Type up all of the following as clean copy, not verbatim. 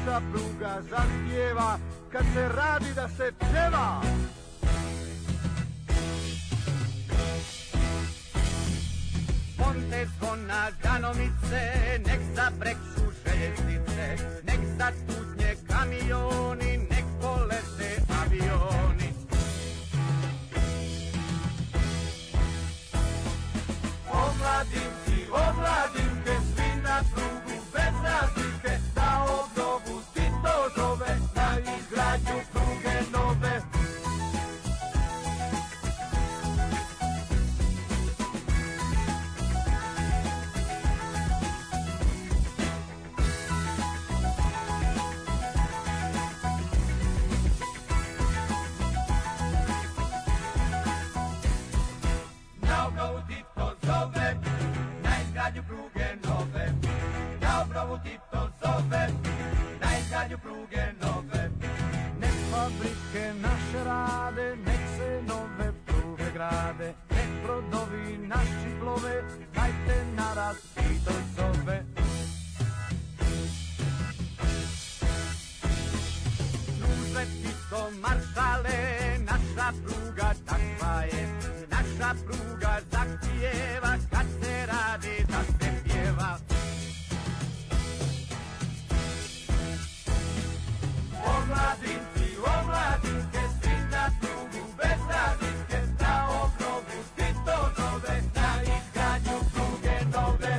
naša pruga zahtijeva, kad se radi da se pjeva. Ponte zvona ganomice, nek zabrekšu željeznice, nek zatutnje kamioni, nek polete avioni. Omladinci, omladinke, svi na prugu bez razlike, da obnovu Tito zove, na izgradnju pruge nove. Na obnovu Tito zove, na izgradnju pruge nove. Na obnovu Tito zove, na izgradnju pruge nove. Nek fabrike naše rade, nek se nove pruge grade, nek brodovi naši plove, dajte narad Tito zove. Služe Tito maršale, naša pruga takva je, naša pruga zahtijeva, kad se radi da se pjeva. Omladinci, omladinke, svi na prugu bez razlike, na obnovu Tito zove, na izgradnju pruge nove.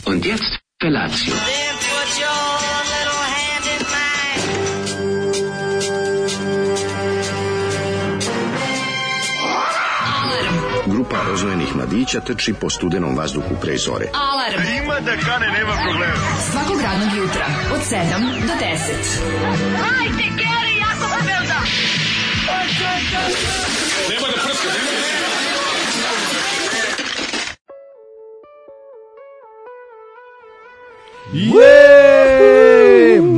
Und jetzt Felatio. Then put your little hand in mine. Grupa rozvojenih mladića trči po studenom vazduhu pre zore. Alarm. Ima da kane, nema problema. Svakog radnog jutra od 7 do 10. Hajde, Geri, jako se velda. Nemoj da prska, nemoj da prska.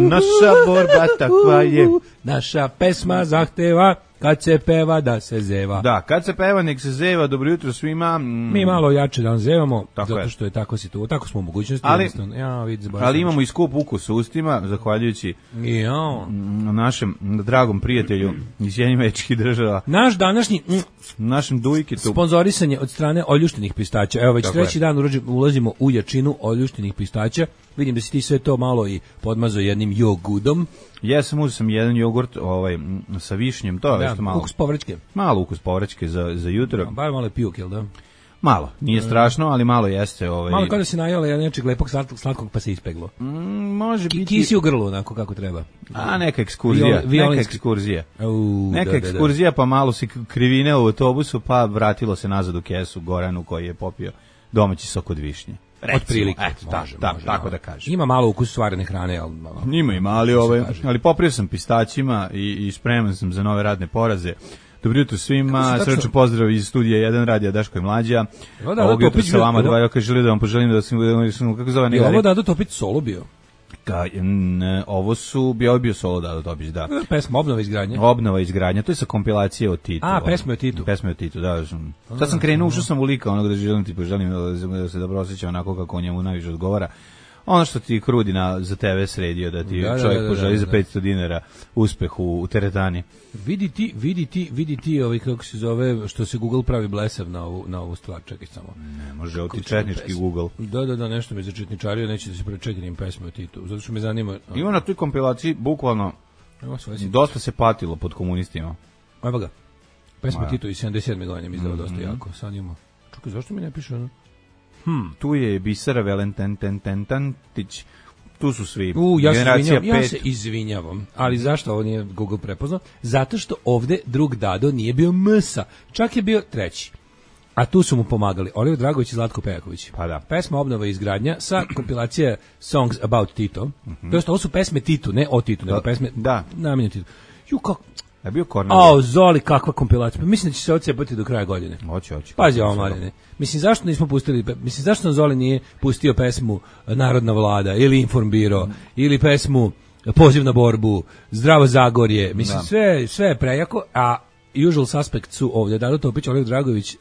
Naša borba takva je. Naša pesma zahteva kad se peva da se zeva. Da, kad se peva nek se zeva. Dobro jutro svima. Mi malo jače da zevamo, tako zato što je tako situacija, tako smo u mogućnosti. Ali imamo i skup ukus u ustima, zahvaljujući našem dragom prijatelju iz Sjedinjenih Država. Naš današnji našem Dujkitu sponzorisanje od strane oljuštenih pistaća. Evo već treći dan ulazimo u jačinu oljuštenih pistaća. Vidim da si ti sve to malo i podmazao jednim jogudom. Jesam, uzeo sam jedan jogurt sa višnjem, to je malo. Ukus povrćke. Malo ukus povrćke za jutro. Bar malo je pijuk, jel da? Malo, nije strašno, ali malo jeste. Malo kao da si najela nečeg lepog slatkog pa se ispeglo. Može biti. Kisi u grlu, onako kako treba. A neka ekskurzija. Neka ekskurzija, pa malo si krivine u autobusu, pa vratilo se nazad u kesu Goranu koji je popio domaći sok od višnje. Otprilike, tako da kažem. Ima malo ukus stvarne hrane, ali ima, ali poprio sam pistaćima i spreman sam za nove radne poraze. Dobro jutro svima, srčan pozdrav iz studija 1 radija Daško i Mlađa. Ovog jutra sa vama dva, želim da vam poželim da sam, kako zove nekada. Je ovo Dado Topić solo bio? Ovo su bio solo Dado Topić, da. Pesma Obnova izgradnja, to je sa kompilacije o Titu. Pesme o Titu, da. Sad sam krenuo, ušao sam u lika onog da želim da se dobro osjeća onako kako on njemu najviše odgovara. Ono što ti krudi za TV sredio, da ti čovjek poželi za 500 dinara uspeh u teretani. Vidi ti kako se zove, što se Google pravi blesav na ovu stvar, čekaj samo. Ne, može oti četnički Google. Da, nešto me začetničario, neće da se prečekam pesme o Titu, zato što me zanima. Ima na toj kompilaciji, bukvalno, dosta se patilo pod komunistima. Evo ga, pesme o Titu i 77. godinjem izdao dosta jako, sad ima. Čekaj, zašto mi ne piše ono? Tu je Bisera Valentantić, tu su svi. Ja se izvinjavam, ali zašto ovo nije Google prepoznao? Zato što ovde drug Dado nije bio Msa, čak je bio treći. A tu su mu pomagali Oliver Dragović i Zlatko Pejaković. Pa da. Pesma Obnova i izgradnja sa kompilacije Songs About Tito. To jest, ovo su pesme Titu, ne o Titu, nego pesme namenjene Titu. Ju, kako... Je bio Kornelije. Zoli, kakva kompilacija. Mislim da će se odsepati do kraja godine. Hoće. Pazi ovo, Marine. Mislim, zašto nismo pustili, zašto nam Zoli nije pustio pesmu Narodna vlada, ili Informbiro, ili pesmu Poziv na borbu, Zdravo Zagorje. Mislim, sve je prejako, a usual suspect su ovdje Dado Topić, Oliver Dragović,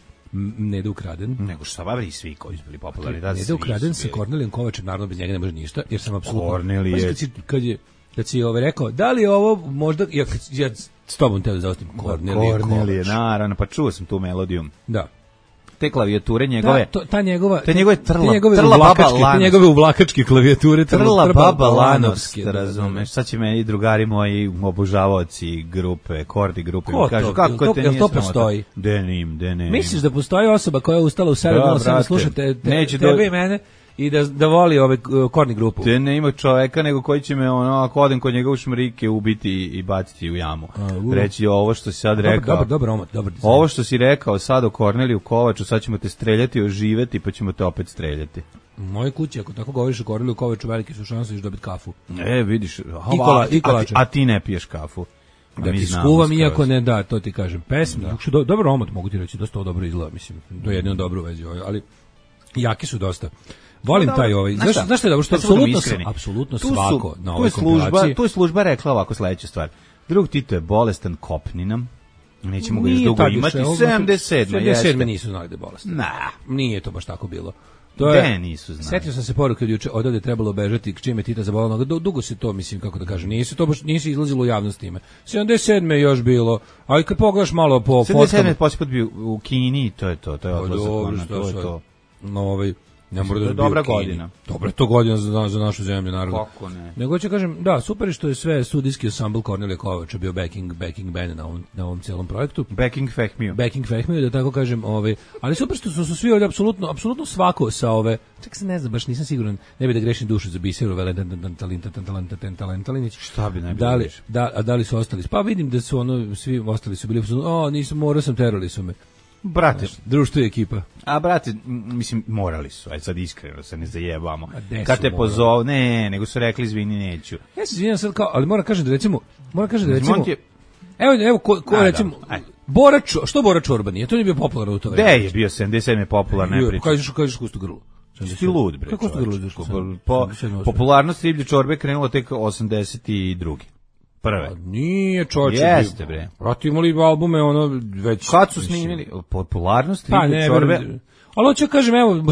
Nede Ukraden. Nego što babri svi koji su bili popularni. Nede Ukraden sa Kornelijom Kovačem, naravno bez njega ne može ništa, jer sam apsolutno... Kornelije... Kad si rekao, da li je ovo možda... Ja s tobom te da zaostim. Kornelije, naravno, pa čuo sam tu melodiju. Da. Te klavijature njegove. Te njegove trla baba Lanovske. Te njegove uvlakačke klavijature. Trla baba Lanovske, razumeš. Sad će meni drugari moji obožavaoci grupe, kordi grupe. Kažu, kako te nije to postoji? Denim. Misliš da postoji osoba koja je ustala u 7:07 slušate tebe i mene? I da voli ove korni grupu. Te ne ima čoveka nego koji će me ako odem kod njega u šmrike ubiti i baciti u jamu. Reći ovo što si sad rekao. Dobar. Ovo što si rekao sad o Korneliju Kovaču, sad ćemo te streljati, oživeti, pa ćemo te opet streljati. U mojoj kući, ako tako govoriš o Korneliju Kovaču, velike su šanse da dobiti kafu. Vidiš. A ti ne piješ kafu. Da ti skuvam, iako ne da, to ti kažem. Pesmi, dobar omot mogu ti reći, dosta ovo dobro izgleda, mislim. To je jedino dobro u vezi, ali jaki su dosta. Volim taj ovaj. Zašto je dobro što apsolutno svako na ovoj kompilaciji. Tu je služba rekla ovako sledeća stvar. Drug Tito je bolestan, kopni nam. Nećemo ga još dugo imati. 77 nisu znali da je bolestan. Nah. Nije to baš tako bilo. Nisu znali. Setio sam se poruke od juče, odavde trebalo bežati, čime Tita zabolela noga. Dugo se to, mislim, kako da kažem, nisu izlazilo u javnost time. 77 je još bilo, ali kad pogledaš malo po fotkama... 77 posljedput bio u Kini, to je odlazak. To je ne mora da je dobra godina. Dobra je to godina za našu zemlju, naravno. Kako ne? Nego ću kažem, da, super je što je sve studijski ensemble Kornelije Kovača bio backing band na ovom cijelom projektu. Backing Fehmiju, da tako kažem, ali super što su svi ovdje apsolutno svako sa ove, čak se ne znam, baš nisam siguran, ne bi da grešim dušu za Biseru, Talentalinić. Šta bi najbolje grešio? Da li su ostali? Pa vidim da su svi ostali su bili, nisam, morao sam, terali su me. Brate, društvo i ekipa. A brate, mislim, morali su, aj sad iskreno se ne zajebamo. Kad te pozove, nego su rekli izvini, neću. Ja se izvinjam sad kao, ali moram kažem da recimo, evo ko recimo, što Bora Čorba nije, to nije bio popularan u to vreme. Je bio 77 je popularan, ne pričam. Kažeš kustu grlo. Ti lud, bre. Kako kustu grlo? Popularnost riblje čorbe krenula tek 82. Prve. Nije čovječe. Jeste, bre. Pratimo li albume, već... Kad su snimili? Popularnost riblje čorbe? Ali hoću kažem, evo,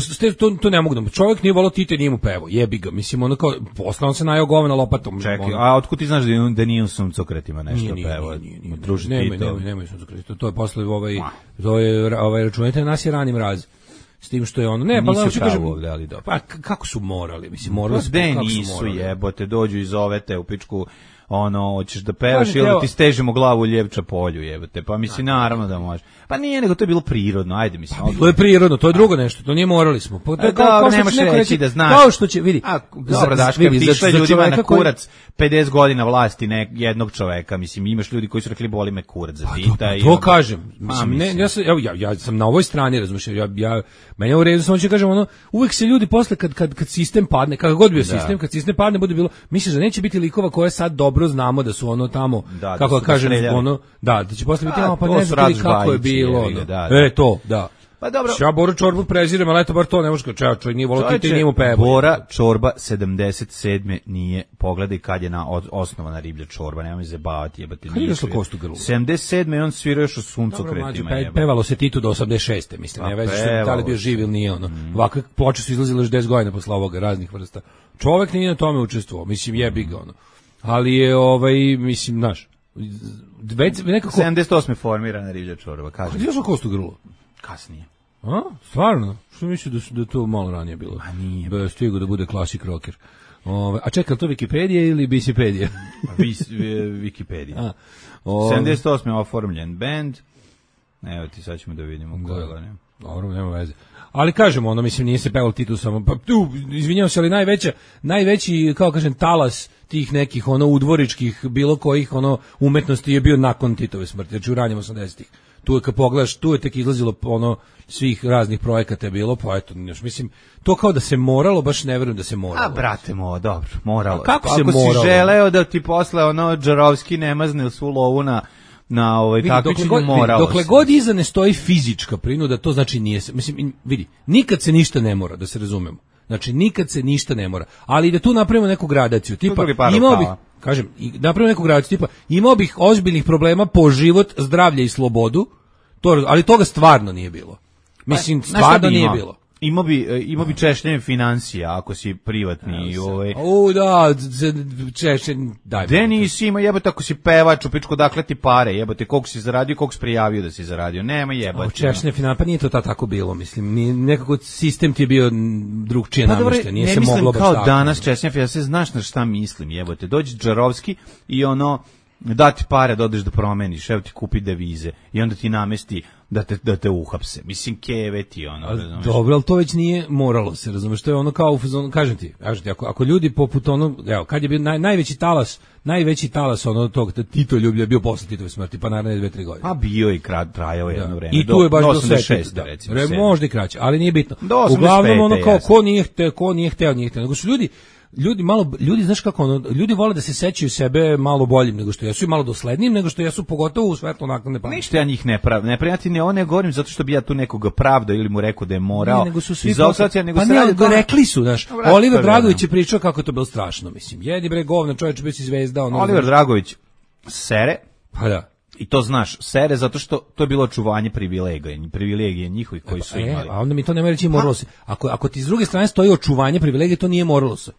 to ne mogu da... Čovjek nije volao Tite, nije mu pevo. Jebi ga. Mislim, kao... Posle on se najao govena lopatom. Čekaj, a otkud ti znaš da nije u Suncokretima nešto pevo? Nije. Nemoj Suncokretima. To je posle računajte, nas je rani mraz. S tim što je ono, ne, pa da ću kažem, pa kako su morali, mislim, morali su, kako nisu jebote, dođu i zovete u pičku, hoćeš da pevaš ili da ti stežemo glavu u Ljevča polju, jebote, pa mislim, naravno da može. Pa nije, nego to je bilo prirodno, ajde, mislim. To je prirodno, to je drugo nešto, to nije morali smo. Pa da, nemaš reći da znaš. Kao što će, vidi. Dobro, daš, kad ti išle ljudima na kurac 50 godina vlasti jednog čoveka, mislim, imaš ljudi koji su rekli boli me kurac za Tita. To kažem, mislim, ja sam na ovoj strani, razumiješ, meni je u redu, samo ću kažem, uvek se ljudi posle, kad sistem padne, kako god bio sistem, kad sistem padne, bude bilo, misliš da neće biti likova koje sad dobro znamo da su tamo, kako da kažem, da će posle biti, pa ne znam kako je bilo. Da. Pa dobro. Ja Boru Čorbu prezirem, ali eto bar to ne može kao čovjek nije volao Tite, nije mu pevo. Bora Čorba 77. nije, pogledaj kad je osnovana riblja čorba, nemoj se zabavati, jebati. Kad je došlo kostu grlu? 77. on svirao još u Suncokretima. Pevalo se Titu do 86. mislim, ne vezi što da li bio živ ili nije ono. Ovakve ploče su izlazile još 10 godina posle ovoga, raznih vrsta. Čovjek nije na tome učestvovao, mislim jebi ga ono. Ali je mislim, znaš, nekako 78. formirana riblja čorba, kažem. Gdje je došlo kostu grlu? Kasnije. A? Stvarno? Što misliš da to malo ranije bilo? A nije. Da stigo da bude klasik rocker. A čekaj, to Wikipedija ili Bicipedija? Wikipedija. 78. oformljen band. Evo ti, sad ćemo da vidimo ko je. Dobro, nema veze. Ali kažemo, mislim, nije se pevalo Titu samo, pa tu, izvinjavam se, ali najveći, kao kažem, talas tih nekih, udvoričkih, bilo kojih, umetnosti je bio nakon Titove smrti, znači u ranjem 80-ih. Tu je kad pogledaš, tu je tek izlazilo ono svih raznih projekata je bilo, pa eto, mislim, to kao da se moralo, baš ne verujem da se moralo. A brate dobro, moralo. A kako se ako moralo? Si želeo da ti posle ono Džarovski ne mazne svu lovu na takmičenju moralo. Dokle god iza ne stoji fizička prinuda, to znači nije se, mislim, vidi, nikad se ništa ne mora, da se razumemo. Znači, nikad se ništa ne mora. Ali da tu napravimo neku gradaciju, tipa, imao bih, kažem, napravimo neku gradaciju, tipa, imao bih ozbiljnih problema po život, zdravlje i slobodu, ali toga stvarno nije bilo. Mislim, stvarno nije bilo. Imao bi češljenje financija ako si privatni. Da, češljenje, daj. Denis ima jebote ako si pevač, u pičku dakle ti pare, jebote koliko si zaradio, koliko si prijavio da si zaradio, nema jebote. Češljenje financija, pa nije to tako bilo, mislim, nekako sistem ti je bio drugčije namješten, nije se moglo baš tako. Ne mislim kao danas češljenje financija, znaš na šta mislim, jebote, dođe Džarovski i ono, da ti pare da odeš da promeniš, evo ti kupi devize i onda ti namesti da te uhapse. Mislim, keve ti ono. Dobro, ali to već nije moralo se, razumeš, to je ono kao, kažem ti, ako ljudi poput ono, evo, kad je bio najveći talas ono tog Tito ljublja bio posle Titove smrti, pa naravno 2-3 godine. A bio i trajao jedno vreme. I tu je baš do 86, recimo. Možda i kraće, ali nije bitno. Uglavnom ono kao, ko nije hteo, nego su ljudi znaš kako ono, ljudi vole da se sećaju sebe malo boljim nego što jesu i malo doslednijim nego što jesu, pogotovo u svetlu naknadne pameti. Ništa ja njih ne prijatelji, ne govorim zato što bi ja tu nekoga pravdao ili mu rekao da je morao. Nego su svi rekli su, znaš, Oliver Dragović je pričao kako je to bilo strašno, mislim. Jedi bre govna, čovjek bio si zvezda, ono. Oliver Dragović sere. Pa da. I to znaš, sere zato što to je bilo očuvanje privilegije njihovih koji su imali. A onda mi to ne reći moralo se. Ako ti s druge strane stoji očuvanje privilegije, to nije moralo se.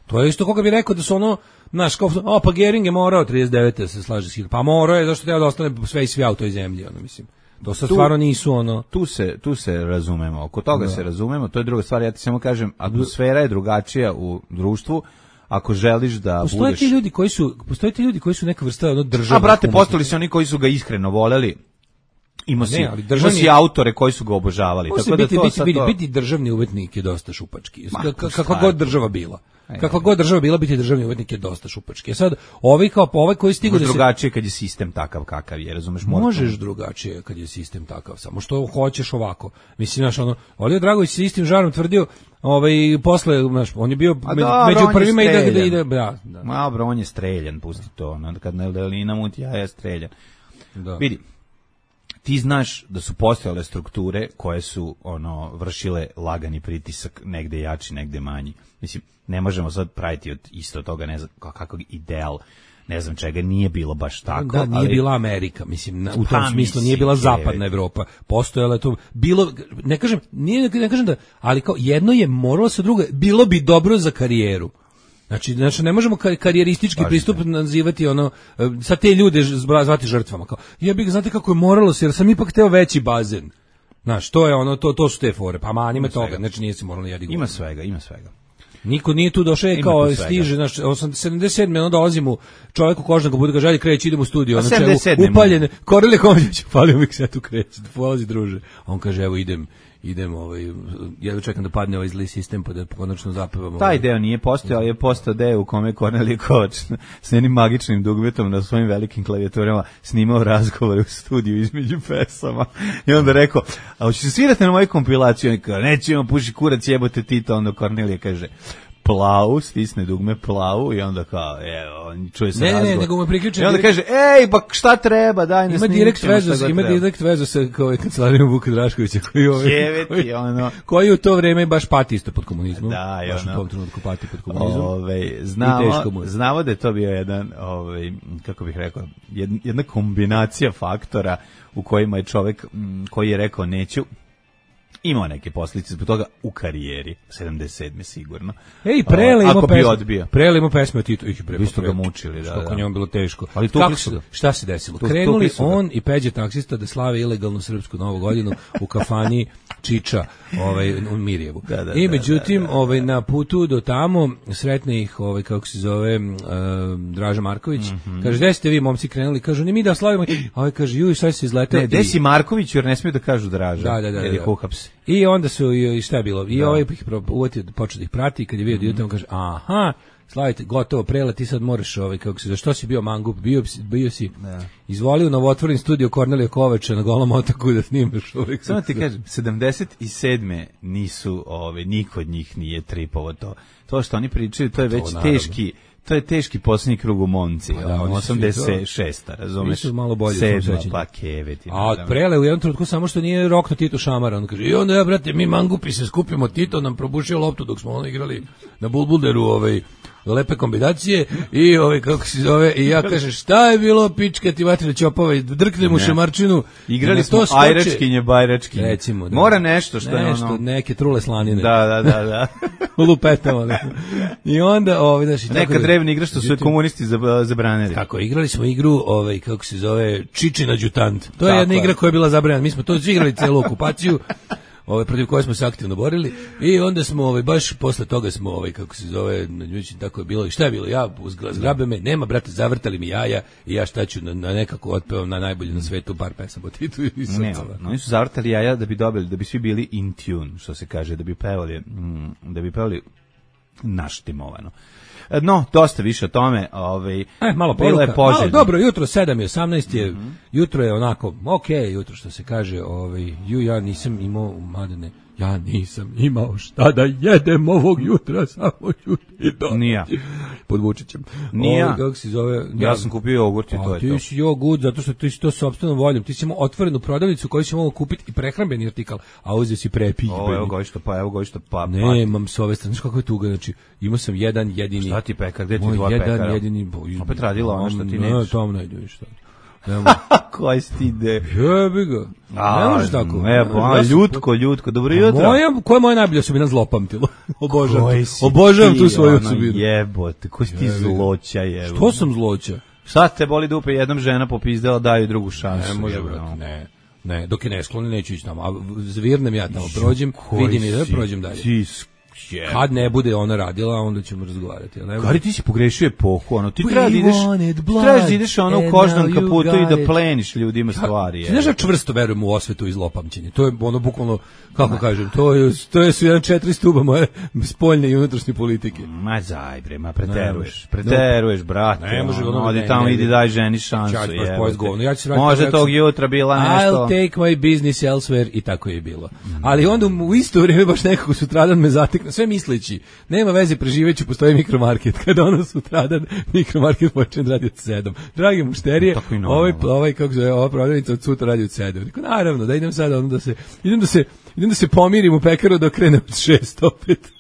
To je isto koga bi rekao da su ono, znaš, kao, pa Gering je morao 39. se slaže s Hitlerom. Pa morao je, zašto treba da ostane sve i svija u toj zemlji, ono, mislim. To sad stvarno nisu, ono. Tu se razumemo, oko toga se razumemo, to je druga stvar, ja ti samo kažem, atmosfera je drugačija u društvu, ako želiš da postoje ti ljudi koji su neka vrsta ono državnog. A brate, postali su oni koji su ga iskreno voleli. Ima si autore koji su ga obožavali. Tako da biti državni umetnik je dosta šupački. Kakva god država bila. Kakva god država bila, biti državni umetnik je dosta šupački. Sad, ovaj koji stigu da se... drugačije kad je sistem takav kakav je, razumeš? Možeš drugačije kad je sistem takav, samo što hoćeš ovako. Mislim, znaš, ono, Oliver Dragović se istim žarom tvrdio, posle, znaš, on je bio među prvima i da. Dobro, on je streljan, pusti to, kad Neldelina muti, ja je streljan. Vidi, ti znaš da su postojale strukture koje su vršile lagani pritisak, negde jači, negde manji. Mislim, ne možemo sad praviti od isto toga, ne znam kakav ideal, ne znam čega, nije bilo baš tako. Da, nije bila Amerika, mislim, u tom smislu nije bila zapadna Evropa. Postojala je to, bilo, ne kažem da, ali kao jedno je moralo sa drugo, bilo bi dobro za karijeru. Znači ne možemo karijeristički pristup nazivati sad te ljude zvati žrtvama. Kao, znate kako je moralo se, jer sam ipak hteo veći bazen. Znaš, to je to su te fore, pa manime toga, znači nije se moralo jedi. Ima svega. Niko nije tu došao kao stiže, znači 77. onda dolazim u čovjeku kožnog bude ga želji kreće, idemo u studio, upaljen, Kornelije Komšić, palio mi se tu kreće, polazi druže. On kaže evo idem jedva čekam da padne ovaj zli sistem pa da konačno zapevamo. Taj deo nije postojao, ali je postao deo u kome Kornelije Kovač s jednim magičnim dugmetom na svojim velikim klavijaturama snimao razgovore u studiju između pesama i onda rekao, a hoćeš svirati na moju kompilaciju? I kaže, nećemo, puši kurac, jebote Tito. Onda Kornelije kaže, plavu, stisne dugme plavu i onda kao, evo, čuje se razgovor. Ne, nego mu priključen. I onda kaže, ej, pa šta treba, daj nas Ima direkt vezu sa kancelarijom Vuka Draškovića, koji u to vreme baš pati isto pod komunizmom. Da, baš u tom trenutku pati pod komunizmom. Znamo da je to bio jedan, kako bih rekao, jedna kombinacija faktora u kojima je čovjek koji je rekao neću, imao neke posljedice zbog toga u karijeri, 77. sigurno. Prele imao pesme o Titu. Vi ste ga mučili, da. Što njom bilo teško. Ali šta se desilo? Krenuli on i Peđa taksista da slave ilegalnu srpsku novu godinu u kafani Čiča u Mirjevu. I međutim, na putu do tamo sretne ih, kako se zove, Draža Marković. Kaže, gde ste vi, momci, krenuli? Kažu, ni mi da slavimo. A kaže, juj, šta se izletao? Ne, gde si Marković, jer ne smiju da kažu Draža. Da. I onda su, i šta je bilo? I ovaj ih uvatio, počeo da ih prati, kad je vidio da idem, kaže, aha, slavite, gotovo, Prela, ti sad moraš, kako se, za što si bio mangup, bio si, izvolio novotvoren studio Kornelija Kovača na Golom otoku da snimaš uvijek. Samo ti kažem, 77. nisu, niko od njih nije tripovo to. To što oni pričaju, to je već teški, to je teški posljednji krug u Monci, 86. razumeš? Nisu malo bolje. 7. pa keveti. A od Prele u jednom trenutku samo što nije rokno Tito šamara, on kaže, i onda ja, brate, mi mangupi se skupimo, Tito nam probušio loptu dok smo igrali na Bulbulderu, lepe kombinacije i kako se zove, i ja kažem, šta je bilo, pička ti vatre ćopova, drknem u šamarčinu. Igrali smo ajračkinje, bajračkinje. Recimo, da. Mora nešto što je ono. Neke trule slanine. Da. Lupetama. I onda, neka drevna igra što su komunisti zabranili. Tako, igrali smo igru, kako se zove, Čičin adjutant. To je jedna igra koja je bila zabranjena. Mi smo to igrali celu okupaciju. Protiv koje smo se aktivno borili i onda smo baš posle toga smo kako se zove, tako je bilo. I šta je bilo? Ja zgrabe me, nema, brate, zavrtali mi jaja i ja šta ću na nekako otpevam na najbolje na svetu par pesama od Titu i Srcova. Oni su zavrtali jaja da bi dobili, da bi svi bili in tune, što se kaže, da bi pevali naštimovano. No, dosta više o tome, malo poruka, malo dobro jutro, 7:18 je, jutro je onako, jutro što se kaže, ja nisam imao, Mladene, ja nisam imao šta da jedem ovog jutra, samo ću ti do. Nija. Pod Vučićem. Nija. Kako se zove? Ja sam kupio jogurt i to je to. Ti si jogurt, zato što ti si to sopstvenom voljom. Ti si imao otvorenu prodavnicu koju si mogao kupiti i prehrambeni artikal, a uzeo si prepijbeni. Evo ga što pa. Nemam s ove strane, kako je tuga, znači, imao sam jedan jedini. Šta ti pekar, gde ti dva pekara? Jedan jedini. Opet radila ono što ti nećeš. Ne, tom ne ideš šta. Koji stide. Jebi ga. Ne možeš tako. Ljutko, dobro jutro. Koja je moja najbolja osobina? Zlopamtilo. Obožavam tu svoju osobinu. Jebote, koji si ti zloća, jebote. Što sam zloća? Sad te boli dupe, jednom žena popizdela, daju drugu šansu. Ne može, brate, ne. Dok je ne skloni, neću ići tamo. A zvirnem ja tamo, prođem, vidim i da prođem dalje. Kad ne bude ona radila, onda ćemo razgovarati. Gari, ti si pogrešio epohu, ti trebaš da ideš u kožnom kaputu i da pleniš ljudima stvari. Ti znaš da čvrsto verujem u osvetu i zlopamćenje. To je bukvalno, kako kažem, to su jedan 4 stuba moje spoljne i unutrašnje politike. Ma zajbre, preteruješ, brate. Ne može, odi tamo, idi daj ženi šansu. Može tog jutra bila nešto. I'll take my business elsewhere i tako je bilo. Ali onda u isto vrijeme baš nekako sutradan me zatekne, sve misleći, nema veze, preživeću, postoji mikromarket. Kada ono sutradan mikromarket počne da radi od 7. Dragi mušterije, ova prodavnica od sutra radi od 7. Rekao, naravno, da idem sada idem da se pomirim u pekaru da krene od 6 opet.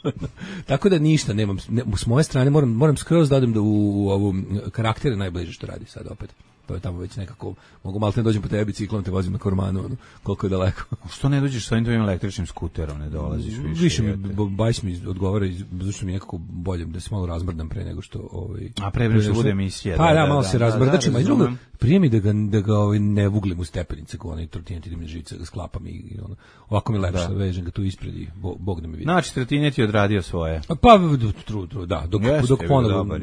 Tako da ništa nemam. S moje strane moram skroz da odem u ovu karaktere najbliže što radi sad opet. To je tamo već nekako, mogu malo ne dođem po tebi biciklom, te vozim na Kormanu, koliko je daleko. Što ne dođeš sa ovim električnim skuterom, ne dolaziš više? Više Bajs mi odgovara, zašto mi je nekako bolje da se malo razmrdam pre nego što... A pre nego što bude emisija. Pa ja malo se razmrdačim, a i drugo, prije mi da ga ne vuglim u stepenice, kao onaj trotinet, idem na živice, ga sklapam i ovako mi lepše, vežem ga tu ispred i Bog da me vidi. Znači, trotinet je odradio svoje. Pa, da, dok ponovno...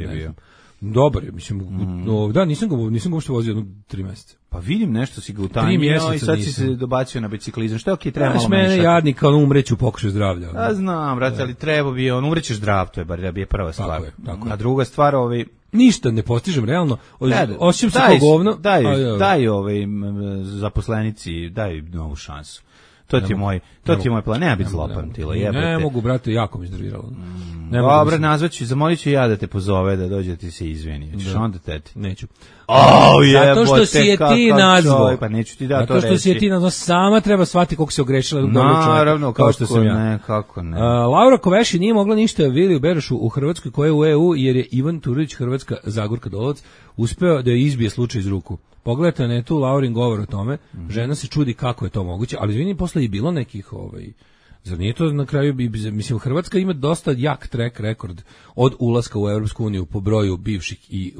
Dobar je, mislim, da, nisam ga uopšte vozio 3 mjeseca. Pa vidim nešto si ga utanjio i sad si se dobacio na biciklizam. Što je okej, treba malo mene jadnik, on umreći u pokušaju zdravlja. A znam, brate, ali treba bi on, umrećeš zdrav, to je bar je prva stvar. Tako je. A druga stvar, ništa ne postižem realno. Osjećam se kao govno. Daj zaposlenici, daj novu šansu. To ti je moj plan, nema biti zlopamtilo, jebote. Ne mogu, brate, jako mi iznerviralo. Dobro, nazvaću, zamolit ću ja da te pozove, da dođe ti se izvini. Hoćeš onda teti? Neću. Zato što si je ti nazvao. Pa neću ti da to reći. Zato što si je ti nazvao, sama treba shvatiti koliko se ogrešila. Naravno, kao što sam ja. Kako ne. Laura Koveši nije mogla ništa Viliju Berošu u Hrvatskoj, koja je u EU, jer je Ivan Turović, Hrvatska Zagorka Dolovac, uspeo da je izbije slučaj iz ruku. Pogledajte na tu Laurin govor o tome, žena se čudi kako je to moguće, ali izvini, posle je bilo nekih, zar nije to na kraju, mislim, Hrvatska ima dosta jak track rekord od ulaska u Europsku uniju po broju bivših i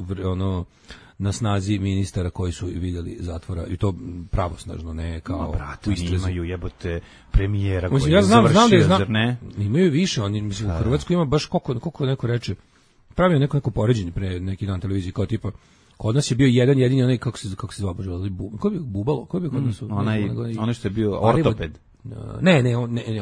na snazi ministara koji su vidjeli zatvora, i to pravosnažno, ne kao u istrazi. Imaju jebote premijera koji je završio, zar ne? Imaju više, oni, mislim, u Hrvatskoj ima baš koliko neko reče, pravio neko poređenje pre neki dan televiziji, kao tipa, kod nas je bio jedini onaj, kako se zvao, ko je bio Bubalo? Ko je bio kod nas? Onaj što je bio ortoped.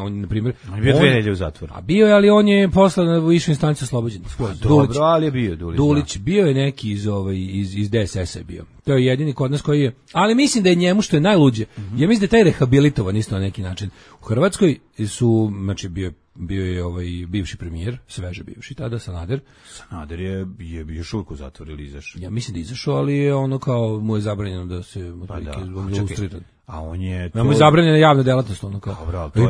on na primjer... On je bio 2 nedelje u zatvoru. A bio je, ali on je posle na višu instanciju oslobođen. Dobro, ali je bio Dulić. Dulić, bio je neki iz DSS-a je bio. To je jedini kod nas koji je... Ali mislim da je njemu što je najluđe. Ja mislim da je taj rehabilitovan isto na neki način. U Hrvatskoj su, znači bio je bivši premijer, sveže bivši tada, Sanader. Sanader je još uvijek u zatvoru ili izašao? Ja mislim da izašao, ali je ono kao mu je zabranjeno da se ilustriran. A on je... Mu je zabranjena javna delatnost, ono kao. Dobro, je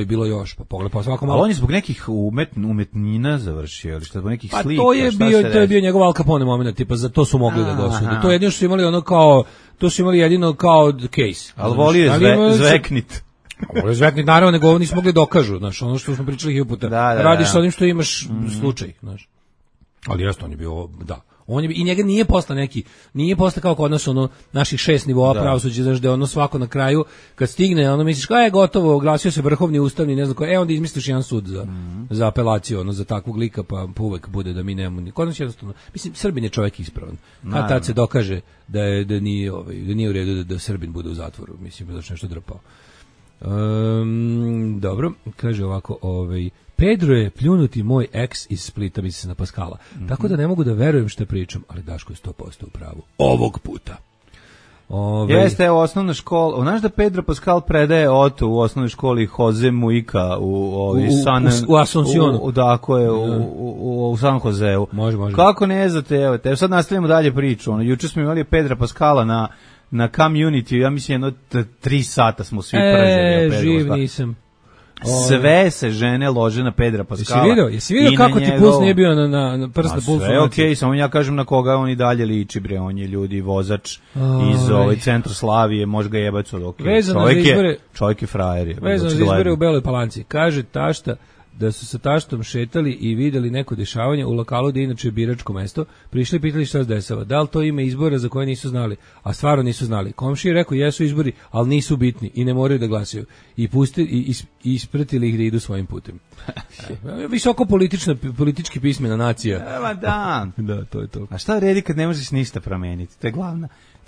bilo još, pa pogledaj pa svako malo. Ali on je zbog nekih umetnina završio, ili šta, zbog nekih slika. Pa to je bio njegov Al Capone moment, tipa za to su mogli da ga osude. To jedino što su imali ono kao, to su imali jedino kao case. Ali volio je zveknit. Volio zveknit, naravno, nego nisu mogli dokažu, znaš, ono što smo pričali hiljadu puta. Radiš sa onim što imaš slučaj, znaš. Ali jasno, on je bio, da. I njega nije posle kao kod nas ono naših 6 nivoa pravosuđa, znaš, da je ono svako na kraju kad stigne, ono misliš kao je gotovo, oglasio se vrhovni ustavni, ne znam ko, onda izmisliš jedan sud za apelaciju, ono za takvog lika, pa uvek bude da mi nemamo ni kod nas jednostavno. Mislim, Srbin je čovjek ispravan. Kad tad se dokaže da nije u redu da Srbin bude u zatvoru, mislim da je nešto drpao. Dobro, kaže ovako, Pedro je pljunuti moj ex iz Splita, misli se na Paskala. Tako da ne mogu da verujem što pričam, ali Daško je 100% u pravu. Ovog puta. Jeste, u osnovnoj školi. Znaš da Pedro Pascal predaje Oto u osnovnoj školi Jose Mujica u Asuncionu. Dakle, u San Joseu. Može. Kako ne znate, evo, te sad nastavljamo dalje priču. Juče smo imali Pedra Pascala na Community, ja mislim 3 sata smo svi pržili. Živ nisam. Sve se žene lože na Pedra Pascala. Jesi vidio kako ti puls nije bio na prst na pulsu? Sve okej, samo ja kažem na koga on i dalje liči, bre, on je ljudi vozač iz centra Slavije, može ga jebati od okej. Čovjek je frajer. Vezano za izbore u Beloj Palanci. Kaže tašta da su sa taštom šetali i videli neko dešavanje u lokalu gde inače je biračko mesto, prišli i pitali šta se dešava. Da li to ima izbora za koje nisu znali? A stvarno nisu znali. Komšija je rekao jesu izbori, ali nisu bitni i ne moraju da glasaju. I ispratili ih da idu svojim putem. Visoko politički pismena nacija. Evo da. Da, to je to. A šta vredi kad ne možeš ništa promeniti? To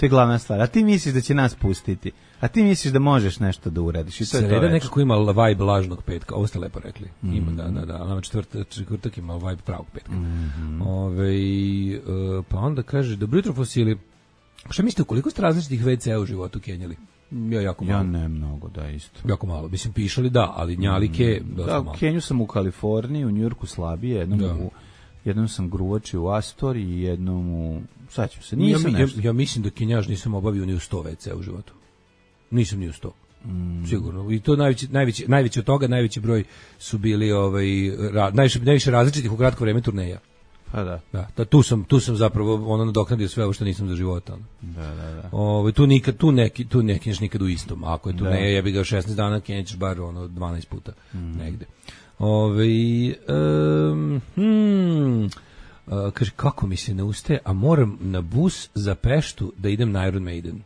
je glavna stvar. A ti misliš da će nas pustiti? A ti misliš da možeš nešto da uradiš? I to je Sreda nekako ima vibe lažnog petka. Ovo ste lepo rekli. Ima, da. Ali četvrtak ima vibe pravog petka. Pa onda kaže, dobro jutro fosili. Šta mislite, koliko ste različitih WC-a u životu kenjali? Ja ne mnogo, da, isto. Jako malo. Mislim, pišali da, ali njalike dosta malo. Kenju sam u Kaliforniji, u Njujorku slabije, jednom sam gruvači u Astor i jednom u... Saćam se, ja mislim da kenjaž nisam obavio ni u 100 WC u životu. Nisam ni u 100. Sigurno. I to najveći od toga, najveći broj su bili najviše različitih u kratko vreme turneja. Pa da. Da, tu sam zapravo nadoknadio sve ovo što nisam za života. Da. Tu ne kenjaš nikad u istom. Ako je turneja, ja bih ga 16 dana kenjaš bar 12 puta negde. Kaže, kako mi se ne ustaje, a moram na bus za Peštu da idem na Iron Maiden.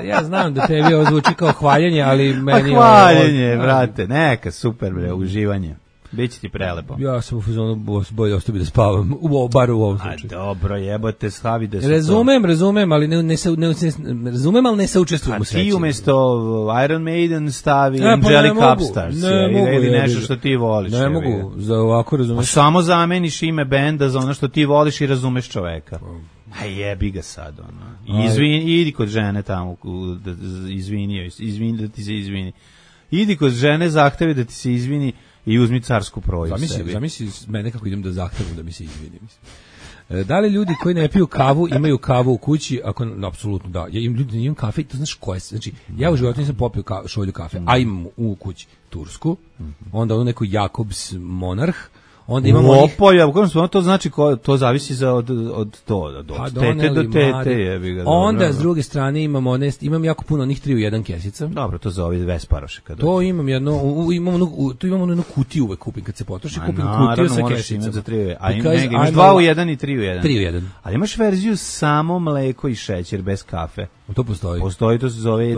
Ja znam da tebi ovo zvuči kao hvaljanje, ali meni... Hvaljanje, brate, neka, super, bre, uživanje. Biće ti prelepo. Ja sam u fazonu bolje ostavi da spavam, bar u ovom slučaju. A dobro, jebote, stavi da se Razumem, ali ne saučestvujem u sreći. A ti umjesto Iron Maiden stavi Angelic Upstars. Ili nešto što ti voliš. Ne mogu, za ovako razumeš. Samo zameniš ime benda za ono što ti voliš i razumeš čoveka. A jebi ga sad, idi kod žene tamo, izvini da ti se izvini. Idi kod žene, zahtevi da ti se izvini i uzmi carsku proju. Zamisli mene kako idem da zahtevam da mi se izvini. Da li ljudi koji ne piju kavu imaju kavu u kući? Apsolutno da. Ja imam kafe, to znaš koje se. Znači, ja u životu nisam popio šolju kafe, a imam u kući tursku, onda neku Jakobs Monarh, onda imamo to znači to zavisi od tete do tete, jebi ga. Onda s druge strane imam jako puno onih 3 u 1 kesica. Dobro, to zove Vesparoše kad. To imam imamo jednu kutiju uvek kupim kad se potroši, kupim kutiju sa kesicama. A imaš 2 u 1 i 3 u 1. 3 u 1. Ali imaš verziju samo mleko i šećer bez kafe. To postoji. To se zove 0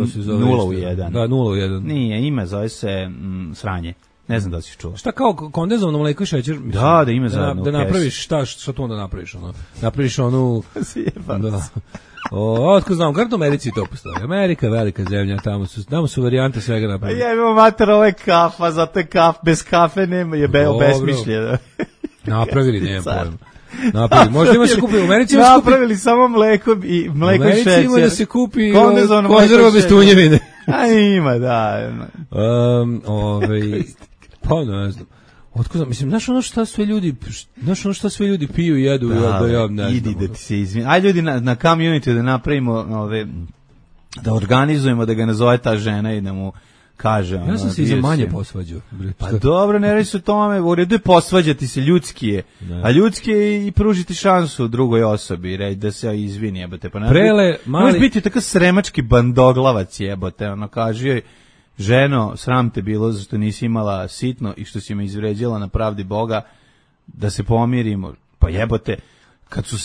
u 1. Da, 0 u 1. Nije, zove se sranje. Ne znam da si čuo. Šta kao kondenzovano mleko i šećer? Mislim, da ima zajedno. Da napraviš, šta to onda napraviš? Napraviš onu... Otko znam, kako u Americi to postoji? Amerika je velika zemlja, tamo su varijante svega napravili. Ja imam mater, ovo je kafa, zato je bez kafe nema, je besmišljeno. Napravili, nema pojma. Napravili. Možda ima se kupi u Americi. Napravili samo mleko i šećer. U Americi ima da se kupi konzerva bez tunjevine. A ima, da. Pa ne znam. Otko znam, mislim, znaš ono šta sve ljudi piju i jedu, ja ne znam. Idi da ti se izvini. Ajde ljudi na community da napravimo, da organizujemo, da ga nazove ta žena i da mu kaže. Ja sam se i za manje posvađao. Pa dobro, ne radi se o tome, u redu je posvađati se, ljudski je. A ljudski je i pružiti šansu drugoj osobi, reći da se izvini, jebote. Pa možeš biti tako sremački bandoglavac, jebote, kaže joj, ženo, sram te bilo zašto nisi imala sitno i što si me izvređala na pravdi Boga, da se pomirimo. Pa jebote, kad su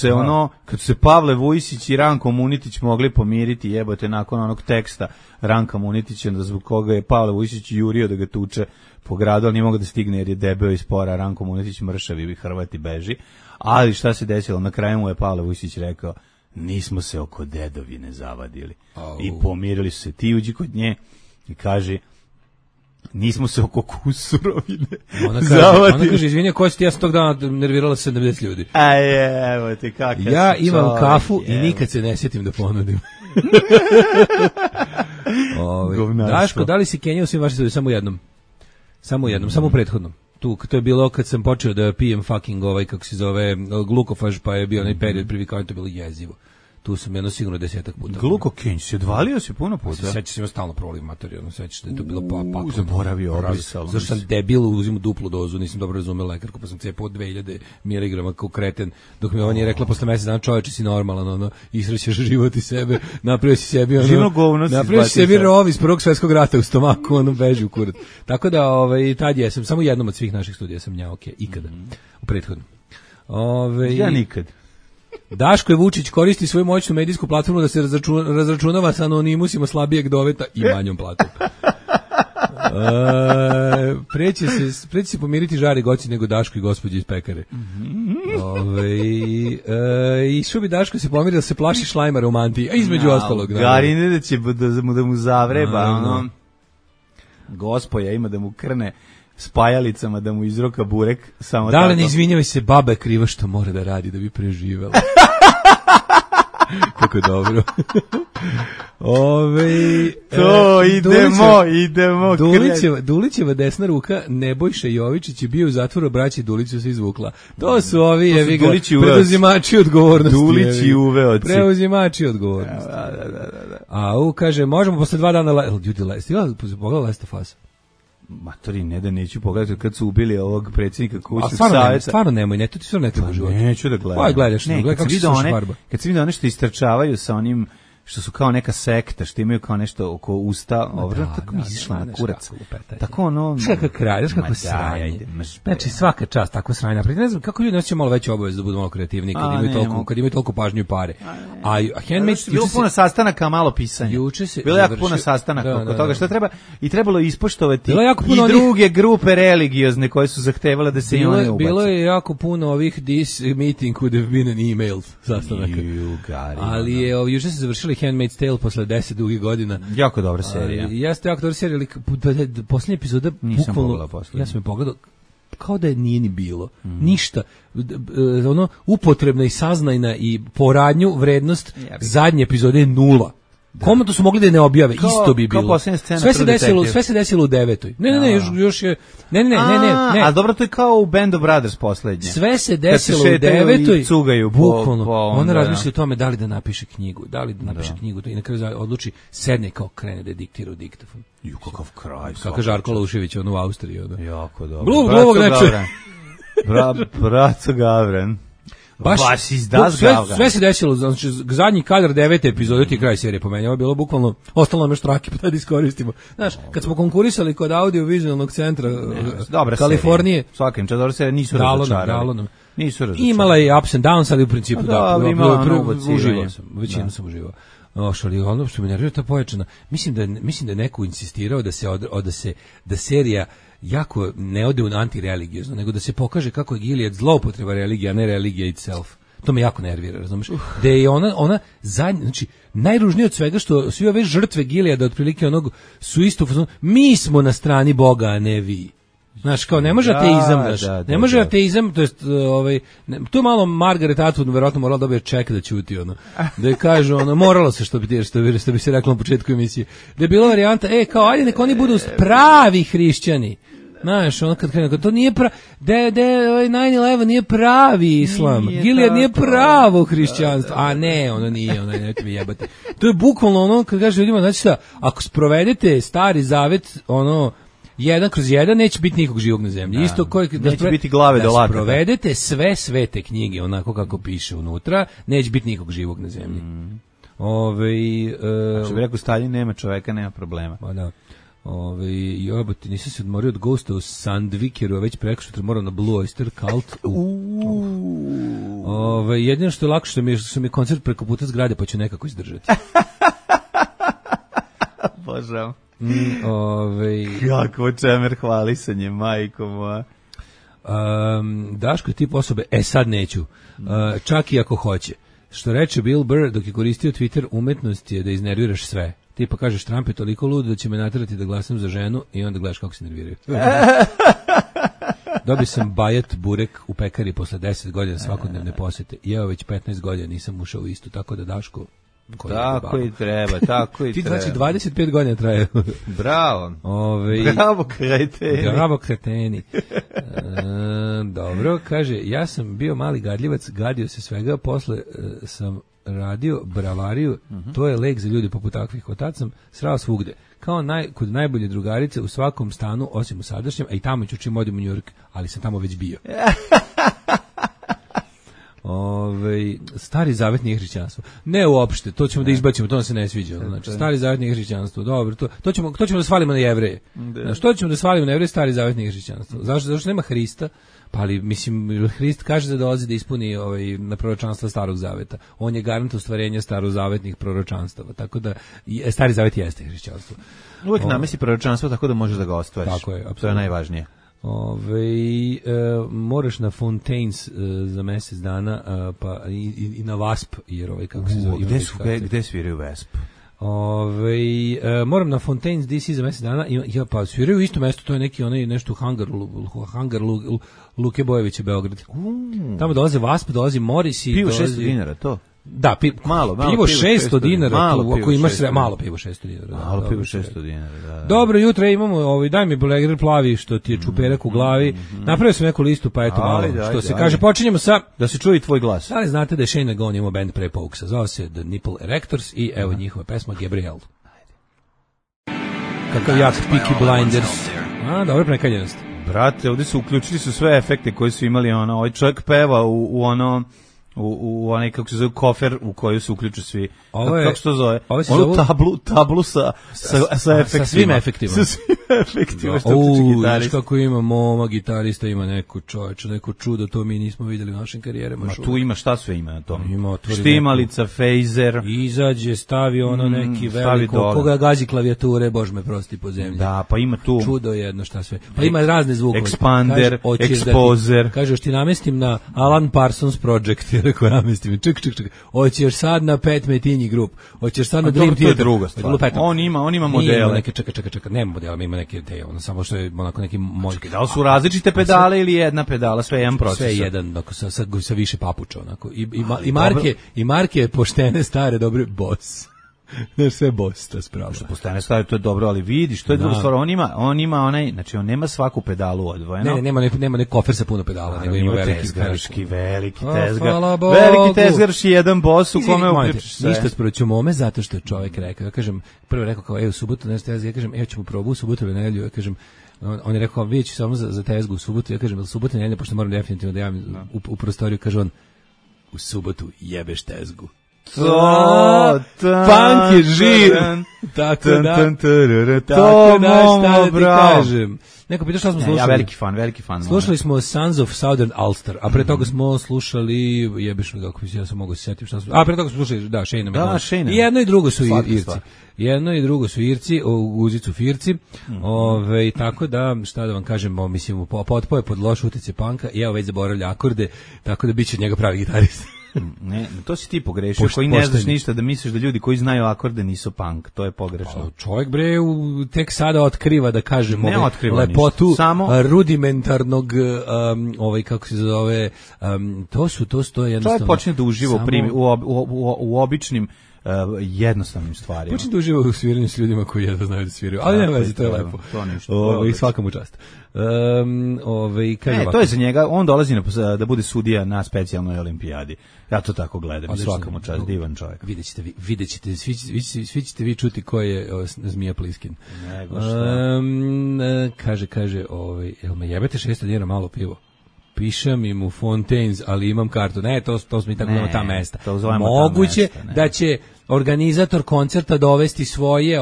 se Pavle Vujsić i Ranko Munitić mogli pomiriti, jebote, nakon onog teksta Ranka Munitića, da zbog koga je Pavle Vujsić jurio da ga tuče po gradu, ali nije mogao da stigne jer je debeo i spora, Ranko Munitić mršavi i Hrvati beži. Ali šta se desilo? Na kraju mu je Pavle Vujsić rekao, nismo se oko dedovine zavadili. I pomirili su se. Ti uđi kod nje i kaže, nismo se oko kusurovine zavadili. Ona kaže, izvinja, ko si ti, ja sam tog dana nervirala 70 ljudi. Evo te kakav. Ja imam kafu i nikad se ne sjetim da ponudim. Daško, da li si Kenja u svim vašim studiju? Samo jednom, samo prethodnom. To je bilo kad sam počeo da pijem fucking kako se zove, glukofaž, pa je bio onaj period privikavanja, to je bilo jezivo. Tu sam jedno sigurno 10 puta. Glukokenj, si odvalio si puno puta? Sećaš se, ima stalno proliv materijalno, sećaš da je to bilo patom. Zaboravio obrisalo. Zašto sam debil, uzim duplu dozu, nisam dobro razumeo lekarku, pa sam cepao 2000 mg kao kreten, dok mi ona nije rekla posle mesec dana, čoveče si normalan, isrećeš život i sebe, napravio si sebi napravio si sebi rov iz Prvog svjetskog rata u stomaku, beži u kurac. Tako da, tad jesam, samo jednom od svih naših studija sam njao, ikada, u prethodnom. Ja nikad. Daško Vučić koristi svoju moćnu medijsku platformu da se razračunava sa anonimusima slabijeg doveta i manjom platom. Preći se pomiriti žari goci nego Daško i gospođe iz pekare. I što bi Daško se pomiri da se plaši šlajmara u mantiji, a između ostalog. Garine da će da mu zavreba, gospoja ima da mu krne spajalicama, da mu izroka burek. Samo da li ne izvinjavaj se, baba je kriva što mora da radi da bi preživela. Kako je dobro. Idemo. Dulićeva desna ruka Nebojša Jovičić je bio u zatvoru, braći Duliću se izvukla. To su ovi preuzimači odgovornosti. Dulići uveoci. Preuzimači odgovornosti. A kaže, možemo posle 2 dana ljudi pogledala Last of Us. Matori, ne da neću pogledati kad su ubili ovog predsjednika kućnog savjeta. Stvarno nemoj, ne, to ti stvarno ne treba život. Neću da gledam. Aj, gledaš, kako se sluša farba. Kad se vidi one što istrčavaju sa onim, što su kao neka sekta, što imaju kao nešto oko usta, tako mi izišla na kurac. Tako Kako kraj, kako sranje. Znači, svaka čast tako sranje. Ne znam, kako ljudi neće malo veće obaveze da budu malo kreativni kad imaju toliko pažnju i pare. A Handmaid's... Bilo puno sastanaka, malo pisanja. Bilo jako puno sastanaka oko toga što treba i trebalo ispoštovati i druge grupe religiozne koje su zahtevale da se i one ubaci. Bilo je jako puno ovih this meeting would have been an email sastanaka. Ali je juče se završili Handmaid's Tale posle 10 dugih godina. Jako dobra serija. Jeste jako dobra serija, ali posljednja epizoda bukvalno, ja sam je pogledao, kao da je nije ni bilo. Ništa. Upotrebna i saznajna i poradnju vrednost zadnje epizode je 0. Komu to su mogli da ne objave, isto bi bilo. Sve se desilo u 9. Ne, još je. Ne. A dobro, to je kao u Band of Brothers poslednje. Sve se desilo u 9. Cugaju bukvalno. Ona razmišlja o tome da li da napiše knjigu, i na kraju odluči, sedne kao krene da diktira u diktafon. Kakav kraj. Kako Žarko Laušević u Austriji. Jako dobro. Gluvog neče. Braco Gavran. Sve se desilo, znači zadnji kadar 9. epizode ti kraj serije po meni, ovo je bilo bukvalno, ostalo nam još trake pa da iskoristimo. Znaš, kad smo konkurisali kod audio-vizualnog centra Kalifornije, svakim čas dobra serija, nisu razočarali. Imala je ups and downs, ali u principu uživao sam, većinu sam uživao. Ali ono što mi nervira ta pojačana, mislim da je neko insistirao da serija jako ne ode u antireligiozno, nego da se pokaže kako je Gilead zloupotreba religija, a ne religija itself. To me jako nervira, razumeš? Da je ona zadnja, znači najružnije od svega što svi ove žrtve Gileada otprilike onog su isto, mi smo na strani Boga, a ne vi. Znaš, kao ne može ateizam, ne može ateizam, to jest tu malo Margaret Atwood verovatno morala dobije ček da ćuti da je kaže moralo se što bi se reklo na početku emisije. Da je bila varijanta, kao ajde nek oni budu pravi hrišćani. Znaš, kad krenu, to nije 9/11 nije pravi islam. Gilead nije pravo hrišćanstvo. A ne, nije, nemojte mi jebati. To je bukvalno kad kaže ljudima, znači šta, ako sprovedete stari zavet, 1/1 neće biti nikog živog na zemlji. Isto neće biti glave do lakata. Sprovedete sve svete knjige onako kako piše unutra, neće biti nikog živog na zemlji. Što bi rekao Stalin, nema čoveka, nema problema. Pa da. Jebote, nisam se odmorio od Ghosta u Sandvikeru, a već preko što moram na Blue Oyster Cult. Jedino što je lako što mi je koncert preko puta zgrade, pa ću nekako izdržati. Božam. Kako čemer hvalisanje, majko moja. Daško je tip osobe, sad neću, čak i ako hoće. Što reče Bill Burr dok je koristio Twitter, umetnost je da iznerviraš sve. Ti pa kažeš Trump je toliko lud da će me naterati da glasam za ženu i onda gledaš kako se nerviraju. Dobio sam bajat burek u pekari posle 10 godina svakodnevne posete. Jeo već 15 godina nisam ušao u istu, tako da Daško... Tako i treba. Ti znači 25 godina traje. Bravo. Bravo kreteni. Dobro, kaže, ja sam bio mali gadljivac, gadio se svega, posle sam radio bravariju, to je lek za ljudi poput takvih. Od tad sam srao svugde. Kao kod najbolje drugarice u svakom stanu, osim u sadašnjem, a i tamo ću čim odim u New York, ali sam tamo već bio. Stari zavet nije hrišćanstvo. Ne uopšte, to ćemo da izbacimo, to nam se ne sviđa. Znači, stari zavet nije hrišćanstvo. Dobro, to ćemo da svalimo na Jevreje. Znači, to ćemo da svalimo na Jevreje, stari zavet nije hrišćanstvo. Zašto? Zato što nema Hrista. Pa ali, mislim, Hrist kaže da dolazi da ispuni na proročanstva starog zaveta. On je garant ostvarenja starozavetnih proročanstava. Tako da, stari zavet jeste hrišćanstvo. Uvijek namesi proročanstvo tako da možeš da ga ostvariš. Tako je, apsolutno. To je najvažnije. Moraš na Fontaines za mjesec dana, pa i na Wasp, jer kako se zove. Gde sviraju Wasp? Moram na Fontaines DC za mjesec dana, pa sviraju isto mjesto, to je neki nešto Hangar Luke Bojevića, Beograd. Tamo dolaze Wasp, dolazi Morris i pivo $600, to? Da, pivo $600 dinara, ako imaš malo pivo $600 dinara. Malo pivo $600 dinara, da. Dobro jutro, imamo, daj mi Boleger plavi što ti je čuperak u glavi. Napravio sam neku listu, pa eto malo, što se kaže, počinjemo sa... Da se čuje tvoj glas. Ali znate da je Shane McGowan imao band pre Pokesa, zvao se The Nipple Erectors i evo njihova pesma Gabriel. Kakav jak Peaky Blinders. Dobro prekaljenost. Brate, ovdje su uključili sve efekte koji su imali, ovaj čovjek peva u onaj, kako se zove, kofer u koju se uključu svi. Kako se to zove? Tablu sa efektima. Sa svim efektima. Sa svim efektima, što tiče gitarista. Kako ima moma gitarista, ima neko čudo, to mi nismo vidjeli u našim karijerama. Tu ima, šta sve ima na tom? Štimalica, fejzer. Izađe, stavi neki veliko, koga gazi klavijature, bož me prosti po zemlji. Da, pa ima tu. Čudo jedno, šta sve. Pa ima razne zvukove. Expander, Exposer. Kaže, ti namestim na Alan Parsons Project, rekao namestim, ček. Hoćeš sad na Pat Metheny Group, hoćeš sad na Dream Theater. To je druga stvar. On ima modele. Čekaj, nema modela, ima neke te, samo što je onako neki moj. Da li su različite pedale ili jedna pedala, sve jedan procesor? Sve jedan, sa više papuča, onako. I marke poštene, stare, dobre, Boss. Znaš, sve Boss, to je spravo. Što postane stvari, to je dobro, ali vidiš, to je druga stvar. On ima onaj, znači on nema svaku pedalu odvojeno. Ne, nema ne kofer sa puno pedala, nego ima veliki tezgar. Veliki tezgarš i jedan Boss u kome uključiš sve. Ništa sproću mome, zato što je čovjek rekao, ja kažem, prvo rekao kao, u subotu, nešto ja kažem, ćemo probu u subotu ili nedelju, ja kažem, on je rekao, vidjet ću samo za tezgu u subotu, ja kažem, subotu nedelju, pošto moram definitivno da javim u prostoriju, kaže on, u subotu jebeš tezgu. Punk je živ. Tako da šta da ti kažem. Neko pita šta smo slušali. Ja veliki fan. Slušali smo Sons of Southern Ulster, a pre toga smo slušali, jebeš me kako ja sam mogu se sjetiti šta smo. A pre toga smo slušali, Shane McGowan. I jedno i drugo su Irci. Jedno i drugo su Irci, Guzicu Firci. Tako da, šta da vam kažemo, mislim, potpoje pod loš utjecaj punka i evo već zaboravlja akorde, tako da biće od njega pravi gitarist. Ne, to si ti pogrešio, koji ne znaš ništa, da misliš da ljudi koji znaju akorde nisu punk, to je pogrešno. Čovjek bre tek sada otkriva, da kažemo, lepotu rudimentarnog kako se zove, to je jednostavno. Čovjek počne da uživa u običnim jednostavnim stvarima. Počne da uživa u sviranju s ljudima koji jedva znaju da sviraju, ali nema veze, to je lepo. I svaka mu čast. To je za njega, on dolazi da bude sudija na specijalnoj olimpijadi. Ja to tako gledam, svaka mu čast, divan čovjek. Vidjet ćete, svi ćete vi čuti ko je Zmija Pliskin. Nego šta. Kaže, jel me jebete 600 dinara malo pivo? Pišem im u Fontaines, ali imam kartu. Ne, to smo i tako ta mesta. Moguće da će organizator koncerta dovesti svoje,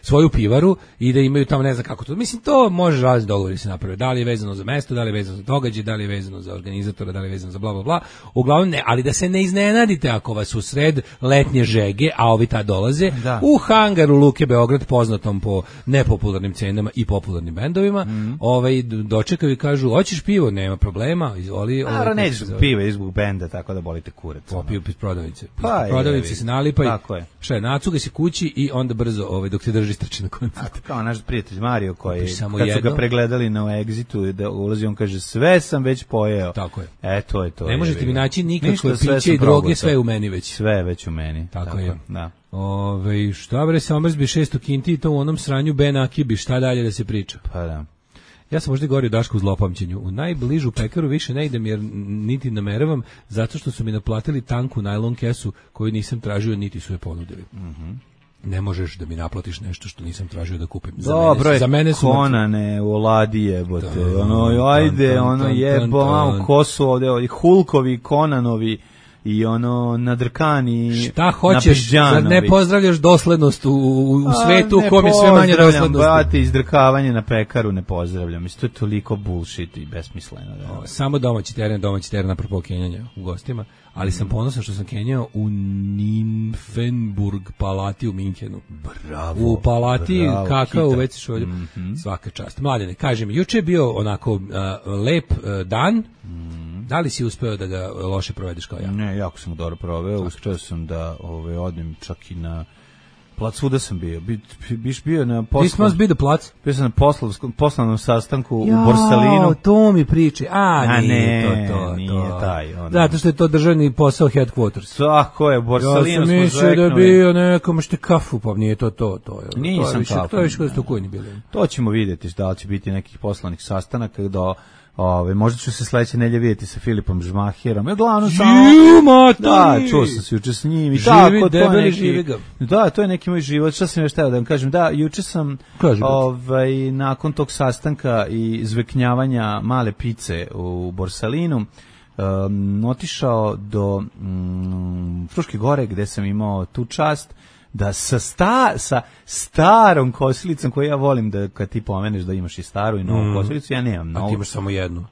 svoju pivaru i da imaju tamo, ne znam kako to. Mislim, to može razni dogovori se napraviti. Da li je vezano za mesto, da li je vezano za događaj, da li je vezano za organizatora, da li je vezano za bla, bla, bla. Uglavnom ne, ali da se ne iznenadite ako vas u sred letnje žege, a ovi tad dolaze, u hangaru Luke Beograd, poznatom po nepopularnim cenama i popularnim bendovima, dočekaju i kažu, hoćeš pivo? Nema problema, izvoli. Nećeš piva izbog benda, tako da bolite kurac. Popiju piz prodavnice. Prodavnice se nalipaju. Tako je. Šta je, nacuga se kući i onda brzo dok te drži strči na koncert. Kao naš prijatelj Mario koji kad su ga pregledali na Exitu da ulazi, on kaže sve sam već pojeo. Tako je. To je to. Ne možete mi naći nikakve piće i droge, sve u meni već. Sve već u meni. Tako je. Da. Šta bre, se omrzbi 600 kinti i to u onom sranju Ben Akibi, šta dalje da se priča? Pa da. Ja sam možda govorio Dašku u zlopamćenju. U najbližu pekaru više ne idem jer niti nameravam, zato što su mi naplatili tanku najlon kesu koju nisam tražio, niti su je ponudili. Ne možeš da mi naplatiš nešto što nisam tražio da kupim. Za mene su Konane, Oladi jebote. Ajde, jebo, ko su ovde, Hulkovi, Konanovi, i nadrkani. Šta hoćeš, zar ne pozdravljaš doslednost u svetu u kom je sve manje doslednosti? Izdrkavanje na pekaru ne pozdravljam. To je toliko bullshit i besmisleno. Samo domaći teren apropo kenjanja u gostima, ali sam ponosan što sam kenjao u Nymphenburg palati u Minhenu. Bravo. U palati kakao u već šolju. Svaka čast. Mladene, kaži mi, juče je bio onako lep dan. Da li si uspeo da ga loše provedeš kao ja? Ne, jako sam dobro proveo. Uspeo sam da odem čak i na plac, svuda sam bio. Biš bio na This must be the plac. Bio sam na poslovnom sastanku u Borsalinu. To mi priči. Nije taj. Zato što je to državni posao headquarters. Tako je, u Borsalinu smo rekli. Ja sam mislio da bio nekom što kafu, pa nije to. Nisam kafu. To je više kada ste kojni bili. To ćemo vidjeti da li će biti nekih poslanih sastanaka možda ću se sledeće nedelje vidjeti sa Filipom Žmaherom. Glavno čuo sam se juče s njim i tako, to je neki moj život. Šta sam još htio da vam kažem? Da, juče sam nakon tog sastanka i zveknjavanja male pice u Borsalinu otišao do Fruške gore gde sam imao tu čast da sa starom kosilicom koju ja volim, da kad ti pomeneš da imaš i staru i novu kosilicu, ja nemam novu. A ti imaš samo jednu.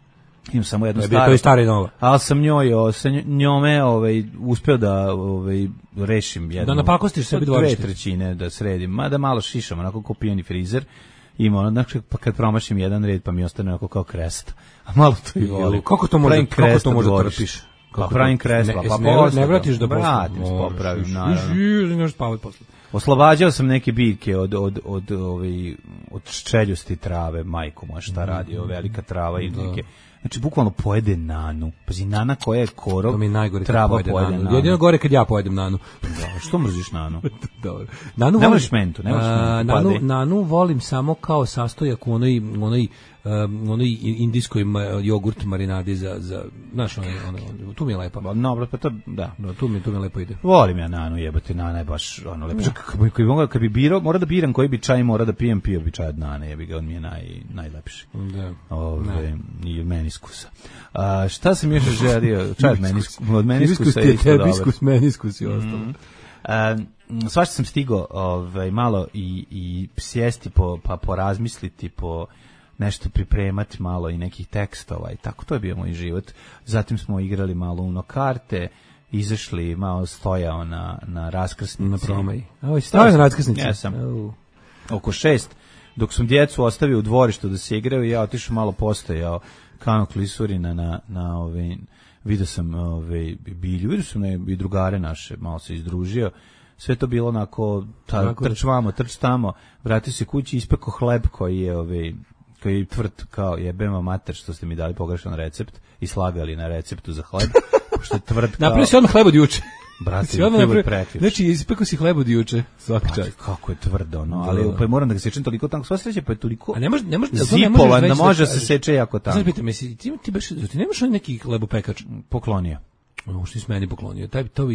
Imam samo jednu staru. To je stara i nova. Ali sam njome uspeo da rešim jednu. Da napakostiš sebi dvorište. 2/3 da sredim, mada malo šišam, onako kao pijani frizer. Ima znači pa kad promašim jedan red pa mi ostane onako kao krest. A malo to i volim. Kako to može trpiš? Pravim kresla, ne vratiš da vratim, popravim, naravno. Oslobađao sam neke biljke od ščeljosti trave, majko moja šta radi, velika trava i neke. Znači, bukvalno pojede nanu. Pazi, nana koja je korov, trava pojede nanu. Jedino gore kad ja pojedem nanu. Što mrziš nanu? Dobro. Ne voliš mentu, Nanu volim samo kao sastojak u onoj indijskoj jogurt marinadi za znaš, tu mi je lepa. No, pa to, da. Tu mi lepo ide. Volim ja nanu, jebate, nana je baš lepo. Kad bi birao, mora da biram koji bi čaj mora da pijem, pio bi čaj od nane, jebi ga, on mi je najlepši. Da. I od meniskusa. Šta sam još želio? Čaj od meniskusa je isto dobar. Hibiskus, meniskus i ostalo. Svašta sam stigao malo i sjesti pa porazmisliti, nešto pripremati malo i nekih tekstova i tako, to je bio moj život. Zatim smo igrali malo Uno karte, izašli, malo stojao na raskrsnici. Na promaji. Stojao na raskrsnici? Ja sam. Oko 6, dok sam djecu ostavio u dvorištu da se igraju, ja otišao malo postojao Kano Klisurina vidio sam Bilju, vidio sam i drugare naše, malo se izdružio. Sve to bilo onako, trč vamo, trč tamo, vratio se kući, ispekao hleb koji je tvrd kao jebema mater što ste mi dali pogrešan recept i slagali na receptu za hleb, što je tvrd kao... Napravio si odmah hleb od juče. Brate, hleb prekjuče. Znači, ispekao si hleb od juče, svaka čast. Kako je tvrdo, no, ali pa moram da ga sečem toliko tanko, sva sreća pa je toliko... A ne može zipovan da može se seče jako tanko. Znači, pitam, ti nemaš neki hlebopekač? Poklonio. Što si meni poklonio,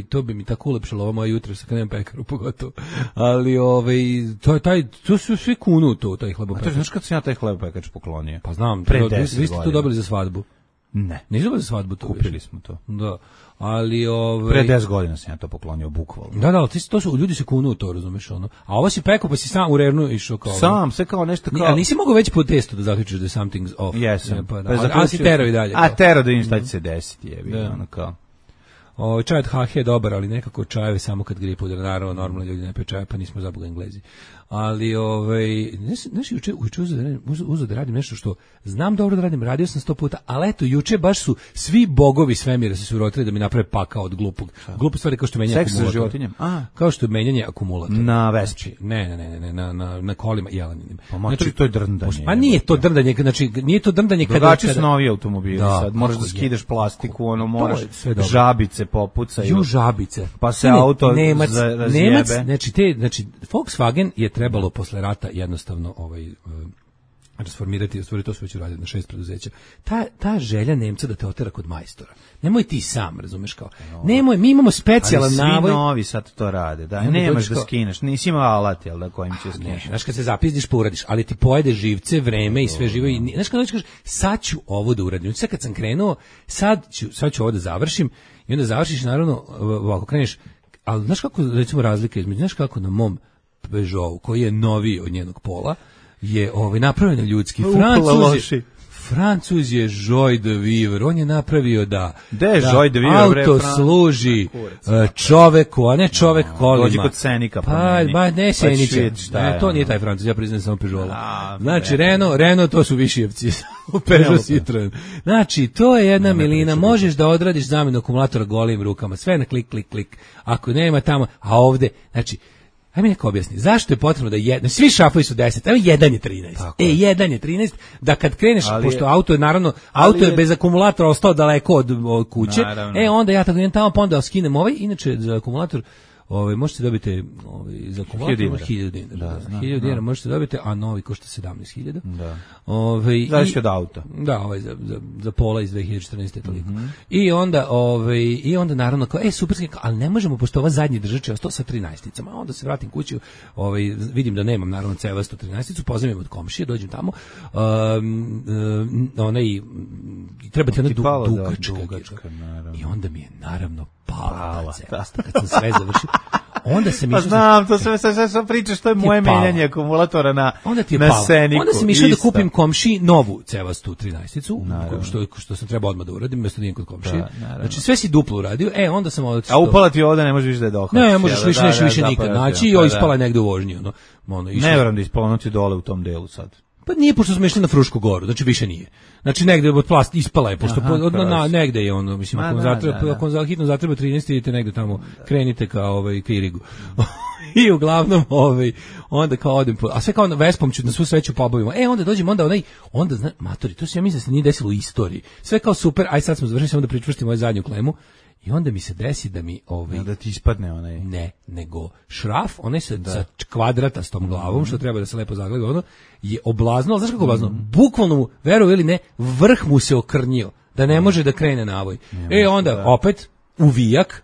to bi mi tako ulepšalo ovo moje jutro sa kad nemam pekaru pogotovo, ali to su svi kunu taj hlebopekač. A to znaš kad sam ja taj hlebopekač poklonio? Pa znam, vi ste to dobili za svadbu. Ne. Nisu dobili za svadbu to. Kupili smo to. Da. Ali pre 10 godina sam ja to poklonio bukvalno. Da, to su ljudi se kunu u to, razumeš ono. A ovo si pekao pa si sam u rernu išao kao. Sam, sve kao nešto kao. A nisi mogao već po testu da zaključiš da something's off. Jesam. Pa a si tero i dalje. A tero da im šta će se desiti, jebi, ono kao. Čaj od HH je dobar, ali nekako čajeve samo kad grije puder, naravno, normalno ljudi ne piju čaje, pa nismo zaboga Englezi. Ali, znaš, juče uzeo da radim nešto što znam dobro da radim, radio sam 100 puta, ali eto, juče baš su svi bogovi svemira se urotili da mi naprave pakao od glupog. Glupe stvari kao što menjanje akumulatora. Seks sa životinjem? Kao što je menjanje akumulatora. Na Vespi? Ne, na kolima jeleninim. Pa znači, to je drndanje. Pa nije to drndanje, znači, nije to drndanje kada... Drugačiji su novi automobili sad, moraš da skidaš plastiku, moraš žabice popucaju. Žabice. Pa se auto razjebe. Znači, Volkswagen je trebalo posle rata jednostavno rasformirati, to su već uradili na 6 preduzeća. Ta želja Nemca da te otera kod majstora. Nemoj ti sam, razumeš kao. Nemoj, mi imamo specijalan navoj. Ali svi novi sad to rade, da. Nemaš da skineš, nisi imao alat, jel da, kojim će skineš. Znaš, kad se zapizdiš, pa uradiš, ali ti pojede živce, vreme i sve živo. Znaš, kad kažeš, sad ću ovo da uradim. Sad kad sam krenuo, sad ću ovo da završim i onda završiš, naravno, ovako kreneš, ali znaš kako, recimo, razlika između, znaš kako na mom Peugeotu, koji je noviji od njenog pola, je napravljen ljudski. Francuz je Joy de Vivre, on je napravio da auto služi čoveku, a ne čovek kolima. Dođi kod Senika. Pa ne Senića, to nije taj Francuz, ja priznajem samo Peugeot. Znači Renault to su Višijevci, u Peugeot Citroen. Znači to je jedna milina, možeš da odradiš zamenu akumulatora golim rukama, sve na klik, klik, klik, ako nema tamo, a ovde, znači, aj mi neko objasni, zašto je potrebno da svi šafovi su 10, evo jedan je 13. Jedan je 13, da kad kreneš, pošto auto je naravno, auto je bez akumulatora ostao daleko od kuće, onda ja tako idem tamo, pa onda skinem inače za akumulator, možete dobiti za akumulator 1000 dinara. 1000 dinara možete dobiti, a novi košta 17.000. Da. Zavisi od auta. Da, za pola iz 2014. toliko. I onda naravno kao super, ali ne možemo, pošto ova zadnji držač je ostao sa 13-icama. Onda se vratim kući, vidim da nemam naravno cevastu 13-icu, pozovem od komšije, dođem tamo. Treba ti ona dugačka. I onda mi je naravno pala cevasta kad sam sve završio. Onda se mi znam, to sve pričaš, to je moje menjanje akumulatora na Seniku. Onda sam išao da kupim komšiji novu cevastu 13-icu, što sam trebao odmah da uradim, mjesto da idem kod komšije. Znači sve si duplo uradio, onda sam ovdje... A upala ti ovdje, ne možeš više da je dohvatiš. Ne možeš više nikad naći, i ispala je negde u vožnji. Ne verujem da ispala, ono ti dole u tom delu sad. Pa nije, pošto smo išli na Frušku goru, znači više nije. Znači negde od plast ispala je, pošto negde je ono, mislim, ako vam hitno zatreba 13, idete negde tamo, krenite kao ka Irigu. I uglavnom, onda kao odem, a sve kao Vespom ću na svu sreću pobavimo. Onda dođem, onda matori, to se ja mislim da se nije desilo u istoriji. Sve kao super, aj sad smo završili, samo da pričvrstimo ovu zadnju klemu. I onda mi se desi da mi da ti ispadne onaj. Ne, nego šraf, onaj sa kvadratastom glavom, što treba da se lepo zagleda, je oblaznuo, znaš kako oblaznuo? Bukvalno mu, veruj ili ne, vrh mu se okrnjio, da ne može da krene navoj. Onda opet uvijak,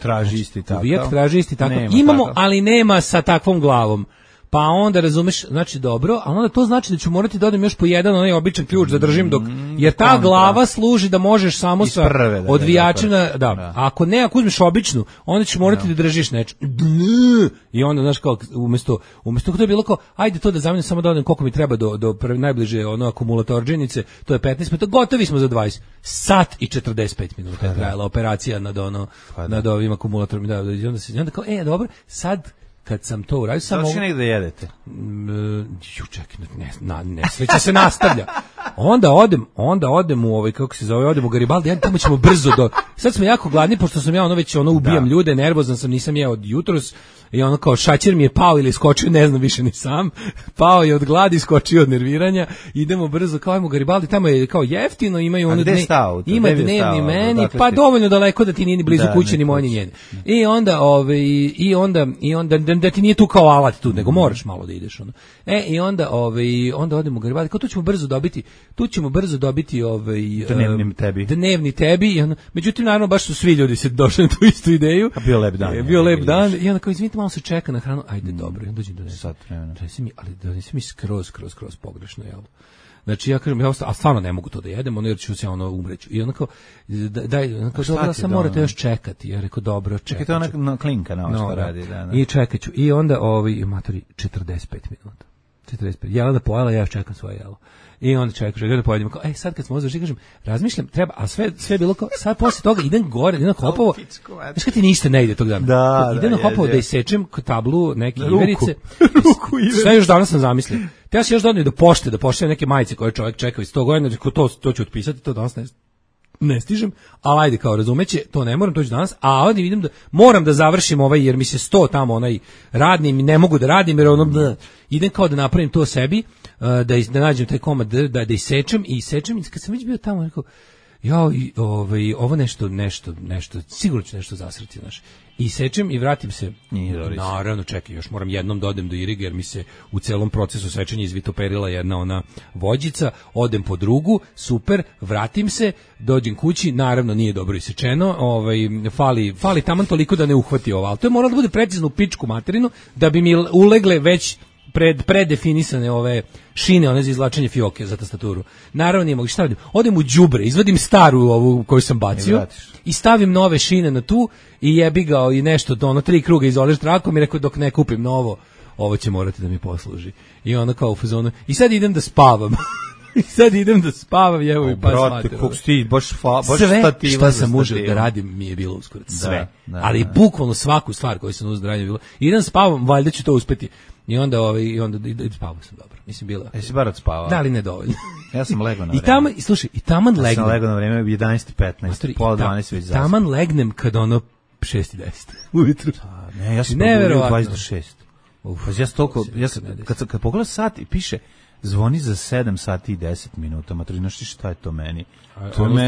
traži isti takav. Uvijak traži isti takav. Imamo, ali nema sa takvom glavom. Pa onda razumeš, znači dobro, a onda to znači da ću morati da odem još po jedan onaj običan ključ da držim dok, jer ta glava služi da možeš samo sa odvijačima, ako uzmeš običnu, onda ćeš morati da držiš nešto. I onda, znaš, kao, umjesto to je bilo kao, ajde to da zamenim, samo da odem koliko mi treba do najbliže akumulatorđenice, to je 15 minuta, gotovi smo za 20. Sat i 45 minuta je trajala operacija nad ovim akumulatorima, i onda kao, dobro, sad kad sam to uradio, samo... Znači negdje jedete? Čekaj, nesreća se nastavlja. onda odem u kako se zove, odem u Garibaldi, ja tamo ćemo brzo sad smo jako gladni, pošto sam ja već ubijam ljude, nervozan sam, nisam jeo od jutros, i kao šaćer mi je pao ili skočio, ne znam više ni sam, pao je od gladi, skočio od nerviranja, idemo brzo, kao ajmo u Garibaldi, tamo je kao jeftino, imaju ono ima dnevni meni, pa dovoljno daleko da ti nije ni blizu kuće, ni moje, ni njene. I onda da ti nije tu kao alat tu, nego moraš malo da ideš ono. Onda odemo u Garibaldi, kao tu ćemo brzo dobiti dnevni tebi, međutim naravno baš su svi ljudi se došli na tu istu ideju. Bio lep dan i onda kao izvinite, malo se čeka na hranu, ajde dobro, onda dođem do sat vremena. Donesi mi skroz pogrešno, jel? Znači ja kažem, a stvarno ne mogu to da jedem, jer ću se umreću. I onda kao, dobro, sam morate još čekati. Ja rekao, dobro, čekat ću. Čekaj, to klinka na ovo što radi. Da. I čekat ću. I onda, matori, 45 minuta. 45. Jela da pojela, ja još čekam svoje jelo. I onda čekaš, da pojedemo, kao, sad kad smo završili, kažem, razmišljam, treba, a sve je bilo kao, sad posle toga idem gore, idem na Hopovo, znaš kad ti ništa ne ide tog dana, idem na Hopovo da isečem tablu neke iverice, sve još danas sam zamislio, te ja se još dodam do pošte, da pošaljem neke majice koje čovjek čekao iz 100 godina, to ću otpisati, to danas ne stižem, ali ajde, kao razumeće, to ne moram, to ću danas, a ovdje vidim da moram da završim jer mi se 100 tamo radni, i ne mogu da radim, jer idem kao da napravim to sebi, da nađem taj komad, da isečem, i kad sam već bio tamo, rekao, ovo nešto, sigurno ću nešto zasrati, znaš. I sečem i vratim se. Naravno, čekaj, još moram jednom da odem do Iriga, jer mi se u celom procesu sečenja izvitoperila jedna ona vođica, odem po drugu, super, vratim se, dođem kući, naravno nije dobro isečeno, fali taman toliko da ne uhvati ovo, ali to je moralo da bude precizno u pičku materinu, da bi mi ulegle već predefinisane ove šine, one za izvlačenje fioke za tastaturu. Naravno nije mogu, šta radim? Odem u đubre, izvadim staru ovu koju sam bacio i stavim nove šine na tu i jebi ga i nešto, 3 kruga izoliš trakom i rekao dok ne kupim novo, ovo će morati da mi posluži. I onda kao u fazonu, i sad idem da spavam. Jevo i pas mater. Sve šta sam užao da radim mi je bilo uskoro. Sve. Ali bukvalno svaku stvar koju sam uzeo da radim je bilo. Idem spavam, valjda ću to uspeti. I onda spavao sam dobro. Mislim bila. Jesi bar odspavao? Da li nedovoljno? Ja sam legao na vreme. I taman legnem. Ja sam legao na vreme 11:15, pola 12 već zaspao. Taman legnem kad 6:10 ujutru. Ne, ja sam probudio 26. Ja stoko, kad pogledam sat i piše zvoni za 7 sati i 10 minuta. Mater, znaš ti šta je to meni? To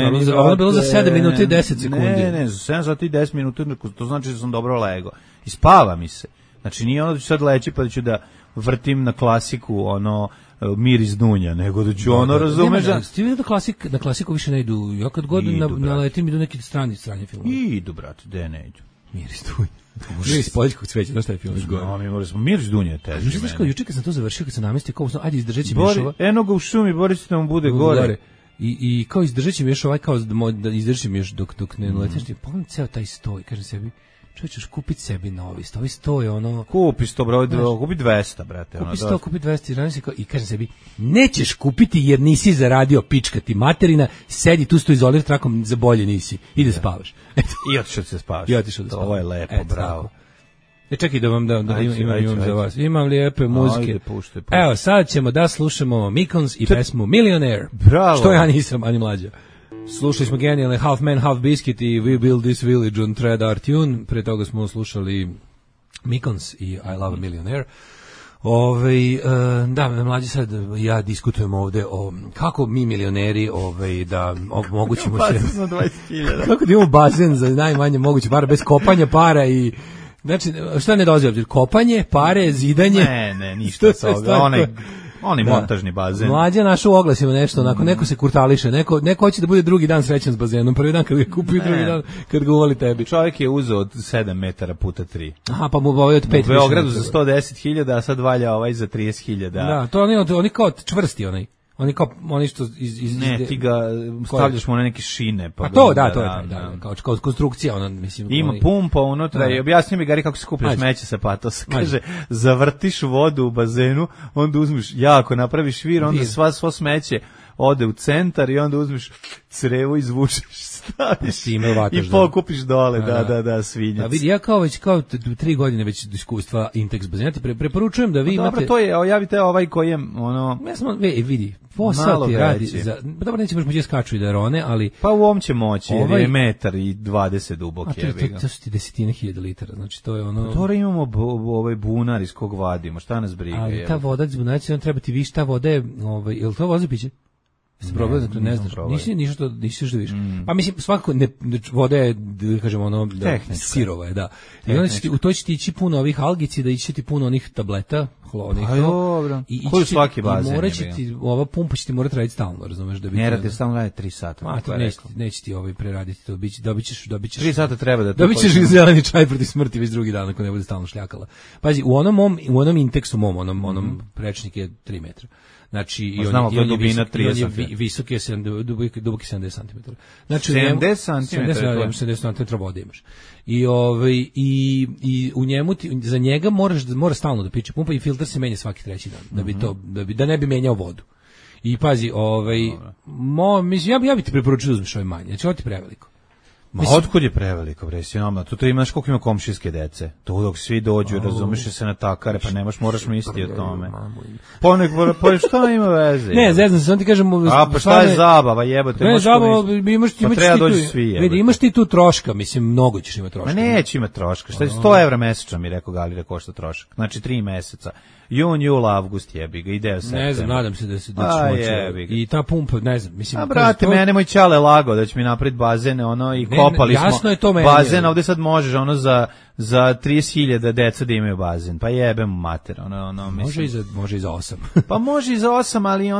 je bilo za 7 minuta i 10 sekundi. Ne, za 7 sati i 10 minuta, to znači da sam dobro legao. I spava mi se. Znači nije ono da ću sad leći pa da ću da vrtim na klasiku miris dunja, nego da ću razumeš. Ti vidio da na klasiku više ne idu, ja kad god naletim idu neki strani filmovi. Idu, brate, gde ne idu? Miris dunja. Miris poljskog cveća, znaš šta je film? Miris dunja je teži. Znaš kao, juče kad sam to završio, kad sam namestio, kao ajde izdržat će mi još ova. Eno ga u šumi, Boris da mu bude gore. I kao izdržat će mi još kao da izdržim mi još dok ne naletiš, pogledam ceo taj stoj, kažem sebi, čovječ, kupiti sebi novi sto, ovi sto je Kupi 100, kupi 200, brate. Kupi 100, kupi 200, i kažem sebi, nećeš kupiti jer nisi zaradio pička ti materina, sedi tu sto izolir trakom, za bolje nisi, ide spavaš. I otišao da se spavaš. Ovo je lepo, bravo. Čekaj da vam imam za vas. Imam lijepe muzike. Evo, sad ćemo da slušamo Mikons i pesmu Millionaire. Bravo. Što ja nisam, ani mlađa. Slušali smo genijalne Half Man, Half Biscuit i We Build This Village on Thread Our Tune. Pre toga smo slušali Mikons i I Love a Millionaire. Da, mlađi, sad ja diskutujem ovde o kako mi milioneri da omogućimo se... Kako da imamo bazen za najmanje moguće para, bez kopanja para i... Znači, šta ne dolazi obzir? Kopanje, pare, zidanje... Ne, ništa sa onaj montažni bazen. Mlađa naša u oglasima nešto, onako, neko se kurtališe, neko hoće da bude drugi dan srećan s bazenom, prvi dan kad ga kupi, drugi dan kad ga uvali tebi. Čovjek je uzeo od 7 metara puta 3. Aha, pa mu ovaj od 5 više. U Beogradu za 110.000, a sad valja za 30.000. Da, to oni kao čvrsti onaj. Oni što ne, ti ga stavljaš mu na neke šine. Pa to, da, to je kao konstrukcija, mislim. Ima pumpa unutra i objasni mi, Gari, kako se skuplja smeće sa patosa. Kaže, zavrtiš vodu u bazenu, onda uzmeš jako, napraviš vir, onda svo smeće ode u centar i onda uzmeš crevo, izvučeš, staviš i pokupiš dole, da, svinjac. A vidi, ja kao 3 godine već iskustva Intex bazena, ti preporučujem da vi imate... Dobro, to je, javite ovaj koji je, Ja sam, vidi, posao ti radi za... Dobro, neće baš moći skaču i da rone, ali... Pa u ovom će moći, jer je 1,20 m dubok. To su ti 10.000 litara, znači to je ono... Dobro, imamo ovaj bunar iz kog vadimo, šta nas briga? Ali ta voda iz bunara će treba ti više, ta voda je, je li to voda za piće? Jeste probali da to ne znaš? Nisi što više. Pa mislim, svakako voda je, da kažemo, ono, sirova je, da. I onda u to će ti ići puno ovih algici, da ići ti puno onih tableta, hlonih. Pa dobro. Koji svaki bazen je. I morat će ti, ova pumpa će ti morati raditi stalno, razumeš? Ne radi, stalno radi 3 sata. Neće ti preraditi to, dobit ćeš 3 sata treba da to... Dobit ćeš zeleni čaj protiv smrti već drugi dan, ako ne bude stalno šljakala. Pazi, u onom Intexu mom, onom prečnik je 3 metra. Znači i on je visok je duboki 70 cm. Znači 70 cm vode imaš. I u njemu za njega mora stalno da piče pumpa i filter se menja svaki treći dan da ne bi menjao vodu. I pazi, mislim ja bih ti preporučio da uzmeš ovaj manje. Znači ovo ti preveliko. Ma otkud je preveliko, bre, sinoma? Tu imaš koliko ima komšijske dece. Tu dok svi dođu, razumeš se na takare, pa moraš misliti o tome. Pa šta ima veze? Ne, zeznam se, on ti kažem... A, pa šta je zabava, jebote? Ne, zabava, imaš ti tu troška, mislim, mnogo ćeš imati troška. Ma neće imati troška, šta je 100 € mesečno, mi rekao Gali da košta trošak. Znači 3 meseca. Jun, jul, avgust jebi ga, ideo septembar. Ne znam, nadam se da će moći. I ta pumpa, ne znam, mislim... A brate, mene moj ćale lago da će mi napraviti bazene, i kopali smo bazen, ovde sad možeš, za 30.000 deca da imaju bazen, pa jebem mater, Može i za 8. Pa može i za 8, ali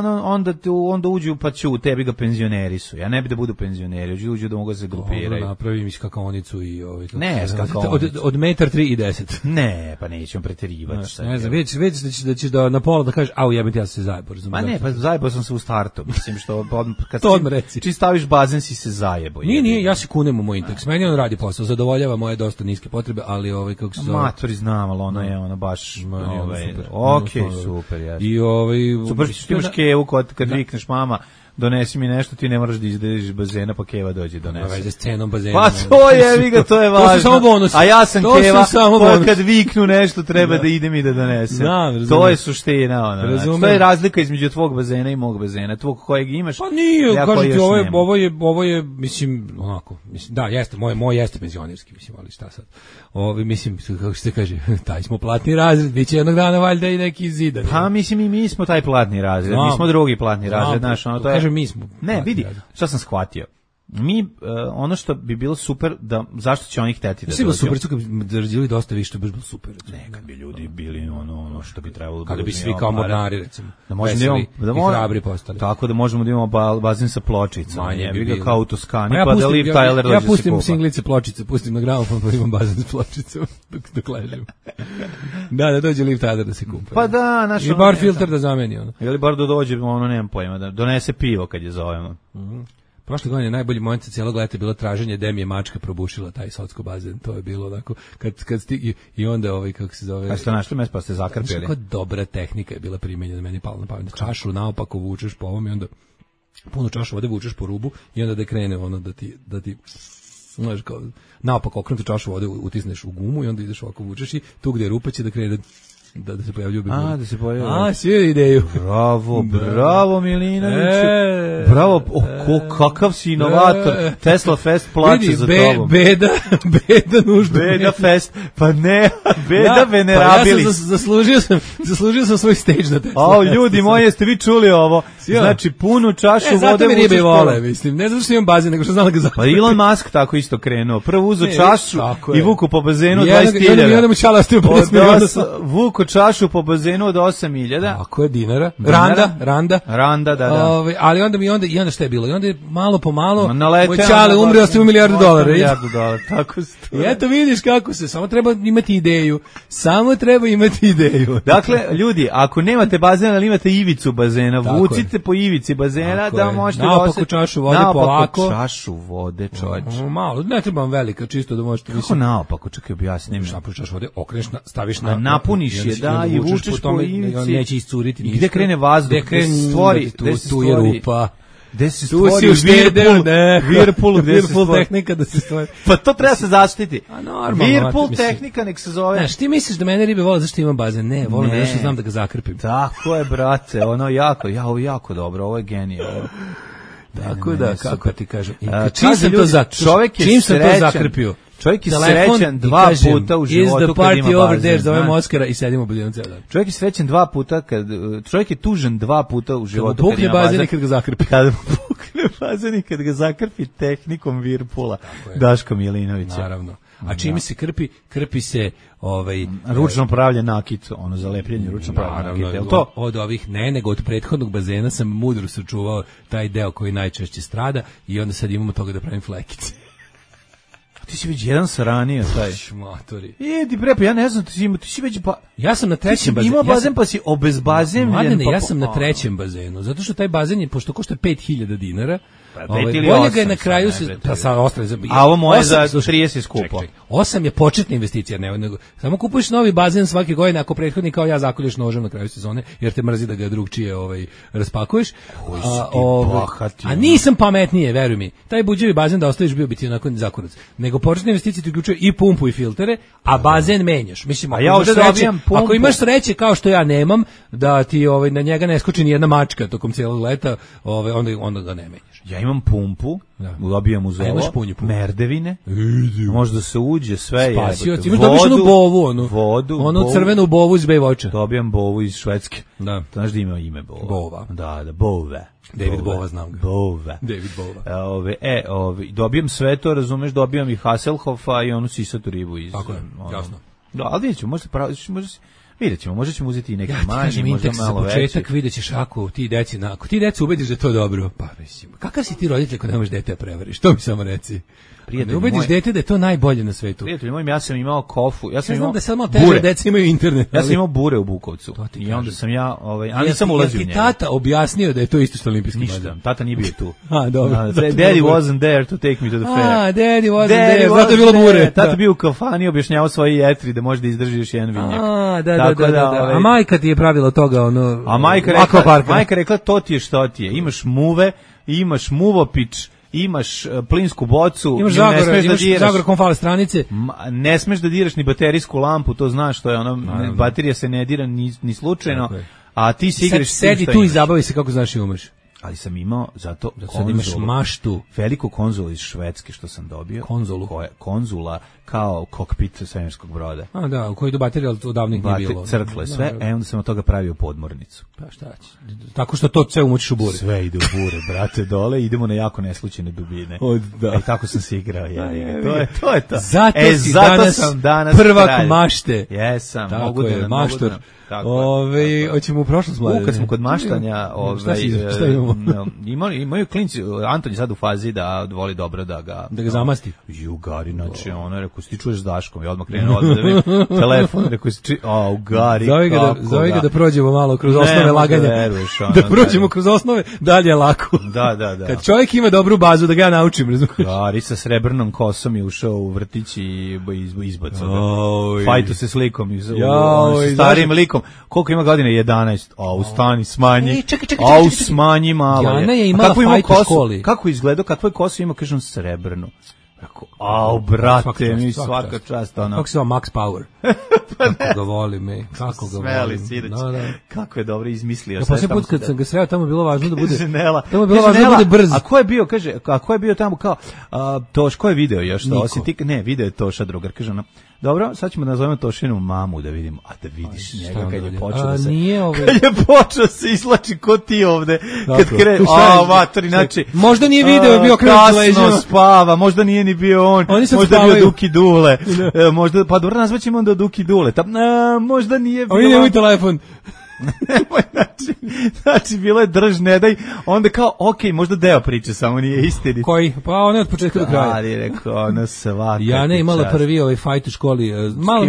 onda uđu, pa ću, tebi ga penzioneri su, ja ne bi da budu penzioneri, uđu da mogu da se grupiraju. Dobro, napravim skakaonicu i Ne, skakaonicu. Od 1,3 i 10. Ne, pa nećemo preterivati. Ne znam, već da ćeš na pola da kažeš, jebem ja se zajebo. Ma ne, pa zajebo sam se u startu, mislim što kad to odmah reci. Či staviš bazen si se zajebo. Nije, ja se kunem u moj Intex, meni on radi posao, zadovoljava moje dosta niske potrebe, ali kako se zove... Matori znam, ali ono je baš... Super, jasno. Super što imaš kevu kad vikneš mama, donesi mi nešto, ti ne moraš da izdeš bazena, pa keva dođe donese. Veze s cenom bazena. Pa to je, to je važno. To su samo bonusi. A ja sam keva, kad viknu nešto treba da idem i da donesem. To je suština. To je razlika između tvog bazena i mog bazena. Tvog kojeg imaš. Pa nije, kažem ti, ovo je, mislim, onako, da, jeste, moj jeste penzionerski, mislim, ali šta sad. Mislim, kako se kaže, taj smo platni razred, bit će jednog dana valjda i neki zidan. Pa mislim i mi smo taj platni razred, mi smo drugi platni razred, znaš, to je... Mi smo. Ne, vidi, šta sam shvatio. Mi, ono što bi bilo super, zašto će oni hteti da dođu? Super, kad bi zarađivali dosta više, to bi bilo super. Ne, kad bi ljudi bili ono što bi trebalo... Kada bi svi kao mornari, recimo, veseli i hrabri postali. Tako da možemo da imamo bazen sa pločicama. Jebi ga kao u Toskani, pa da Liv Tyler dođe se kupa. Ja pustim singlice pločice, pustim na gramofon, pa imam bazen s pločicom dok ležim. Da dođe Liv Tyler da se kupa. Pa da, naš... I bar filter da zameni. Ili bar da dođe, nemam pojma, da donese pivo kad je zovemo. Prošle godine najbolji moment sa cijelog leta je bilo traženje gde mi je mačka probušila taj socko bazen. To je bilo onako kad stigi i onda kako se zove. A ste našli mesto pa ste zakrpili. Kako dobra tehnika je bila primenjena, meni palo na pamet. Čašu naopako vučeš po ovom i onda puno čašu vode vučeš po rubu i onda da krene da ti znaš kao naopako okrenutu čašu vode utisneš u gumu i onda ideš ovako vučeš i tu gdje je rupa će da krene da se pojavljaju biguni. Da se pojavljaju. Svi ideju. Bravo Milinoviću. Bravo, kakav si inovator. Tesla Fest plače za tobom. Beda nužno. Beda Fest, pa ne, Beda venerabilis. Ja sam zaslužio sam svoj stage na Tesla Fest. Ljudi moji, jeste vi čuli ovo? Znači, punu čašu vode. Zato mi ribe vole, mislim. Ne zato što imam bazen, nego što znam da ga zatim. Pa Elon Musk tako isto krenuo. Prvo uzo čašu i vuku po bazenu 20.000. I onda mu čala ostio 50 miliona. Vuku čašu po bazenu od 8.000. Tako je, dinara. Randa, da. Ali onda šta je bilo? I onda je malo po malo moj čale umre, ostaje $1 milijardu. Tako I eto vidiš kako se, samo treba imati ideju. Dakle, ljudi, ako nemate bazen, ali imate ivicu bazena, vucite po ivici bazena da možete da naopako čašu vode polako. Naopako čašu vode, čovječ. Malo, ne trebam velika, čisto da možete... Kako naopako, čekaj objasnim. Napuš čašu vode, okreneš, staviš na... Napuniš je da, i vučeš po ivici. On neće iscuriti ništa. I gde krene vazduh, gde stvori, tu je rupa. Gde se stvori Whirlpool, gde se stvori tehnika da se stvori. Pa to treba se zaštiti. Whirlpool tehnika nek se zove. Znaš, ti misliš da mene ribe vole zašto imam bazen? Ne, volim da nešto znam da ga zakrpim. Tako je, brate, ono jako dobro, ovo je genijalno. Tako da, kako ti kažem. Čim sam to zakrpio? Čovjek je srećan 2 puta u životu kad ima bazen. Zovem Oskara i sedimo u budinom ceo dan. Čovjek je srećan 2 puta čovjek je tužan 2 puta u životu kad ima bazen i kad ga zakrpi. Kad pukne bazen i kad ga zakrpi tehnikom Whirlpoola Daško Milinovića. Naravno. A čime se krpi se ručno pravljen nakit, ono za lepljenje ručno pravljen nakit. Jel to? Od ovih nego od prethodnog bazena sam mudro sačuvao taj deo koji najčešće strada i onda sad imamo toga da pravim flekice. Ti si već jedan saranio taj. Šmatori. Ti prepa, ja ne znam, ti si već ja sam na trećem bazenu. Imao bazen pa si obezbazenjen. Mladene, ja sam na trećem bazenu, zato što taj bazen je, pošto košta 5000 dinara, bolje ga je na kraju se a ovo moje za 30 skupo. 8 je početna investicija, nego samo kupuješ novi bazen svake godine ako prethodni kao ja zakolješ nožem na kraju sezone jer te mrzi da ga drugčije raspakuješ. A nisam pametnije, veruj mi. Taj buđevi bazen da ostaviš bio biti onako zakurac. Nego početna investicija ti uključuje i pumpu i filtere, a bazen menjaš. Mislim, ako imaš sreće kao što ja nemam da ti na njega ne skoči ni jedna mačka tokom cijelog leta, onda ga ne menjaš. Ja imam pumpu, dobijam uz ovo, merdevine, možda se uđe sve, spasioci, imaš dobiš onu bovu, onu crvenu bovu iz Baywatcha. Dobijam bovu iz Švedske. Da. Znaš da ima ime Bova? Bova. Da, Bove. David Bova, znam ga. Bova. David Bova. Dobijam sve to, razumeš, dobijam i Hasselhoffa i onu sisatu ribu iz... Tako je, jasno. Da, ali vidjet ćemo, vidjet ćemo, možda ćemo uzeti i neki manji, možda malo veći. Za početak vidjet ćeš ako ti deci ubediš da je to dobro. Pa mislim, kakav si ti roditelj ako ne možeš dete prevariš? To mi samo reci. Ne ubediš dete da je to najbolje na svetu. Prijatelj moj, ja sam imao kofu, ja sam imao da samo teže deca imaju internet. Ja sam imao bure u Bukovcu. I onda sam ali nisam ulazio u njega. Ti tata objasnio da je to isto što olimpijski bazen. Tata nije bio tu. Dobro. Daddy wasn't there to take me to the fair. Daddy wasn't there. Zato je bilo bure. Tata bio u kafani, objašnjavao svoje jetri da može da izdrži još jedan vinjak. Da. A majka ti je pravila toga A majka rekla to ti je što ti je. Imaš muve, imaš muvopič, imaš plinsku bocu, imaš Zagor konfale stranice. Ne smeš da diraš ni baterijsku lampu, to znaš, to je baterija se ne dira ni slučajno, a ti si igraš. Sedi tu i zabavi se kako znaš i umeš. Ali sam imao zato sad imaš maštu, veliku konzolu iz Švedske što sam dobio. Konzula kao kokpit svemirskog broda. A da, u kojoj do baterije odavnih nije bilo. Crkle, sve, onda sam od toga pravio podmornicu. Pa šta će? Tako što to sve umučiš u bure. Sve ide u bure, brate, dole, idemo na jako neslučajne dubine. Tako sam se igrao, to je to. Zato sam danas prvak mašte. Jesam, mogu da maštor. Hoćemo u prošlost mlade. Kad smo kod maštanja, imaju klinci, Anton je sad u fazi da voli dobro da ga zamasti. Gari, znači ono, rekao, si ti čuješ s Daškom, i odmah krenuo da vidim telefon, rekao si Gari, zove ga da prođemo malo kroz osnove laganja. Da prođemo kroz osnove, dalje je lako. Da. Kad čovjek ima dobru bazu, da ga ja naučim, razumiješ? Gari sa srebrnom kosom je ušao u vrtić i izbacao ga. Fajtu se s likom, s starim likom. Koliko ima godina? 11. Stani, smanji. Smanji malo. Jana je imala fajt u školi. Kako izgledao, kakvo je kosu ima, kažem, srebrno. Brate, mi svaka čast. Kako se zove Max Power? Kako ga volim, kako ga volim. Kako je dobro izmislio. Ja posljednji put kad sam ga sreo, tamo je bilo važno da bude tamo je bilo važno da bude brz. A ko je bio, kaže, ko je bio tamo kao Toš, ko je video još to? Osim ti, ne, video je Toša drugar, kaže ona. Dobro, sad ćemo da nazovemo Tošinu mamu da vidimo. A da vidiš njega kad je počeo da se... Kad je počeo se izlači ko ti ovde. Kad krenu... Vatori, znači... Možda nije video, bio krenu leđima. Kasno spava, možda nije ni bio on. Možda bio Duki Dule. Pa dobro, nazvaćemo onda Duki Dule. Možda nije bio... Oni nemoj telefon. Znači bilo je drž ne daj, onda kao možda deo priče samo nije istinit. Koji? Pa ona od početka do kraja. Ali rekao, ona svaka. Ja ne imala prvi fajt u školi. Malo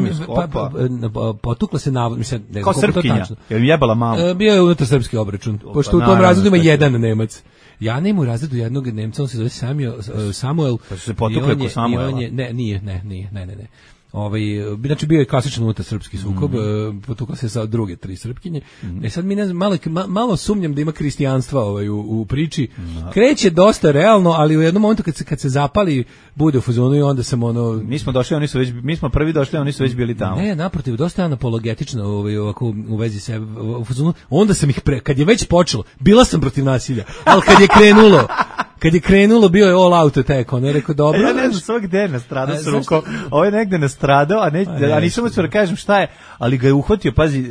potukla se navod, mislim, ne znam kako to tačno. Jel mi jebala mamu? Bio je unutar srpski obračun, pošto u tom razredu ima jedan Nemac. Ja nema u razredu jednog Nemca, on se zove Samuel. Pa su se potukle ko Samuela? Ne. Znači bio je klasičan unutar srpski sukob, potukla se sa druge 3 Srpkinje. Sad mi ne znam, malo sumnjam da ima kristijanstva u priči. Kreće dosta realno, ali u jednom momentu kad se zapali bude u fazonu i onda sam mi smo prvi došli, oni su već bili tamo. Ne, naprotiv, dosta je apologetično ovako u vezi sebe u fazonu. Onda sam ih kad je već počelo, bila sam protiv nasilja, ali kad je krenulo bio je all out attack, on je rekao dobro. Ja ne znam svog gde je nastradao s rukom. Ovo je negde nastradao, a nisam moću da kažem šta je, ali ga je uhvatio, pazi,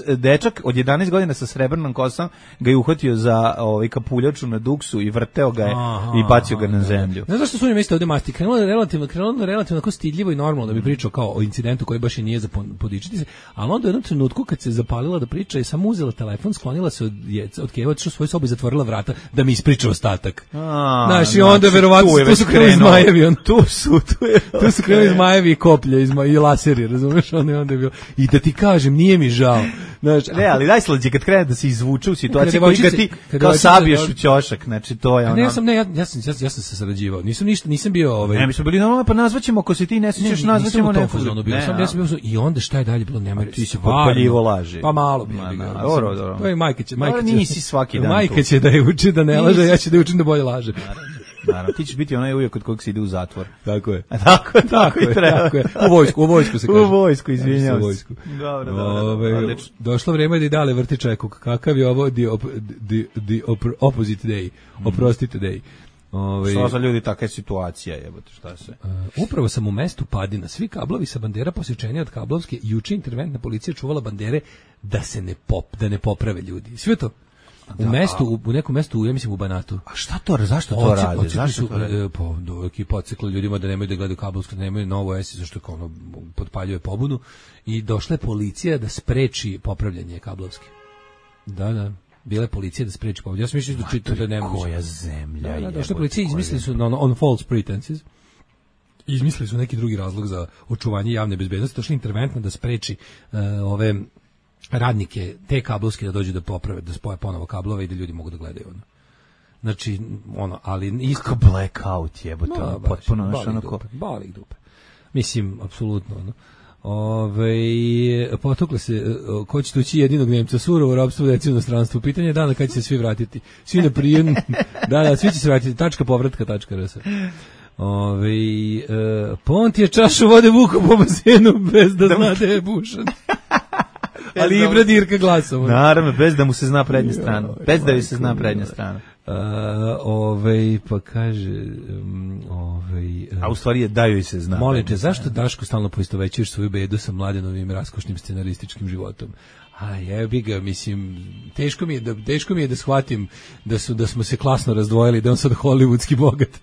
dečak od 11 godina sa srebrnom kosom ga je uhvatio za kapuljaču na duksu i vrteo ga je i bacio ga na zemlju. Znaš zašto su oni mislili ovde masti? Krenulo je relativno tako stidljivo i normalno da bi pričao kao o incidentu koji baš i nije za podičiti se, ali onda u jednom trenutku kad se zapalila da priča i samo uzela telefon, sklonila se od Keva, otišla u svoju sobu i zatvorila vrata da mi ispriča ostatak. Znaš, i onda verovatno tu su krenuli zmajevi. Tu su krenuli zmajevi i koplje i laseri, razumeš? Onda je bilo. I da ti kažem, nije mi žao. Znaš, ne, ali najslađe kad krene da se izvuče u situaciji koji ga ti kao sabiješ u ćošak, znači to je ono. Ja sam se sarađivao. Nisam bio Ne, mi smo bili normalno, pa nazvaćemo ako se ti ne sećaš, nazvaćemo neko. Ja sam bio i onda šta je dalje bilo, nema. Ti si potpaljivo laži. Pa malo. Dobro. To je majka će. Nisi svaki dan. Majka će da je uči da ne laže, ja ću da je učim da bolje laže. Naravno, ti ćeš biti onaj uvijek kod kojeg se ide u zatvor. Tako je. Tako je. U vojsku se kaže. U vojsku, izvinjavam se. Dobro. Došlo vreme da i dale vrti čekuk. Kakav je ovo the opposite day? Oprostite day. Što za ljudi takva situacija, jebote, šta se? Upravo sam u mestu Padina. Svi kablovi sa bandera posječeni od kablovske. Juče interventna policija čuvala bandere da se ne poprave ljudi. Sve to. U nekom mestu, ja mislim u Banatu. A zašto to rade? Ekipa odsekla ljudima da nemaju da gledaju kablovsko, da nemaju novo esi, zašto kao potpaljuje pobunu. I došla je policija da spreči popravljanje kablovske. Da. Bila je policija da spreči popravljanje. Ja sam mislio da čitao da nema. Koja zemlja je. Došla je policija, izmislili su on false pretenses. Izmislili su neki drugi razlog za očuvanje javne bezbednosti. Došla je interventna da spreči ove radnike te kablovske da dođu da poprave, da spoje ponovo kablove i da ljudi mogu da gledaju ono. Znači, ali isto blackout jebote, potpuno onako balik dupe. Mislim, apsolutno ono. Potukle se, ko će tući jedinog Nemca, surovo ropstvo, deci u inostranstvu. Pitanje je dana kad će se svi vratiti. Svi na prijem, da, svi će se vratiti. .povratka.rs. Pont je čašu vode vuku po bazenu bez da zna da je bušan. Ali i Bradirka glasom. Naravno, bez da mu se zna prednja strana. Bez da joj se zna prednja strana. Pa kaže... A u stvari je da joj se zna. Molite, zašto Daško stalno poistovećuješ svoju bedu sa Mladenovim raskošnim scenarističkim životom? A jebi ga, mislim, teško mi je da shvatim da smo se klasno razdvojili, da on sad hollywoodski bogat.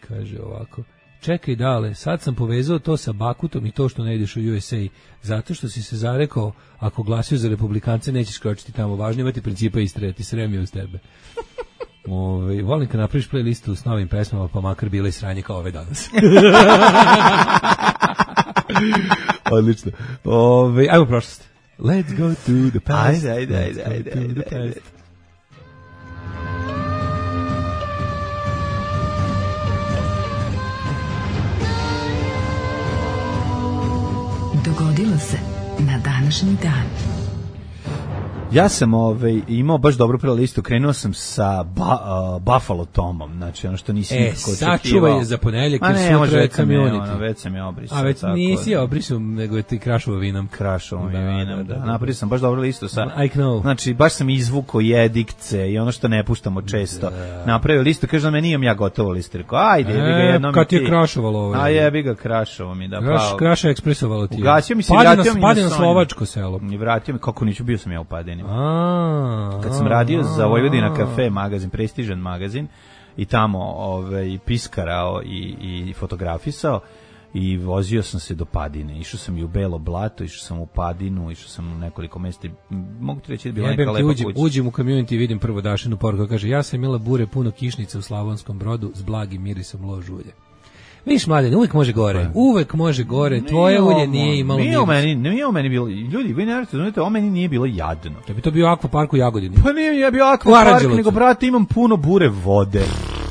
Kaže ovako... Čekaj dale, sad sam povezao to sa Bakutom i to što ne ideš u USA, zato što si se zarekao, ako glasio za republikance nećeš kročiti tamo, važno imati principa i istreti, sremio uz tebe. Volim kad napraviš playlistu s novim pesmama, pa makar bila i sranje kao ove danas. Odlično. Ajmo prošlost. Let's go to the past. Ajde. Dogodilo se na današnji dan. Ja sam imao baš dobru playlistu, krenuo sam sa Buffalo Tomom, znači ono što nisi nikako očekivao. Sačuvaj je za ponedjeljak, jer sutra je Community. Već sam je obrisao. A već nisi je obrisao, nego je ti Krašovo vinom. Krašovo vinom, da. Napravio sam baš dobru listu sa, I know. Znači, baš sam izvukao jedikce i ono što ne puštamo često. Napravio listu, kaže da me nijem ja gotovo listu. Rekao, ajde, jebi ga jednom kad ti je krašovalo ovo. A jebi ga krašovo mi, da pa. Kraša ekspresovalo ti. Ugasio mi se, vratio mi Padina slovačko selo. I vratio mi, kako niću, bio sam ja u Padini. Kad sam radio za Vojvodina kafe magazin, prestižan magazin, i tamo piskarao i fotografisao i vozio sam se do Padine. Išao sam i u Belo Blato, išao sam u Padinu, išao sam u nekoliko mesta. Mogu ti reći da je bila neka lepa kuća. Uđem u community i vidim prvo Dašinu poruku, kaže, ja sam imala bure puno kišnica u Slavonskom Brodu s blagim mirisom lož ulje. Viš, Mladen, uvek može gore, tvoje ulje nije imalo miris. Nije o meni bilo, ljudi, vi ne razumete, o meni nije bilo jadno. Da bi to bio akvapark u Jagodini. Pa nije bio akvapark, nego, brate, imam puno bure vode.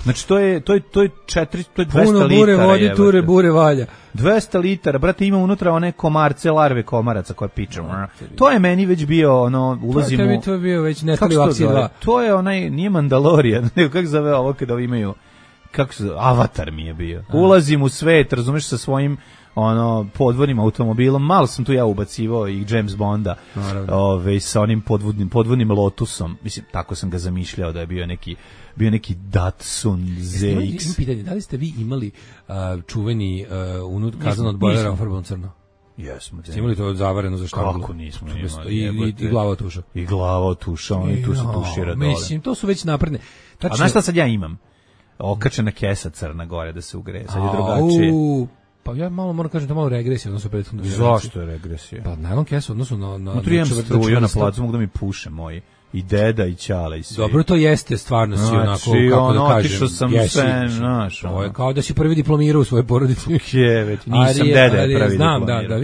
Znači to je 200 puno litara. Bure vodi, ture bure valja. 200 litara, brate, ima unutra one komarce, larve komaraca koje pičemo. To je meni već bio, ulazim u... To je bio već Netali u akciji 2. To je onaj, nije Mandalorian, nego kako zove ovo kada imaju, kako se zove, Avatar mi je bio. Ulazim u svet, razumeš, sa svojim podvodnim automobilom, malo sam tu ja ubacivao i James Bonda, sa onim podvodnim Lotusom, mislim, tako sam ga zamišljao da je bio neki Datsun ZX. Pitanje, da li ste vi imali čuveni kazan od bojlera ofarban crno? Jesmo. Ste imali to zavareno za štanglu? Kako nismo imali? I glava tuša. I glava tuša, oni tu se tušira dole. Mislim, to su već napredne. A znaš šta sad ja imam? Okačena kesa crna gore da se ugreje, sad je drugačije. Pa ja moram kažem da malo regresija odnosno prethodno. Zašto je regresija? Pa najlon kesa odnosno na Unutra imam struju na placu, mogu da mi puše moji. I deda i ćala i svi. Dobro, to jeste stvarno si onako, kako da kažem. Otišao sam sve, znaš. Ovo je kao da si prvi diplomirao u svojoj porodici. Nisam deda je prvi diplomirao. Znam, da,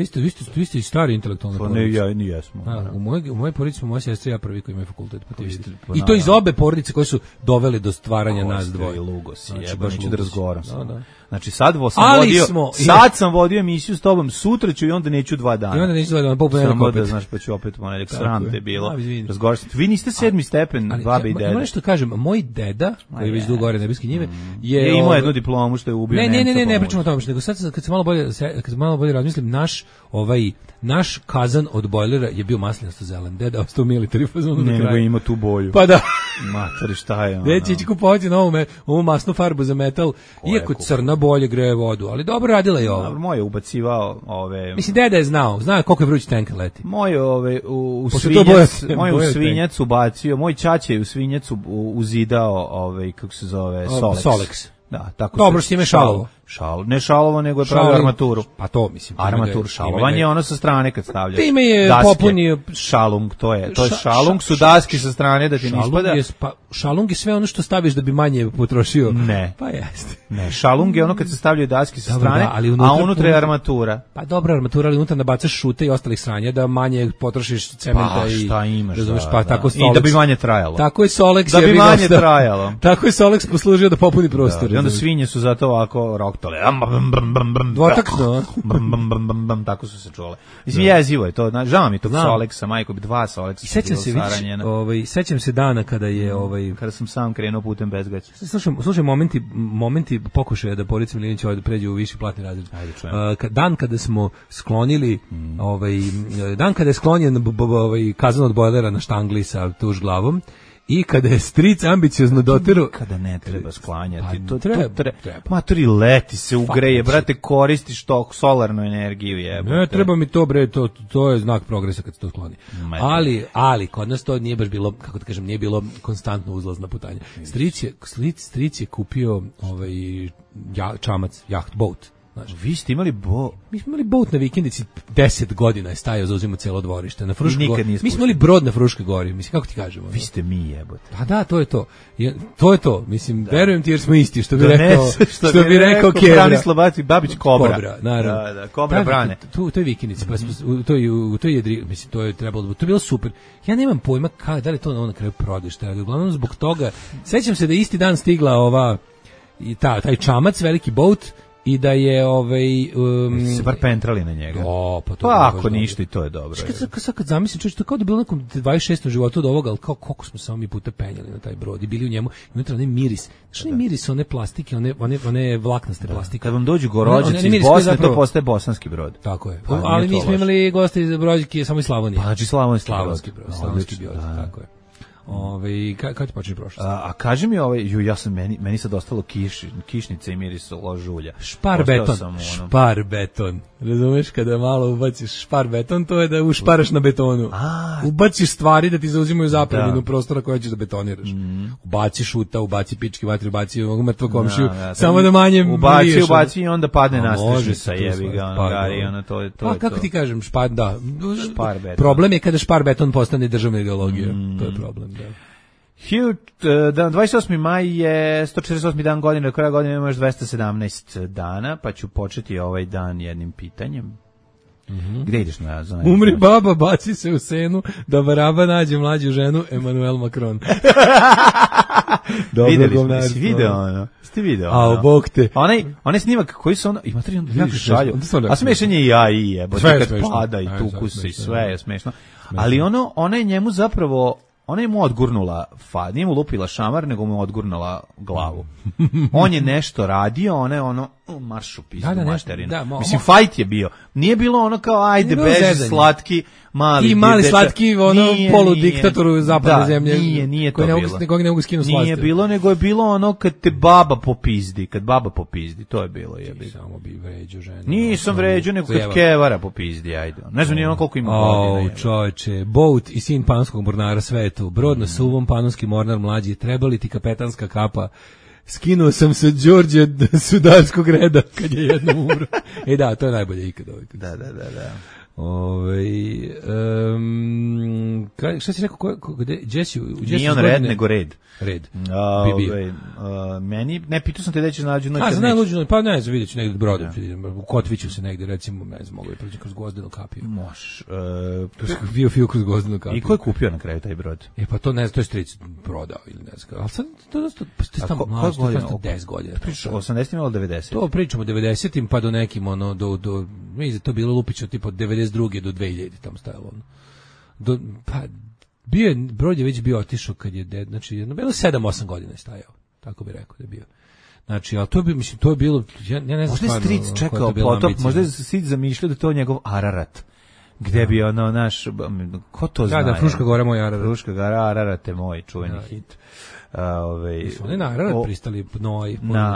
vi ste i stari intelektualni porodici. Pa ne, jesmo. U mojoj porodici smo moja sestra i ja prvi koji imaju fakultet. I to iz obe porodice koje su doveli do stvaranja nas dvoje. Lugosi, neću da razgovaram sa da. Znači sad sam vodio emisiju s tobom, sutra ću i onda neću 2 dana. I onda neću 2 dana, po ponedeljak opet. Da, znaš, pa ću opet ponedeljak, sram te bilo. Vi niste 7. stepen, babi i dede. Ima nešto kažem, moj deda, koji je već dugo gore Nebeske njive, je imao jednu diplomu što je ubio Nemca. Ne pričamo o tome, nego sad kad se malo bolje razmislim, naš kazan od bojlera je bio maslinasto zelen. Deda ostao military fazon do kraja. Nego ima tu boju. Pa da. Matori, šta je ono? Već ići kupovati ovu masnu farbu za metal, iako crna bolje greje vodu, ali dobro radila je ovo. Dobro, moj je ubacivao ove... Mislim, deda je znao koliko je vruć tanker leti. Moj je u svinjac ubacio, moj ćaća je u svinjac uzidao, kako se zove, Solex. Da, tako dobro, s time šalovo. Ne šalovo, nego je pravio armaturu. Pa to, mislim. Armatur, šalovanje je ono sa strane kad stavljaš. Time je popunio... Šalung, to je šalung, su daske sa strane da ti ne ispada. Šalung je sve ono što staviš da bi manje potrošio. Ne. Pa jeste. Ne, šalung je ono kad se stavljaju daske sa strane, a unutra je armatura. Pa dobra armatura, ali unutra nabacaš šute i ostalih sranja da manje potrošiš cementa i... Pa šta imaš, I da bi manje trajalo. Tako je Solex... Da bi manje trajalo. Tako je Solex poslužio da popuni prostor. I onda svinje su zato ovako roktale. Dvotakno. Tako su se čule. Mislim, jezivo je to. Žao mi tog Solexa, majko, 2 Solexa. Sećam se dana kada je... Kada sam sam krenuo putem bez gaća. Slušaj, momenti pokušaja da Borica Milinić pređe u viši platni razred. Dan kada smo sklonili, dan kada je sklonjen kazan od bojlera na štangli sa tuž glavom, i kada je stric ambiciozno doterao... Kada ne treba sklanjati. Pa, to treba. Matori, leti se ugreje, brate, koristiš to solarnu energiju. Ne, treba mi to, bre, to je znak progresa kad se to skloni. Ali, kod nas to nije baš bilo, kako da kažem, nije bilo konstantno uzlazna putanja. Stric je kupio čamac, jacht, boat. Znači, vi ste imali mi smo imali boat na vikendici, 10 godina je stajao, zauzimo celo dvorište na Fruškoj gori. Mi smo imali brod na Fruškoj gori, mislim, kako ti kažemo. Vi ste mi, jebote. A da, to je to. To je to, mislim, verujem ti jer smo isti, što bi rekao Kebra. Branislav Babić Kobra. Kobra, naravno. Da, Kobra brane. To je vikendici, pa to je mislim, to je trebalo, to je bilo super. Ja nemam pojma da li to na kraju prodaje, šta je, uglavnom zbog toga. Sećam se da isti dan stigla taj čamac, veliki boat, i da je se bar pentrali na njega. Pa ako ništa i to je dobro. Kad zamislim, čovječ, to kao da bilo nekom 26. životu od ovoga, ali kao koliko smo samo mi puta penjali na taj brod i bili u njemu, i unutra onaj miris. Znaš, onaj miris, one plastike, one vlaknaste plastike. Kad vam dođu gorođaci iz Bosne, to postaje bosanski brod. Tako je. Ali mi smo imali goste iz Brođike samo iz Slavonije. Pa znači slavonski brod, tako je. Kad ti počne prošlost? A kaži mi ja sam meni sad ostalo kišnice i mirisalo žulja. Špar beton. Razumeš, kada malo ubaciš špar beton, to je da ušparaš na betonu. Ubaciš stvari da ti zauzimaju zapravljenu prostora koja ćeš da betoniraš. Ubaci šuta, ubaci pički vatri, ubaci mrtvo komšiju, samo da manje mliješ. Ubaci i onda padne nastrešnica, jebi ga, gari, to je to. Kako ti kažem, špar beton. Problem je kada špar beton postane državna ideologija. To je problem. 28. maj je 148. dan godine, do kraja godine imamo još 217 dana, pa ću početi ovaj dan jednim pitanjem. Gde ideš na zonu? Umri baba, baci se u senu, da baraba nađe mlađu ženu, Emmanuel Macron. Videli smo, si video ono. Ste video ono. A, bog te. Onaj snimak koji su ono, ima tri jako šalju. A smešan je i ja i jebote, kad pada i tuku se i sve je smešno. Ali ona je njemu zapravo, ona je mu odgurnula nije mu lupila šamar, nego mu odgurnula glavu. On je nešto radio, ona je ono, maršu pizdu materinu. Mislim, fajt je bio. Nije bilo ono kao, ajde, beži, slatki, mali. I mali slatki, ono, poludiktator zapadne zemlje. Nije to bilo. Koji ne mogu skinu slasti. Nije bilo, nego je bilo ono kad te baba popizdi, to je bilo. Samo bi vređao ženu. Nisam vređao, nego kad kevara popizdi, ajde. Ne znam ni ono koliko ima godina. Čoveče, Bout i sin panonskog mornara svetu, brod na suvom, panonski mornar mlađi, treba li ti kapetanska kapa? Skinuo sam se Đorđe sudarskog reda kad je jednom umro. Da, to je najbolje ikad. Da. Šta si rekao, nije on red, nego red. Red. Meni, ne, pitao sam te da ćeš nađu noć. Pa ne znam, vidjet ću negdje brodom. U Kotviću se negdje, recimo, ne znam, mogu je proći kroz Gvozdenu kapiju. Možeš. Fio kroz Gvozdenu kapiju. I ko je kupio na kraju taj brod? Pa to ne znam, to je stric prodao ili ne znam. Ali sad, to je tamo mlađe, to je 10 godina. Pričamo 80-im ili 90-im? To pričamo 90-im pa do nekim, ono, mislim da to bilo lupično, tipo 92. do 2000 tamo stajalo, ono. Brod je već bio otišao kad je znači jedno bilo 7-8 godina je stajao, tako bi rekao da je bio. Znači, ali to je bilo, ja ne znam. Možda je stric čekao potop, možda je stric zamišljao da to je njegov Ararat. Gde bi ono naš, ko to zna? Da, Fruška Gora moj Ararat. Fruška Gora, Ararat je moj čuveni hit. Oni na Ararat pristali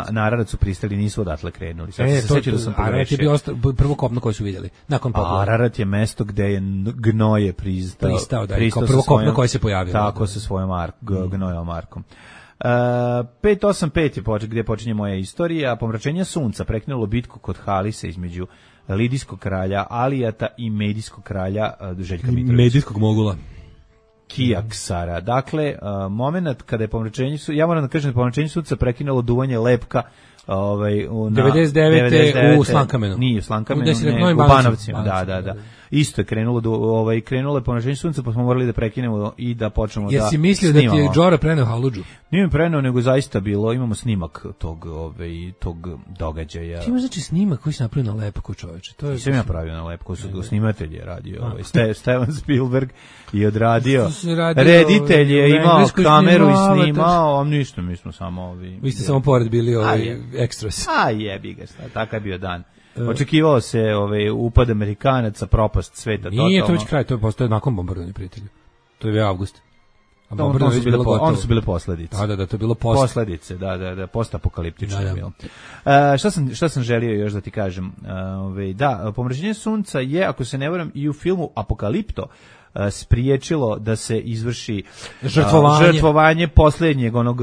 na Ararat su pristali, nisu odatle krenuli. Ararat je bio prvo kopno koje su vidjeli nakon poplava. Ararat je mesto gde je gnoje pristao da, kao prvo kopno koje se pojavilo. Tako sa svojom gnojevom markom. 585 je gdje počinje moja istorija. Pomračenje sunca prekinulo bitku kod Halise između Lidijskog kralja Alijata i Medijskog kralja Željka Mitrovića. Medijskog mogula. Kijaksara. Dakle, moment kada je pomračenje sunca, ja moram da kažem da je pomračenje sunca prekinulo duvanje lepka 99. u Slankamenu. Nije u Slankamenu, ne, u Banovcima. Da. Isto je krenulo je pomračenje sunca, pa smo morali da prekinemo i da počnemo da snimamo. Jesi mislio da ti je Džora preneo haludžu? Nije mi preneo, nego zaista bilo, imamo snimak tog događaja. Ti imaš znači snimak koji si napravio na lepku, čoveče? Nisam ja pravio na lepku, su snimatelj je radio. Steven Spielberg je odradio. Reditelj je imao kameru i snimao, ništa, mi smo samo Vi ste samo pored bili ekstras. Jebi ga, takav je bio dan. Očekivao se upad Amerikanaca, propast sveta. Nije to već kraj, to je postoje nakon bombardovanja, prijatelju. To je bio avgust. Ono su bile posledice. Da, to je bilo posljedice, da, postapokaliptično je bilo. Šta sam želio još da ti kažem? Pomračenje sunca je, ako se ne varam, i u filmu Apokalipto spriječilo da se izvrši žrtvovanje posljednjeg onog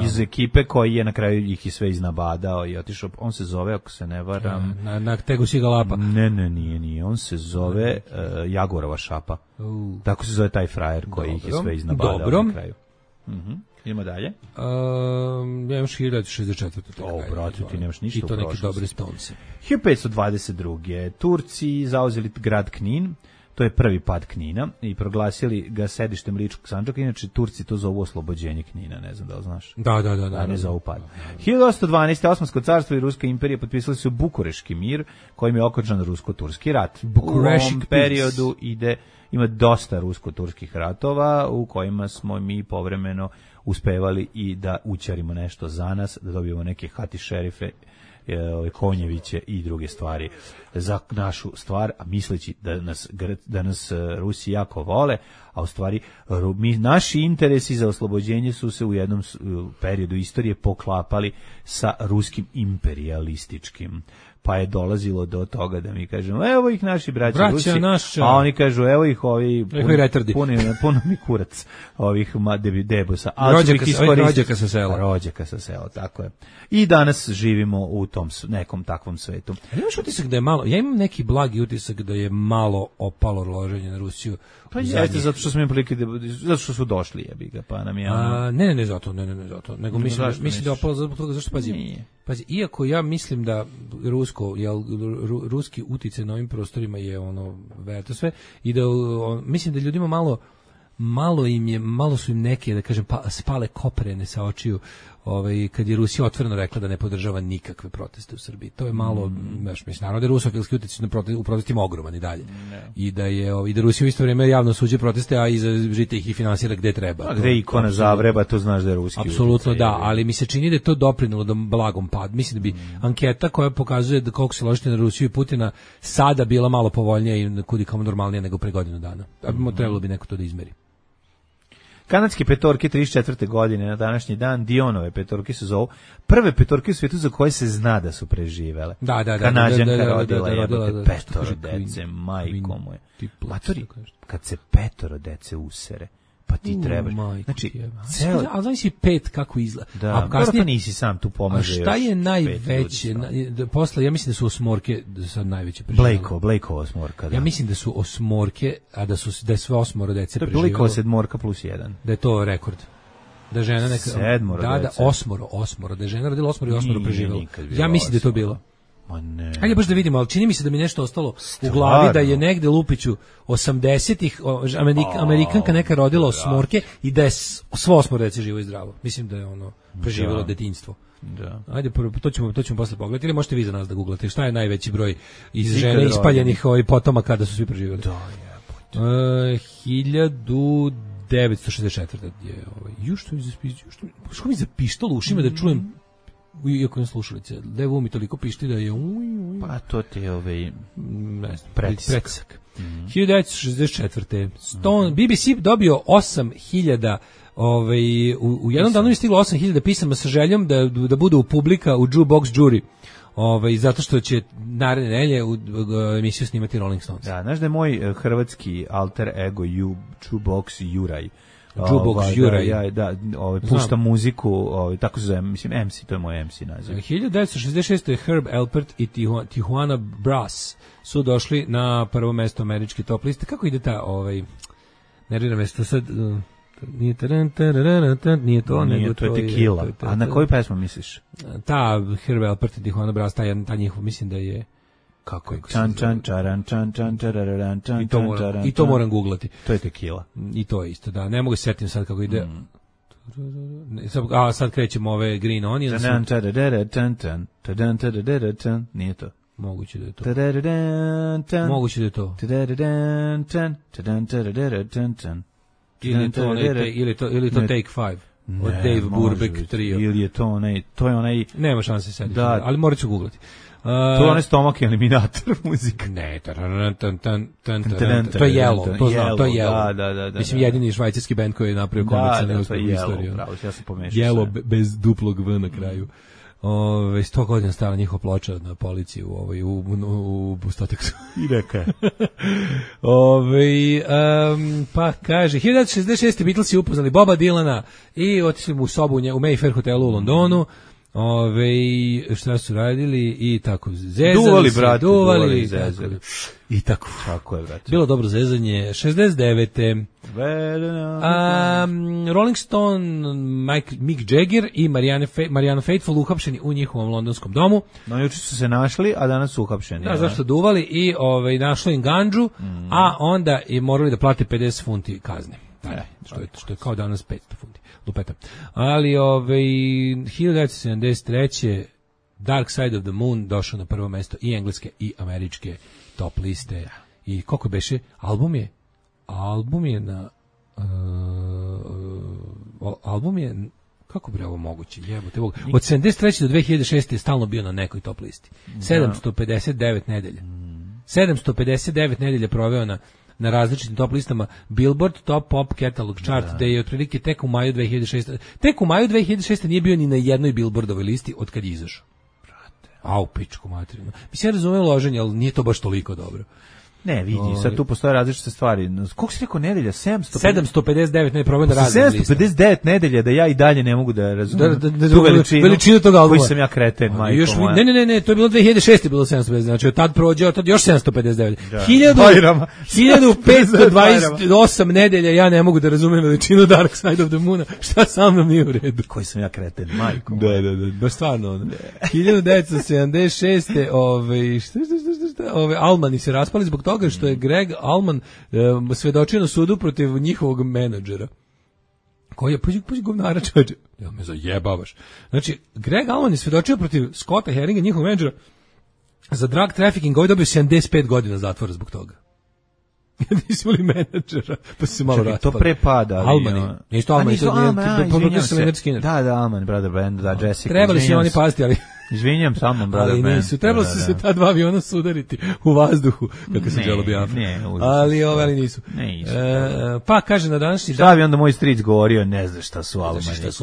iz ekipe koji je na kraju ih i sve iznabadao i otišao. On se zove, ako se ne varam, na Tegucigalpa Lapa. Ne, nije. On se zove Jagorova šapa. Tako se zove taj frajer koji ih je sve iznabadao na kraju. Idemo dalje. Ja imaš 1964. Brate, ti nemaš ništa u prošlosti. I to neki dobri Stonesi. 1522. Turci zauzeli grad Knin. To je prvi pad Knina i proglasili ga sedištem Ličkog Sandžaka. Inače, Turci to zovu oslobođenje Knina, ne znam da li znaš. Da. Ne zovu pad. 1812. Osmansko carstvo i Ruska imperija potpisali su Bukureški mir, kojim je okončan Rusko-turski rat. U ovom periodu ima dosta rusko-turskih ratova u kojima smo mi povremeno uspevali i da ućarimo nešto za nas, da dobijemo neke hati šerife, konjeviće i druge stvari za našu stvar, a misleći da nas Rusi jako vole, a u stvari naši interesi za oslobođenje su se u jednom periodu istorije poklapali sa ruskim imperialističkim. Pa je dolazilo do toga da mi kažemo, evo ih naši braća Rusi, a oni kažu, evo ih ovi puno mi kurac ovih debosa. Rođaka sa sela, tako je. I danas živimo u tom nekom takvom svetu. Ali imaš utisak da je malo, ja imam neki blagi utisak da je malo opalo loženje na Rusiju. Pa jeste, zato što smo im prilike, zato što su došli, jebi ga, pa nam je ne zato, nego mislim da je opalo zbog toga, zašto pazi, iako ja mislim da ruski uticaj na ovim prostorima je verto sve i da mislim da ljudima malo malo su im neke, da kažem, spale koprene sa očiju, kad je Rusija otvoreno rekla da ne podržava nikakve proteste u Srbiji. To je malo, mislim, naravno da je rusofilski utjecaj u protestima ogroman i dalje. I da Rusija u isto vrijeme javno suđe proteste, a iza žite ih i finansira gde treba. A gde ikona Zavreba, to znaš da je ruski. Apsolutno da, ali mi se čini da je to doprinelo da blagom pad. Mislim da bi anketa koja pokazuje da koliko se ložite na Rusiju i Putina sada bila malo povoljnija i kudikamo normalnija nego pre godinu dana. Trebalo bi neko to da izmeri. Kanadske petorke 34. godine na današnji dan, Dionove petorke se zovu prve petorke u svijetu za koje se zna da su preživele. Da. Kanadžanka rodila petoro dece, majko moje. Matori, kad se petoro dece usere, pa ti trebaš. Znači, ali znaš si 5 kako izgleda. Da, a kasnije nisi sam tu pomaže još. A šta je najveće? Posle, ja mislim da su osmorke sad najveće preživjele. Blakeova osmorka, da. Ja mislim da su osmorke, a da je sve osmoro dece preživjelo. To je Blakeova sedmorka plus 1. Da je to rekord. Da žena neka... Sedmoro dece. Da, osmoro. Da je žena rodila osmoro i osmoro preživjelo. Ja mislim da je to bilo. Ma ne. Ajde baš da vidimo, ali čini mi se da mi nešto ostalo u glavi, da je negde Lupiću 80-ih Amerikanka neka rodila osmorke i da je svo osmoro dece živo i zdravo. Mislim da je ono preživjelo detinjstvo. Da. Ajde, to ćemo posle pogledati, ili možete vi za nas da googlate šta je najveći broj iz žene ispaljenih potomaka kada su svi preživjeli. Da, je. 1964. je što mi za pištol u ušima da čujem, iako ne slušalice, levo mi toliko pišti da je pa to ti je ne znam, pretisak. 1964. BBC dobio 8.000 u jednom danu je stiglo 8.000 pisama sa željom da bude u publika u Jukebox Jury. Zato što će naredne nedelje u emisiju snimati Rolling Stones. Da, znaš da je moj hrvatski alter ego Jukebox Juraj. Jukebox Juraj. Da, pušta muziku, tako se zove, mislim MC, to je moj MC naziv. 1966. Herb Alpert i Tijuana Brass su došli na prvo mesto američke top liste. Kako ide ta, nervira me što sad... Nije to, nego to je Tequila. A na koju pesmu misliš? Ta Herb Alpert i Tijuana Brass, ta njihov, mislim da je... Kako je? I to moram googlati. To je Tequila. I to je isto, da. Ne mogu se setim sad kako ide. Sad krećemo ove Green Onions. Nije to. Moguće da je to. Moguće da je to. Ili to Take 5 od Dave Brubeck trio. Ili je to onaj... Nema šanse sediti, ali morat ću googlati. To je onaj stomak eliminator muzika. Ne, to je Yellow, to znam, to je Yellow. Da. Mislim, jedini švajcarski bend koji je napravio komercijalni uspeh u istoriji. Ja sam pomešao. Yellow bez duplog V na kraju. 100 godina stala njihova ploča na policiji u Stoteksu. I neka je. Pa kaže, 1966. Beatlesi upoznali Boba Dylana i otišli mu u sobu u Mayfair hotelu u Londonu. Šta su radili i tako zezali duvali zezali i tako. Tako je, brate. Bilo dobro zezanje. 69. Rolling Stone, Mick Jagger i Mariana Faithfull uhapšeni u njihovom londonskom domu. No, juče su se našli, a danas su uhapšeni. Da, zašto duvali i našlo im gandžu, a onda i morali da plate 50 funti kazne. Što je kao danas 500 funti. Lupeta. Ali 1973. Dark Side of the Moon došao na prvo mesto i engleske i američke top liste. I koliko beše? Album je kako bi ovo moguće? Jebote, od 73. do 2006. je stalno bio na nekoj top listi. 759 nedelja. 759 nedelja proveo na različitim top listama Billboard Top Pop Catalog Chart, da je otprilike tek u maju 2006. Tek u maju 2006. nije bio ni na jednoj Billboardovoj listi od kad je izašao. Au, pičku materinu. Mislim, ja razumijem loženje, ali nije to baš toliko dobro. Ne, vidi, sad tu postoje različite stvari. Koliko si rekao nedelja? 759, ne probam da radim. 759 nedelja da ja i dalje ne mogu da razumijem tu veličinu tog albuma. Koji sam ja kreten, majko moja. Ne, to je bilo 2006. bilo 759, znači od tad prođe, od tad još 759. 1528 nedelja ja ne mogu da razumijem veličinu Dark Side of the Moona. Šta sa mnom nije u redu? Koji sam ja kreten, majko moja. Da, baš stvarno. 1976. Allmani se raspali zbog toga što je Greg Allman svedočio na sudu protiv njihovog menadžera. Koji je, pazi govnara čoveče, ja me zajebavaš. Znači, Greg Allman je svedočio protiv Scotta Herringa, njihovog menadžera, za drug trafficking, ovaj dobio 75 godina zatvora zbog toga. Nisi imali menadžera, pa se malo raspali. To pre pada. Allman, isto Allman, Da, Allman, Brother Band, da, Jessica. Trebali su oni pasti, ali... Izvinjam samo, Brother Band. Nisu, trebalo se ta dva aviona sudariti u vazduhu, kako se Jello Biafra. Ali nisu. Pa, kaže na današnji dan... Šta bi onda moj stric govorio, ne znaš šta su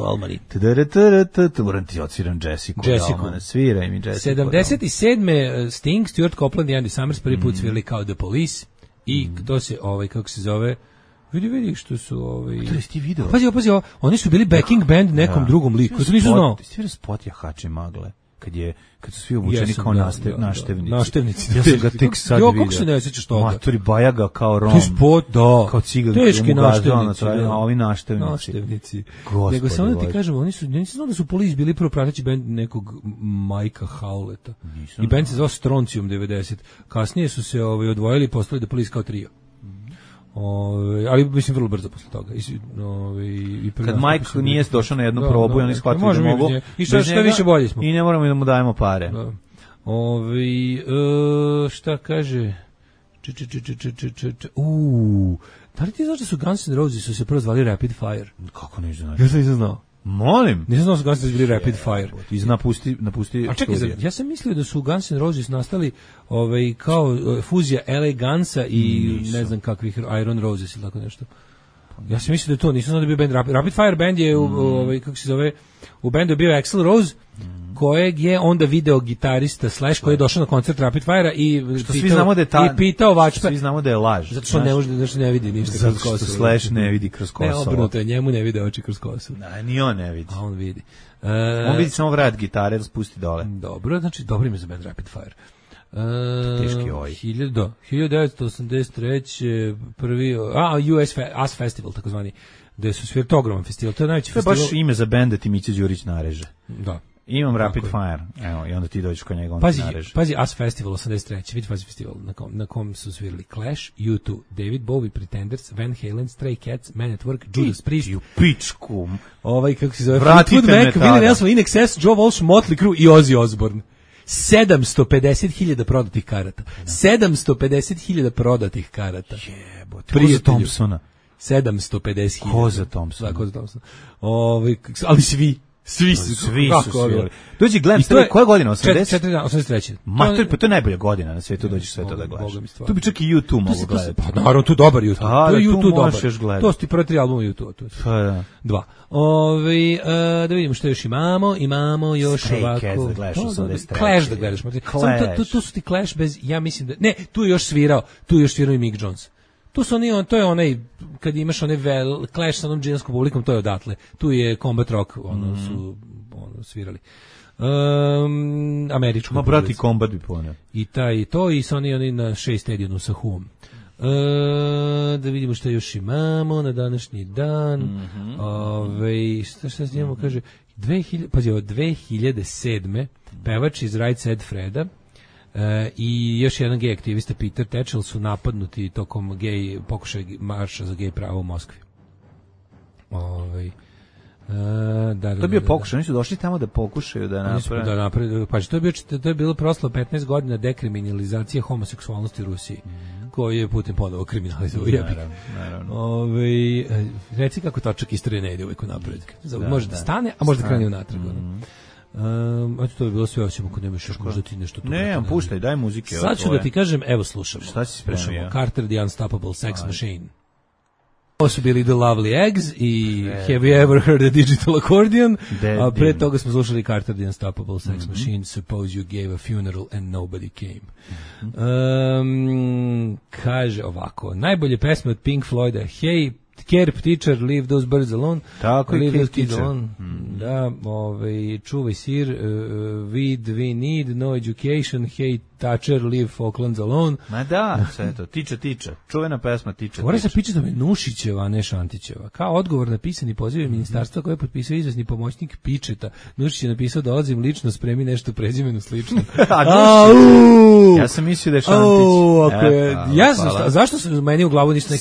Allmani. Moram ti odsviram Jessica. Sviraj mi Jessica. 77. Sting, Stuart Copeland i Andy Summers prvi put svirali kao The Police i to se, kako se zove... Vidi što su To je ti video. Pazi, oni su bili backing band nekom drugom liku. To nisu znao. Ti svira spot Jahači magle. Kad su svi obučeni kao naštevnici. Naštevnici. Ja sam ga tek sad vidio. Kako se ne sjećaš toga? Matori Bajaga kao Rom. To je spot, da. Kao cigan. Teški naštevnici. A ovi naštevnici. Nego samo da ti kažem, oni su znao da su Police bili prvo prateći band nekog Majka Howleta. I band se zvao Strontium 90. Kasnije su se odvojili i postali da Police kao trio. Ali mislim vrlo brzo posle toga. Kad Mike nije došao na jednu probu i oni shvatili da mogu i šta više bolje smo. I ne moramo da mu dajemo pare. Šta kaže? Da li ti znaš da su Guns N' Roses su se prvo zvali Rapid Fire? Kako ne znaš? Ja sam nisam znao. Molim. Nisam znao da su Guns N' Roses bili Rapid Fire. Napusti a čekaj, ja sam mislio da su Guns N' Roses nastali kao fuzija LA Gunsa i ne znam kakvih Iron Roses ili tako nešto. Ja sam mislio da to, nisam znao da je bio band Rapid Fire band je kako se zove, u bendu je bio Axl Rose, kojeg je onda video gitarista Slash koji je došao na koncert Rapid Fire i pitao Vačpa. Svi znamo da je laž. Zato što ne može da ne vidi ništa kroz kosu. Zato što Slash ne vidi kroz kosu. Ne, obrnuto je, njemu ne vide oči kroz kosu. Ni on ne vidi. A on vidi. On vidi samo vrat gitare da spusti dole. Dobro, znači dobro ime za band Rapid Fire. Teški oj. 1983. prvi US As Festival takozvani, gde su svirali ogroman festival. To je najveći festival. To je baš ime za bend da ti Mića Đurić nareže. Da. Imam Rapid Fire, evo, i onda ti dođeš kod njega, on ti nareže. Pazi, As Festival 83. Vidi Fazi festival na kom su svirali Clash, U2, David Bowie, Pretenders, Van Halen, Stray Cats, Man at Work, Judas Priest. U pičku. Kako se zove? Vratite me tada. Willie Nelson, In Excess, Joe Walsh, Motley Crue i Ozzy Osbourne. 750.000 prodatih karata. 750.000 prodatih karata. Jebote. Ko za Thompsona? 750.000. Ko za Thompsona? Ko za Thompsona. Ali svi su svirali. Dođi gledam, koja godina? 83. Mater, pa to je najbolja godina na svijetu, dođeš sve to da gledaš. Tu bi čak i YouTube mogu gledati. Pa naravno, tu dobar YouTube. To je YouTube dobar. To su ti prvi 3 albuma YouTube. Pa da. 2. Da vidimo što još imamo. Imamo još ovako. Clash da gledaš. Tu su ti Clash bez, ja mislim da, ne, tu je još svirao i Mick Jones. Tu su oni, to je onaj, kad imaš onaj Clash sa onom džinskom publikom, to je odatle. Tu je Combat Rock, su svirali. Američku. Ma brati Combat bi poneo. I to i sa oni na 6 stadionu sa Huom. Da vidimo što još imamo na današnji dan. Šta se njemu kaže? 2007. pevač iz Right Said Freda i još jedan gej aktivista Peter Tatchell su napadnuti tokom pokušaj marša za gej pravo u Moskvi. To je bio pokušaj, oni su došli tamo da pokušaju da naprave. Pa to je bilo proslavo 15 godina dekriminalizacije homoseksualnosti u Rusiji, koji je Putin ponovo kriminalizovao. Naravno. Reci kako točak istorije ne ide uvijek u napred. Može da stane, a može da krene u natrag. To bi bilo sve, osim ako nemaš još možda ti nešto tu. Ne, puštaj, daj muzike. Sad ću da ti kažem, evo slušamo. Šta si spremio? Carter the Unstoppable Sex Machine. Ovo su bili The Lovely Eggs i Have You Ever Heard a Digital Accordion, a pre toga smo slušali Carter the Unstoppable Sex Machine, Suppose You Gave a Funeral and Nobody Came. Kaže ovako, najbolje pesme od Pink Floyda, Hey, Care Teacher, Leave Those Birds Alone. Tako Leave je, Those Kids Alone. Da, čuvaj sir, We Need, No Education, Hey Thatcher, Leave Falklands Alone. Ma da, sve to, tiče. Čuvena pesma tiče. Mora se piče da me Nušićeva, a ne Šantićeva. Kao odgovor na pisani poziv ministarstva koje je potpisao izvezni pomoćnik Pičeta. Nušić je napisao, dolazim lično, spremi nešto prezimenu slično. Ja sam mislio da je Šantić. Zašto su meni u glavu nisu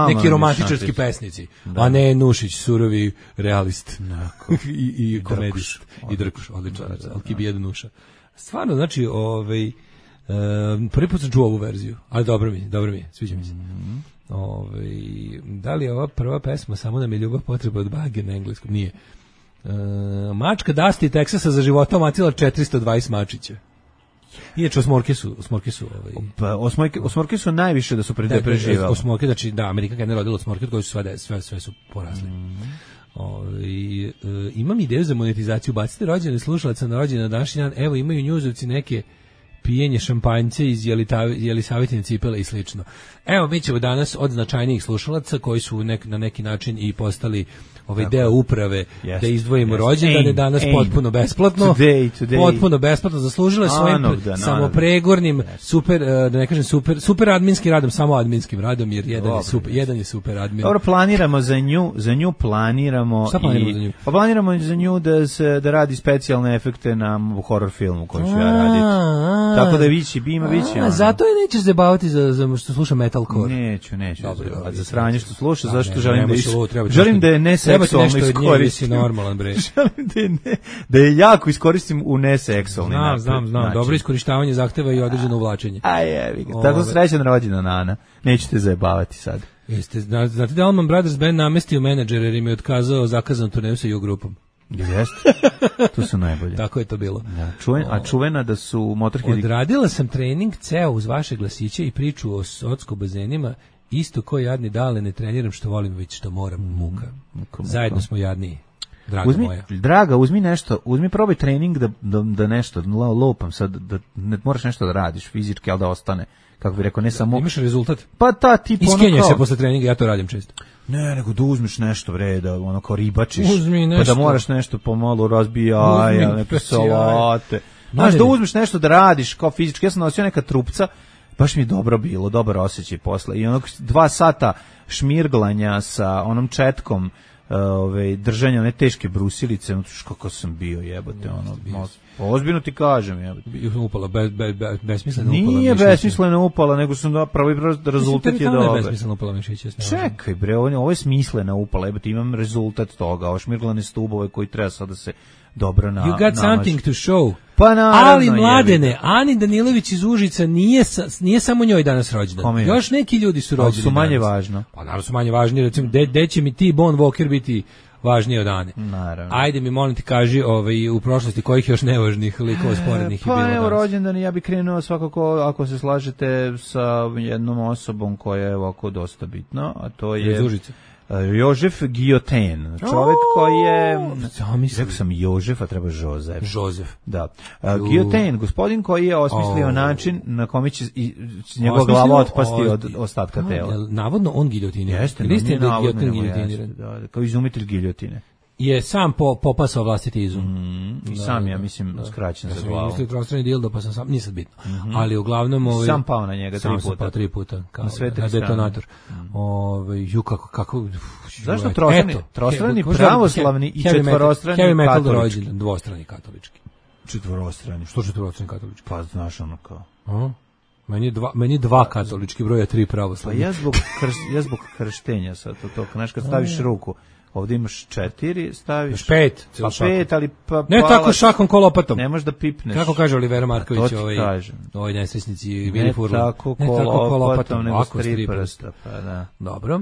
neki romantičarski pesnici, a ne Nušić, surovi realist i komedist. I Drkuš, odličan, Alkibijedu Nuša. Stvarno, znači, prvi put sam čuo ovu verziju, ali dobro mi je, sviđa mi se. Da li je ova prva pesma Samo nam je ljubav potreba od bage na engleskom? Nije. Mačka Dasti Teksasa za života omatila 420 mačića. Inače, osmorke su najviše da su preživali. Osmorke, znači, da, Amerika kad ne rodila osmorke, od koje su sve su porasli. Imam ideju za monetizaciju, bacite rođene slušalaca na rođene na današnji dan, evo imaju njuzovci neke pijenje šampanjce iz Jelisavitine cipele i slično. Evo, mi ćemo danas od značajnijih slušalaca koji su na neki način i postali deo uprave da izdvojimo rođendane danas potpuno besplatno. Potpuno besplatno zaslužile svojim samopregornim da ne kažem super adminskim radom, samo adminskim radom, jer jedan je super admin. Dobro, planiramo za nju planiramo. Šta planiramo za nju? Pa planiramo za nju da radi specijalne efekte na horror filmu koji ću ja raditi. Tako da vići. Zato je nećeš zabavati za što sluša metalcore. Neću. Za sranje što sluša, zašto želim da je neseksualno iskoristim. Normalan bre. Želim da je jako iskoristim u neseksualni način. Znam. Dobro iskorištavanje zahteva i određeno uvlačenje. Tako srećan rođendan Nana. Neću te zajebavati sad. Znate da Allman Brothers Band namestio menadžer jer im je otkazao zakazanu turneju sa U-grupom. Jeste. To su najbolje. Tako je to bilo. A čuvena da su Motorhead. Odradila sam trening ceo uz vaše glasiće i priču o socko-bazenima, isto ko jadni dale ne treniram što volim, već što moram, muka. Zajedno smo jadniji. Draga, uzmi probaj trening da nešto lopam sad, da ne moraš nešto da radiš fizički, ali da ostane. Kako bi rekao, ne samo... Imaš rezultat? Pa ta tip ono kao... Iskenja se posle treninga, ja to radim često. Ne, nego da uzmeš nešto, bre, da ono kao ribačiš. Pa da moraš nešto pomalo razbija jaja, neke salate. Znaš, da uzmeš nešto da radiš kao fizički. Ja sam nosio neka trupca, baš mi je dobro bilo, dobar osjećaj posle. I onog 2 sata šmirglanja sa onom četkom, držanja one teške brusilice, kako sam bio, jebote, ozbiljno ti kažem, jebote. Upala, besmisleno upala. Nije besmisleno upala, nego sam pravi rezultat je dobar. Besmisleno upala mišića. Čekaj bre, ovo je smislena upala, jebote, imam rezultat toga, ovo šmirglane stubove koji treba sad da se dobro namaže. You got something to show. Pa naravno, ali mladene, Ani Danilović iz Užica nije samo njoj danas rođendan. Još neki ljudi su rođeni. Su manje važno. Pa naravno su manje važni, recimo, gde će mi ti Bon Walker biti važnije od Ane? Naravno. Ajde mi, molim ti, kaži u prošlosti kojih još nevažnih likova sporednih je bilo danas. Pa evo rođendan, ja bih krenuo svakako, ako se slažete, sa jednom osobom koja je ovako dosta bitna, a to je... Iz Užica. Jožef Guillotin, čovjek koji je, rekao sam Jožef, a treba Jozef. Da. Guillotin, gospodin koji je osmislio način na kome će njegova glava otpasti od ostatka tela. Navodno on giljotiniran. Jeste, Guillotin giljotiniran. Kao izumitelj giljotine. Je sam popasao vlastiti izum. I sam ja mislim skraćen za glavu. Mislio trostrani dildo, pa sam sam, nisam bitno. Ali uglavnom... Sam pao na njega 3 puta. Sam pao 3 puta. Na sve 3 strane. Detonator. kako... Zašto trostrani pravoslavni i četvorostrani katolički? Dvostrani katolički. Četvorostrani. Što četvorostrani katolički? Pa znaš ono kao... Meni 2 katolički broja, 3 pravoslavni. Pa ja zbog krštenja sad to, znaš kad staviš ruku, ovdje imaš 4, staviš 5, pa 5, ali pa ne tako šakom ko lopatom. Ne možeš da pipneš. Kako kaže Olivera Marković, ovaj nesrećnici Vili Furlan. Ne tako ko lopatom, nego s 3 prsta, pa da. Dobro,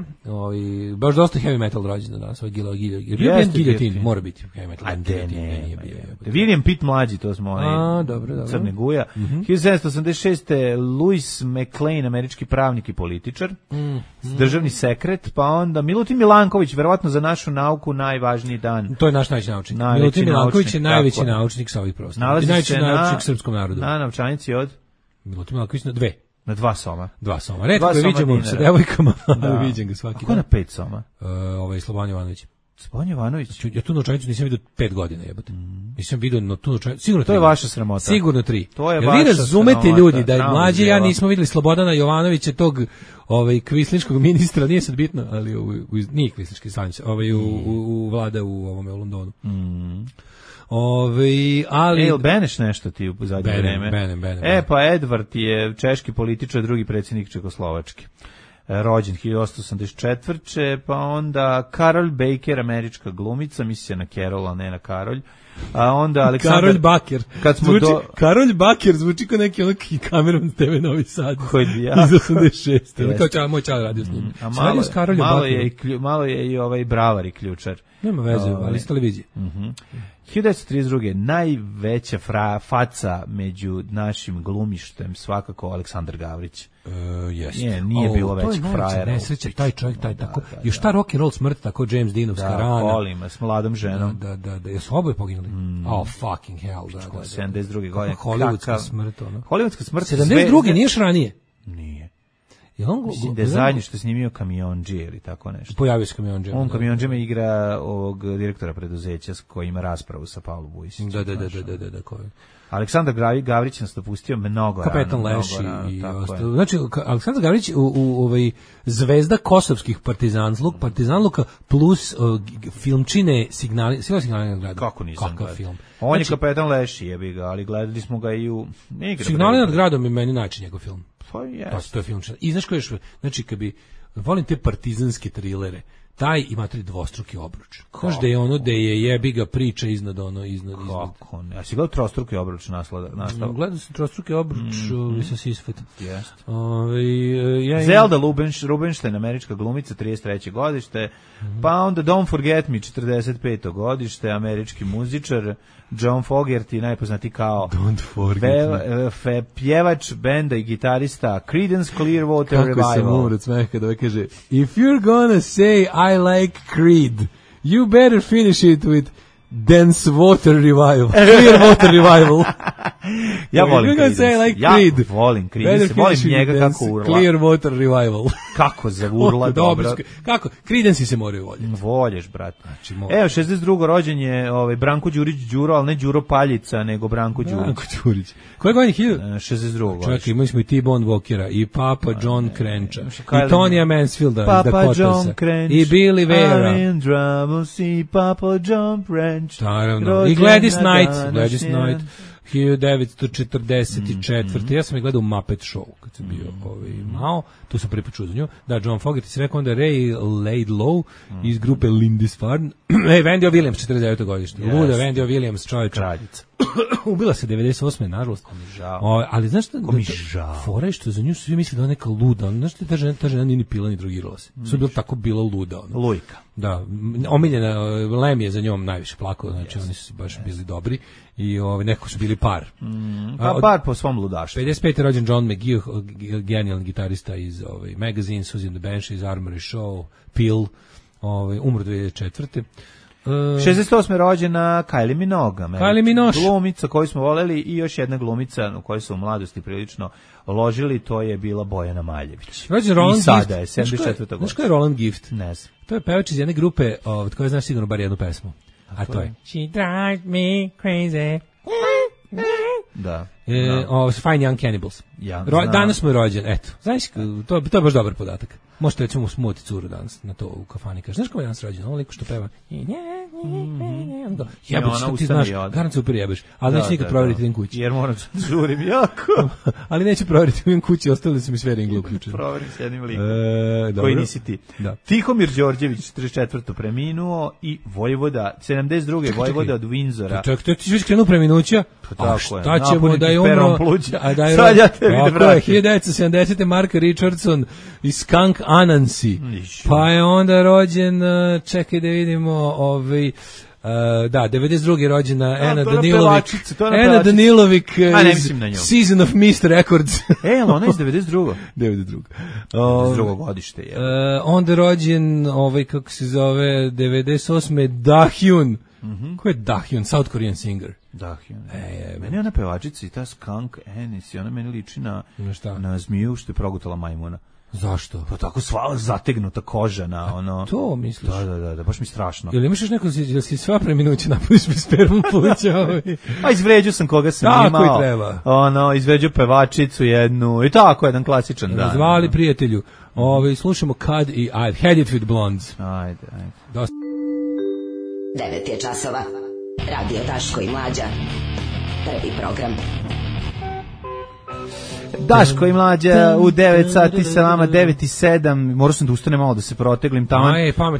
baš dosta heavy metal rođendan danas, ovaj Guillotin, mora biti heavy metal. A ne, William Pitt mlađi, to smo dobro. Crne guja. 1786. Louis McLean, američki pravnik i političar, državni sekret, pa onda Milutin Milanković, verovatno za našu nauku najvažniji dan. To je naš najveći naučnik. Milutin Milanković je najveći naučnik sa ovih prostora. Nalazi najveći naučnik srpskom narodu. Na novčanici od? Milutin Milanković na 2. Na 2 soma. 2 soma. Retko ga viđamo sa devojkama, ali viđem ga svaki dan. Kako na 5 soma? Slobodan Jovanović. Spojan Jovanović. Ja tu novčanicu nisam vidio 5 godina, jebote. Nisam vidio tu novčanicu, sigurno 3. To je vaša sramota. Sigurno 3. To je vi vaša razumete sramota, ljudi da je mlađi ja nismo videli Slobodana Jovanovića, tog kvislinškog ministra, nije sad bitno, ali nije kvislinški sanjić, u vlada u ovome u Londonu. Ali Beneš nešto ti u zadnje vreme. Benem. Pa Edvard je češki političar, drugi predsjednik Čekoslovačke. Rođen 1884. Pa onda Carol Baker, američka glumica, misli na Carol, a ne na Karolj. A onda Aleksandar Karolj Baker. Kad smo Karolj Baker zvuči kao neki onaki kamerom TV Novi Sad. Ja. Iz 86. Kao moj čal radio s njim. Malo je i ovaj Bravar i ključar. Nema veze, ali s televizije. 1932. najveća faca među našim glumištem svakako Aleksandar Gavrić. Nije bilo većeg frajera. Nesreća, taj čovjek, taj tako. Još ta rock and roll smrt, tako James Deanovska rana. Kolima, s mladom ženom. Da. Jesu oboje poginuli? Oh, fucking hell. 72. godine. Hollywoodska smrt, ono. Hollywoodska smrt. 72. nije još ranije? Nije. Mislim da je zadnji što je snimio Kamionđije ili tako nešto. Pojavio se Kamionđije. On Kamionđijama igra ovog direktora preduzeća koji ima raspravu sa Pavlom Vujsićem. Da. Aleksandar Gavrić nas dopustio mnogo rano. Kapetan Leši i ostalo. Znači, Aleksandar Gavrić u zvezda kosovskih partizanluka plus filmčine signali nad gradom. Kako nisam gledao? Film? On je kapetan Leši, jebi ga, ali gledali smo ga i u... Signali nad gradom je meni najči njegov film. To je film. I znaš koji još, znači kad bi, volim te partizanske trilere, taj ima 3 dvostruki obruč. Znaš da je ono da je jebi ga priča iznad. Kako ne? A si gledao trostruki obruč nastav? Gledao sam trostruki obruč sa Sisfet. Jeste. Zelda Rubinstein, američka glumica, 33. godište, pa onda Don't Forget Me, 45. godište, američki muzičar, John Fogerty, najpoznati kao pjevač benda i gitarista Creedence Clearwater Revival. Kako sam umro od smeha da kaže If you're gonna say I like Creed, you better finish it with Dance Water Revival. Clear Water Revival. Ja volim Creed. Volim njega kako urla. Clear Water Revival. Kako zaurla dobro. Kako? Creedensi se moraju voljeti. Volješ, brate. Evo, 62. rođen je Branko Đurić Đuro, ali ne Đuro Paljica, nego Branko Đurić. Koje godine? 62. Čekaj, imali smo i T-Bone Walkera, i Papa John Crencha, i Tonija Mansfielda, Papa John Crench, i Billy Vera. I Papa John Crench. Naravno. I Gladys Knight. 1944. Ja sam je gledao u Muppet Show kad sam bio mao, tu sam prvi put čuo za nju. Da, John Fogerty se rekao, onda Ray Laidlaw iz grupe Lindisfarne. Wendy Williams, 49. godište. Luda Wendy Williams, čovječa. Kraljica. Ubila se 98. nažalost. Ali znaš šta? Fora je što za nju svi misle da je neka luda. Znaš šta, ta žena nije ni pila ni drogirala se. Sve je tako bila luda. Lujka. Da, omiljena, Lem je za njom najviše plakao, znači oni su baš bili dobri i nekako su bili par. Par po svom ludaštvu. 55. rođen John McGee, genijalni gitarista iz Magazine, Suzy and the Banshees, Armory Show, Peel, umro 2004. 68. rođena Kylie Minogue, glumica koju smo voleli, i još jedna glumica u kojoj su u mladosti prilično ložili, to je bila Bojana Maljević. Rođen Roland Gift. I sada je 74. godine. Znaš ko je Roland Gift? Ne znam. To je pevač iz jedne grupe, od koje znaš sigurno bar jednu pesmu. A to je She drives me crazy. Da. Fine Young Cannibals. Danas mu je rođen, eto. Znaš, to je baš dobar podatak. Možete recimo smuti curu danas na to u kafani. Kaže, znaš kako je danas rođen? Ovo liko što peva. Jebeć, što ti znaš, garant se upir jebeš. Ali neću nikad provjeriti idem kući. Jer moram da žurim jako. Ali neću provjeriti idem kući, ostavili su mi sve ringle uključene. Provjerim s jednim likom. Koji nisi ti. Tihomir Đorđević, 44. preminuo, i Vojvoda, 72. Vojvoda od Windsora. Čekaj, ti si krenuo preminuća? A šta ćemo da je umro? Sad ja te vidim vratim. 1970. Mark Richardson iz Skunk Anansi. Pa je onda rođen, čekaj da vidimo, 92. rođena Ana Danilović. Ana Danilović iz Season of Mist Records. Ona iz 92. 92. godište je. Onda rođen, kako se zove, 98. Dahyun. Ko je Dahyun? South Korean singer. Dahyun. Meni je ona pevačica i ta Skunk Anansi, ona meni liči na zmiju što je progutala majmuna. Zašto? Pa tako sva zategnuta koža na ono. To misliš? Da, baš mi strašno. Jel imaš još neko, jel si sva preminuće napuniš mi spermu pluća? A izvređu sam koga sam tako imao. Tako i treba. Ono, izvređu pevačicu jednu i tako, jedan klasičan dan. Zvali prijatelju. Slušamo Cud i I've Had It With Blondes. Ajde. Dosta. 9 je časova. Radio Daško i Mlađa. Prvi program. Daško i Mlađa u 9 sati sa vama, 9:07. Morao sam da ustanem malo da se proteglim tamo.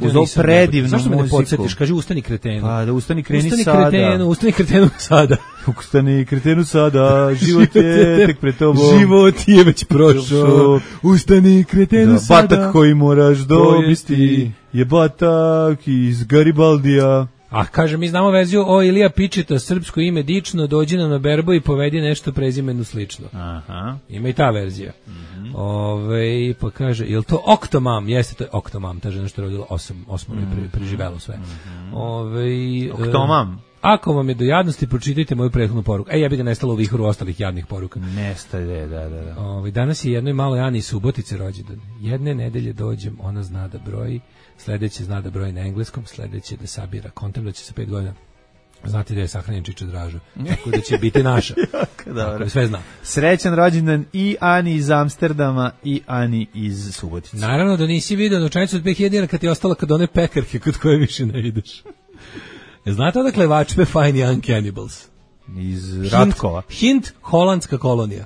Uz ovu predivnu muziku. Zašto me ne podsjetiš? Kaži ustani kretenu. Pa da ustani kreni sada. Ustani kretenu sada. Ustani kretenu sada, život je tek pred tobom. Život je već prošao. Ustani kretenu sada. Batak koji moraš dobiti je batak iz Garibaldija. A kaže, mi znamo verziju o Ilija Pičeta, srpsko ime dično, dođi nam na berbo i povedi nešto prezimenu slično. Aha. Ima i ta verzija. Pa kaže, je li to Octomam? Jeste, to je Octomam, ta žena što je rodila 8 i preživelo sve. Octomam? Ako vam je do jadnosti, pročitajte moju prethodnu poruku. Ja bi ga nestalo u vihoru ostalih jadnih poruka. Nestaje, da. Danas je jednoj maloj Ani iz Subotice rođendan. Jedne nedelje dođem, ona zna da broji, sledeće zna da broji na engleskom, sledeće da sabira kontent, da će sa 5 godina znati da je sahranjen Čiča Draža. Tako da će biti naša. Tako, sve zna. Srećan rođendan i Ani iz Amsterdama i Ani iz Subotice. Naravno da nisi vidio novčanicu od 2000 dinara kad ti je ostala kod one pekarke kod koje više ne ideš. Znate odakle vačpe Fine Young Cannibals? Iz Ratkova. Hint, holandska kolonija.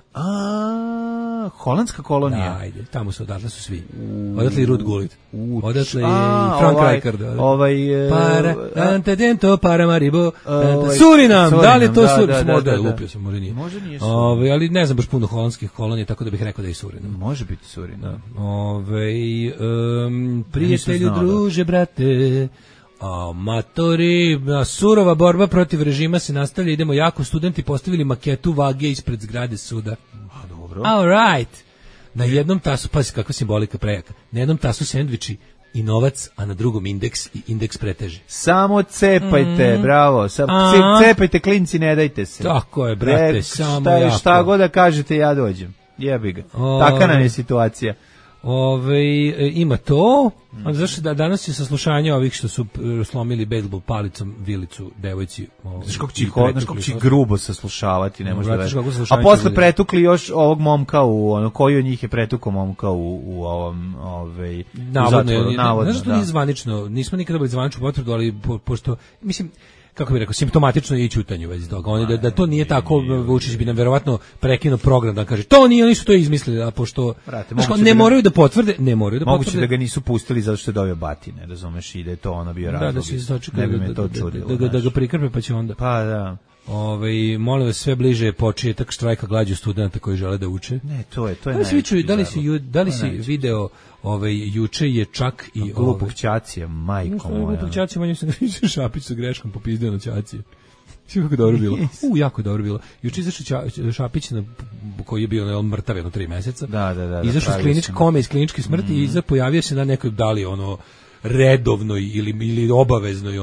Holandska kolonija? Da, ajde, tamo su, odatle su svi. Odatle i Ruud Gullit. Odatle i Frank Rijkaard. Antedento, Paramaribo, Surinam, da li je to Surinam? Možda je lupio sam, možda nije. Može nije Surinam. Ali ne znam baš puno holandskih kolonija, tako da bih rekao da je Surinam. Može biti Surinam. Prijatelju, druže, brate, amatori, surova borba protiv režima se nastavlja, idemo jako, studenti postavili maketu vage ispred zgrade suda. Dobro. All right. Na jednom tasu, pazi kakva simbolika prejaka, na jednom tasu sendviči i novac, a na drugom indeks i indeks preteže. Samo cepajte, bravo, cepajte klinci, ne dajte se. Tako je, brate, samo jako. Šta god da kažete, ja dođem. Jebi ga. Taka nam je situacija. Ima to, zašto da danas je saslušanje ovih što su slomili bejsbol palicom vilicu devojci. Znaš kako će grubo saslušavati, ne može da veći. A posle pretukli još ovog momka koji od njih je pretukao momka u ovom navodno. Znaš što nije zvanično, nismo nikada bili zvaničnu potvrdu, ali pošto, mislim, kako bih rekao, simptomatično je i ćutanje u vezi toga. Oni da to nije tako, Vučić bi nam verovatno prekinuo program da kaže to nije, oni su to izmislili, a pošto ne moraju da potvrde, moguće da ga nisu pustili zato što je dobio batine, razumeš, i da je to ono bio razlog. Da se ne bi me to čudilo. Da ga prikrpe pa će onda. Pa da. Molim vas, sve bliže početak štrajka glađu studenta koji žele da uče. Ne, to je da li si video juče je čak i glupog Ćacija, majko moja. Glupog Ćacija, manju sam Šapić sa greškom popizdio na Ćacije. Sve kako dobro bilo. Jako dobro bilo. Juče izašao Šapić koji je bio mrtav jedno 3 meseca. Da. Izašao iz kliničke smrti i pojavio se na nekoj dali redovnoj ili obaveznoj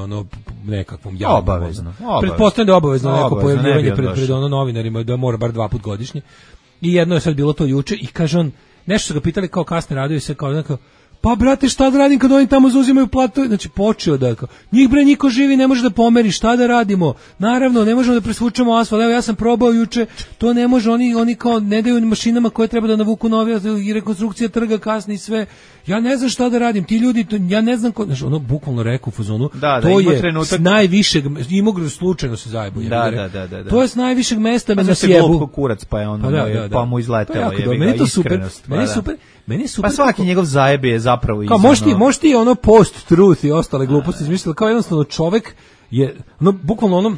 nekakvom javnom. Obavezno. Pretpostavljam da je obavezno neko pojavljivanje pred novinarima da mora bar 2 puta godišnje. I jedno je sad bilo to juče i kaže on, nešto su ga pitali kao kasne radovi se kao nekako, pa brate šta da radim kad oni tamo zauzimaju platu, znači počeo da njih bre niko živi ne može da pomeri, šta da radimo, naravno ne možemo da presvučemo asfalt, evo ja sam probao juče, to ne može, oni kao ne daju mašinama koje treba da navuku novi i rekonstrukcija trga kasni i sve, ja ne znam šta da radim, ti ljudi, ja ne znam, znači ono bukvalno rekao u fazonu, to je s najvišeg, imog slučajno se zajebo, to je s najvišeg mesta me nasjebu. Kurac pa je ono, pa mu izletelo, meni je super. Pa svaki njegov zajeb je zapravo kao možeš ti ono post-truth i ostale gluposti izmisliti, kao jednostavno čovjek je, bukvalno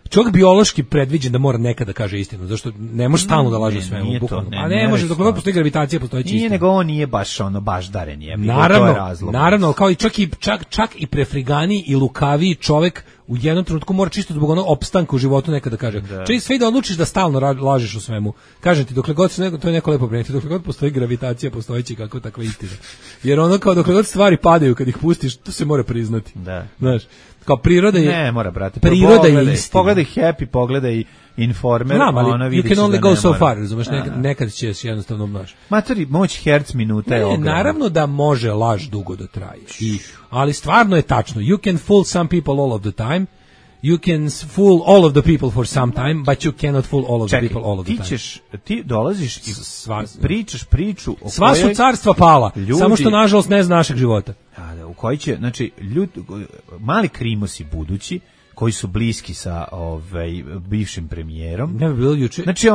čovjek biološki predviđen da mora nekada da kaže istinu, zašto ne može stalno da laže svemu, bukvalno. A ne može, dok god postoji gravitacija, postoji istina. Nije, nego on nije baš daren je. Naravno, kao i čak i prefrigani i lukavi čovjek u jednom trenutku mora čisto zbog opstanka u životu nekada kaže. Čiji sve da odlučiš da stalno lažeš o svemu. Kažem ti, dokle god to je neko lepo preneti, dokle god postoji gravitacija, postojeći kako takva istina. Jer kao dokle god stvari padaju kad ih pustiš, to se mora priznati. Da. Znaš, kao priroda je... Ne, mora, brate. Priroda je istina. Pogledaj Happy, pogledaj Informer, znam, ali ona you can only go so far, razumeš, nekad će se jednostavno množi. Matori, moć herc minuta je ogromna. Naravno da može laž dugo da traje, ali stvarno je tačno, you can fool some people all of the time, you can fool all of the people for some time, but you cannot fool all of the people all of the time. Ti dolaziš i pričaš priču o sva su carstva pala, samo što nažalost ne zna našeg života. U koji će, znači, mali krimosi budući, koji su bliski sa bivšim premijerom. Ne bi bilo juče. Znači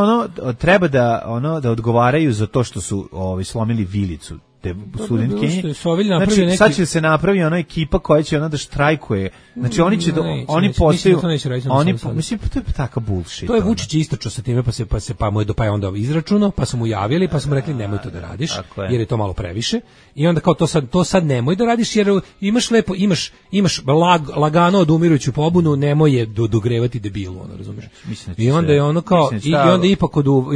treba da odgovaraju za to što su slomili vilicu te studentkinje. Znači sad će se napravi ona ekipa koja će da štrajkuje. Znači oni će oni postaju mislim to je taka bullshit. To je Vučić istračao sa time pa mu je pa je onda izračunao, pa su mu javili, pa su mu rekli nemoj to da radiš jer je to malo previše. I onda kao to sad nemoj da radiš jer imaš lagano odumirujuću pobunu, nemoj je dogrevati debilu, ono razumeš. I onda je ono kao i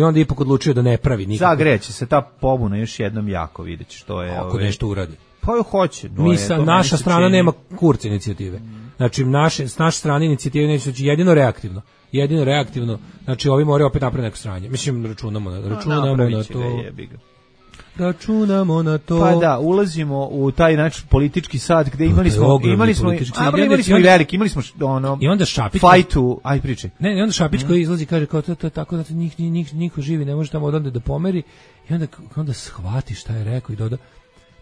onda ipak odlučio da ne pravi nikako. Zagreće se ta pobuna još jednom jako, vidjet što je ako nešto uradi. Pa hoće. Naša strana nema kurc inicijative. Znači s naše strane inicijative neće jedino reaktivno. Znači ovi moraju opet napraviti neko sranje. Mislim računamo na to. Računamo na to. Pa da, ulazimo u taj nač politički sad gde imali smo i veliki, imali smo i onda Šapić fajtu, aj priče. Ne, i onda Šapić koji izlazi kaže kao to tako da niko živi ne može tamo odande da pomeri i onda shvati šta je rekao i doda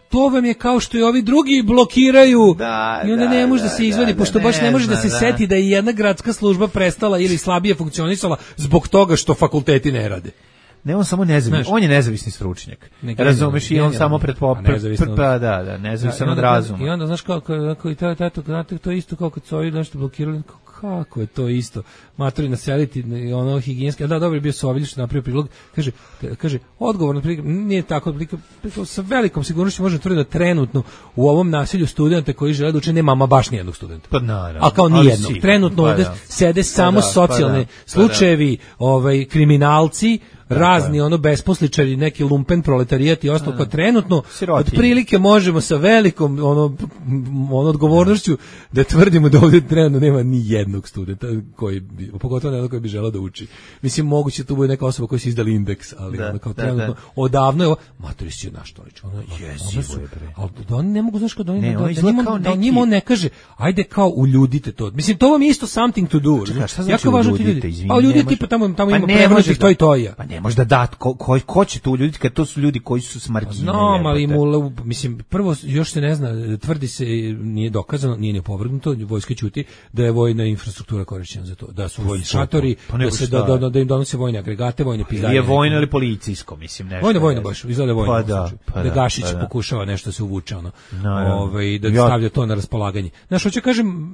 to vam je kao što i ovi drugi blokiraju i onda ne može da se izvadi, pošto baš ne može da se seti da je jedna gradska služba prestala ili slabije funkcionisala zbog toga što fakulteti ne rade. Ne, on samo nezavisni, on je nezavisni stručnjak. Razumeš, i on samo nezavisan od razuma. I onda, znaš, kako i to isto kao kad su ovi nešto blokirali, kako je to isto, matori naseliti, ono higijenski, da, dobro je bio Sovilj što napravio prilog, kaže, odgovorno prilog, nije tako, sa velikom sigurnošću možemo tvrditi da trenutno u ovom naselju studenta koji žele da uče nema baš nijednog studenta. Pa naravno. Ali kao nijednog. Trenutno ovde sede samo socijalne slučajevi, kriminalci, razni besposličari, neki lumpen proletarijat i ostalo, trenutno otprilike možemo sa velikom odgovornošću da tvrdimo da ovdje trenutno nema ni jednog studenta pogotovo ne koji bi želeo da uči. Mislim, moguće tu bude neka osoba koja su izdali indeks, ali kao trenutno odavno je ovo, matori će naš Tolić, ali da oni ne mogu, znaš kao da njima on ne kaže, ajde kao uljudite to. Mislim, to vam je isto something to do. Jako važno ti ljudi. Pa ljudi tipa tamo ima prevodnih to i to ja. Ne može da dat, ko će tu ljudi, kad to su ljudi koji su smargine. No, ali mislim, prvo još se ne zna, tvrdi se, nije dokazano, nije ni opovrgnuto, vojska ćuti da je vojna infrastruktura korišćena za to, da su vojni šatori, da im donose vojne agregate, vojne pizdarije. Je vojno ili policijsko, mislim, nešto. Vojno baš, izgleda vojno. Da Gašić pokušava nešto se uvuče, da stavlja to na raspolaganje. Znaš, hoću kažem,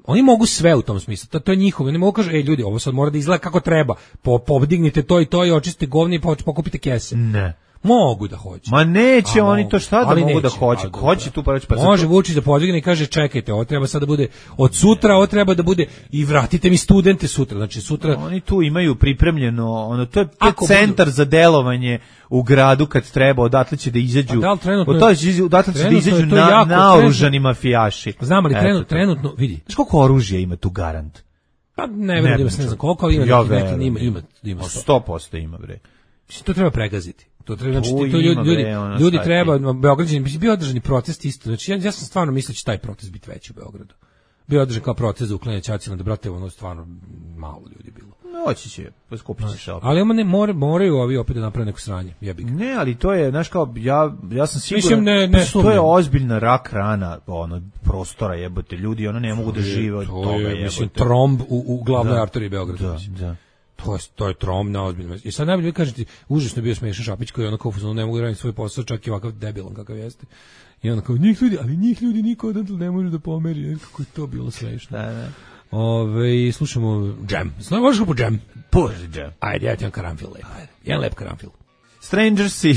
oni mogu sve u tom smislu, to je njihovo, oni mogu kažu, ljudi, ovo sad mora da izgleda kako treba, podignite to i to i očistite govni i pokupite kese. Ne. Mogu da hoće. Ma neće oni to šta da mogu da hoće. Hoće tu pa reći pa. Može Vučić da podigne i kaže čekajte, ovo treba sad da bude od sutra, ovo treba da bude i vratite mi studente sutra. Znači sutra oni tu imaju pripremljeno, to je centar za delovanje u gradu kad treba, odatle će da izađu. Odatle će da izađu naoružani mafijaši. Znam, ali trenutno vidi. Znaš koliko oružja ima tu garant? Pa ne verujem, ne znam koliko ima, ima 100% ima bre. To treba pregaziti. To treba, znači ljudi treba, Beograđani, bio održani protest isto. Znači ja sam stvarno mislio da će taj protest biti veći u Beogradu. Bio održan kao protest za uklanjanje ćacina, da brate, stvarno malo ljudi bilo. Hoće će, poskupit će se opet. Ali moraju ovi opet da naprave neko sranje, jebi ga. Ne, ali to je, znaš kao, ja sam siguran, to je ozbiljna rak rana prostora, jebote, ljudi, ne mogu da žive od toga, jebote. Mislim, tromb u glavnoj arteriji Beograda. Da. To je trom na ozbiljno. I sad najbolje vi kažete, užasno je bio smešan Šapić koji ne mogu raditi svoj posao, čak i ovakav debilan kakav jeste. I onda kao, njih ljudi niko odatle ne može da pomeri. Kako je to bilo smešno. Da. Slušamo Jam. Možeš po Jam? Puži Jam. Ajde, ja ti imam karanfil lep. Jedan lep karanfil. Strangersi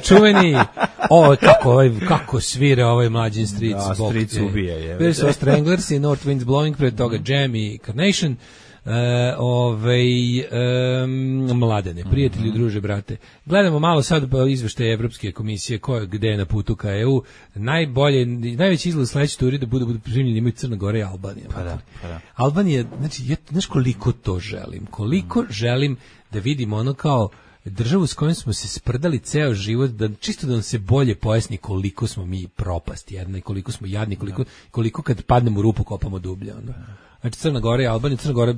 čuveni. Kako svira ovaj Mlađin Streets. Da, Streets ubija. Bili su Stranglersi, North Winds Blowing, pred toga Jam i Carnation. Mladene, prijatelji, druže, brate. Gledamo malo sad izveštaje Evropske komisije gde je na putu ka EU. Najveći izgled sledeće turi da budu primljeni imaju Crna Gora i Albanija. Pa da. Albanija, znači, znaš koliko to želim? Koliko želim da vidim ono kao državu s kojom smo se sprdali ceo život, čisto da nam se bolje pojasni koliko smo mi propast jedna i koliko smo jadni, koliko kad padnemo u rupu kopamo dublje. Ono. Znači Crna Gora i Albanija, Crna Gora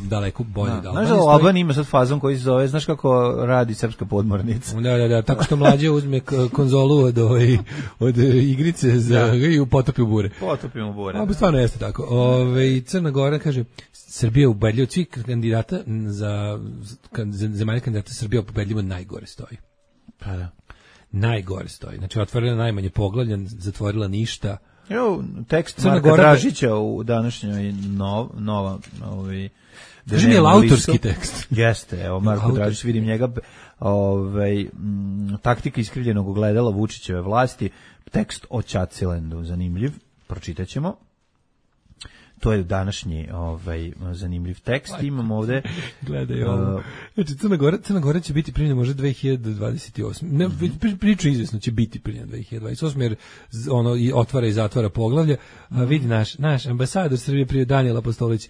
daleko bolje od Albanije. Znaš da u Albaniji ima sad fazon koji se zove, znaš kako radi srpska podmornica? Da, tako što mlađe uzme konzolu od igrice i potopi u bure. Potopimo u bure. A stvarno jeste tako. Crna Gora kaže, Srbija ubedljivo od svih kandidata za zemalja kandidata, Srbija ubedljivo najgore stoji. Pa da. Najgore stoji. Znači otvorila najmanje poglavlja, zatvorila ništa. Evo, tekst Marka Dražića u današnjoj nova Kaži mi je autorski tekst. Jeste, evo Marko Dražić, vidim njega, taktika iskrivljenog ogledala Vučićeve vlasti, tekst o Čacilendu, zanimljiv, pročitaćemo. To je današnji zanimljiv tekst. Imamo ovde gledaj ovo. Znači Crna Gora će biti primljena možda 2028. Ne, priču izvesno će biti primljena 2028 jer ono i otvara i zatvara poglavlje. A vidi naš ambasador Srbije prije Danijel Apostolić.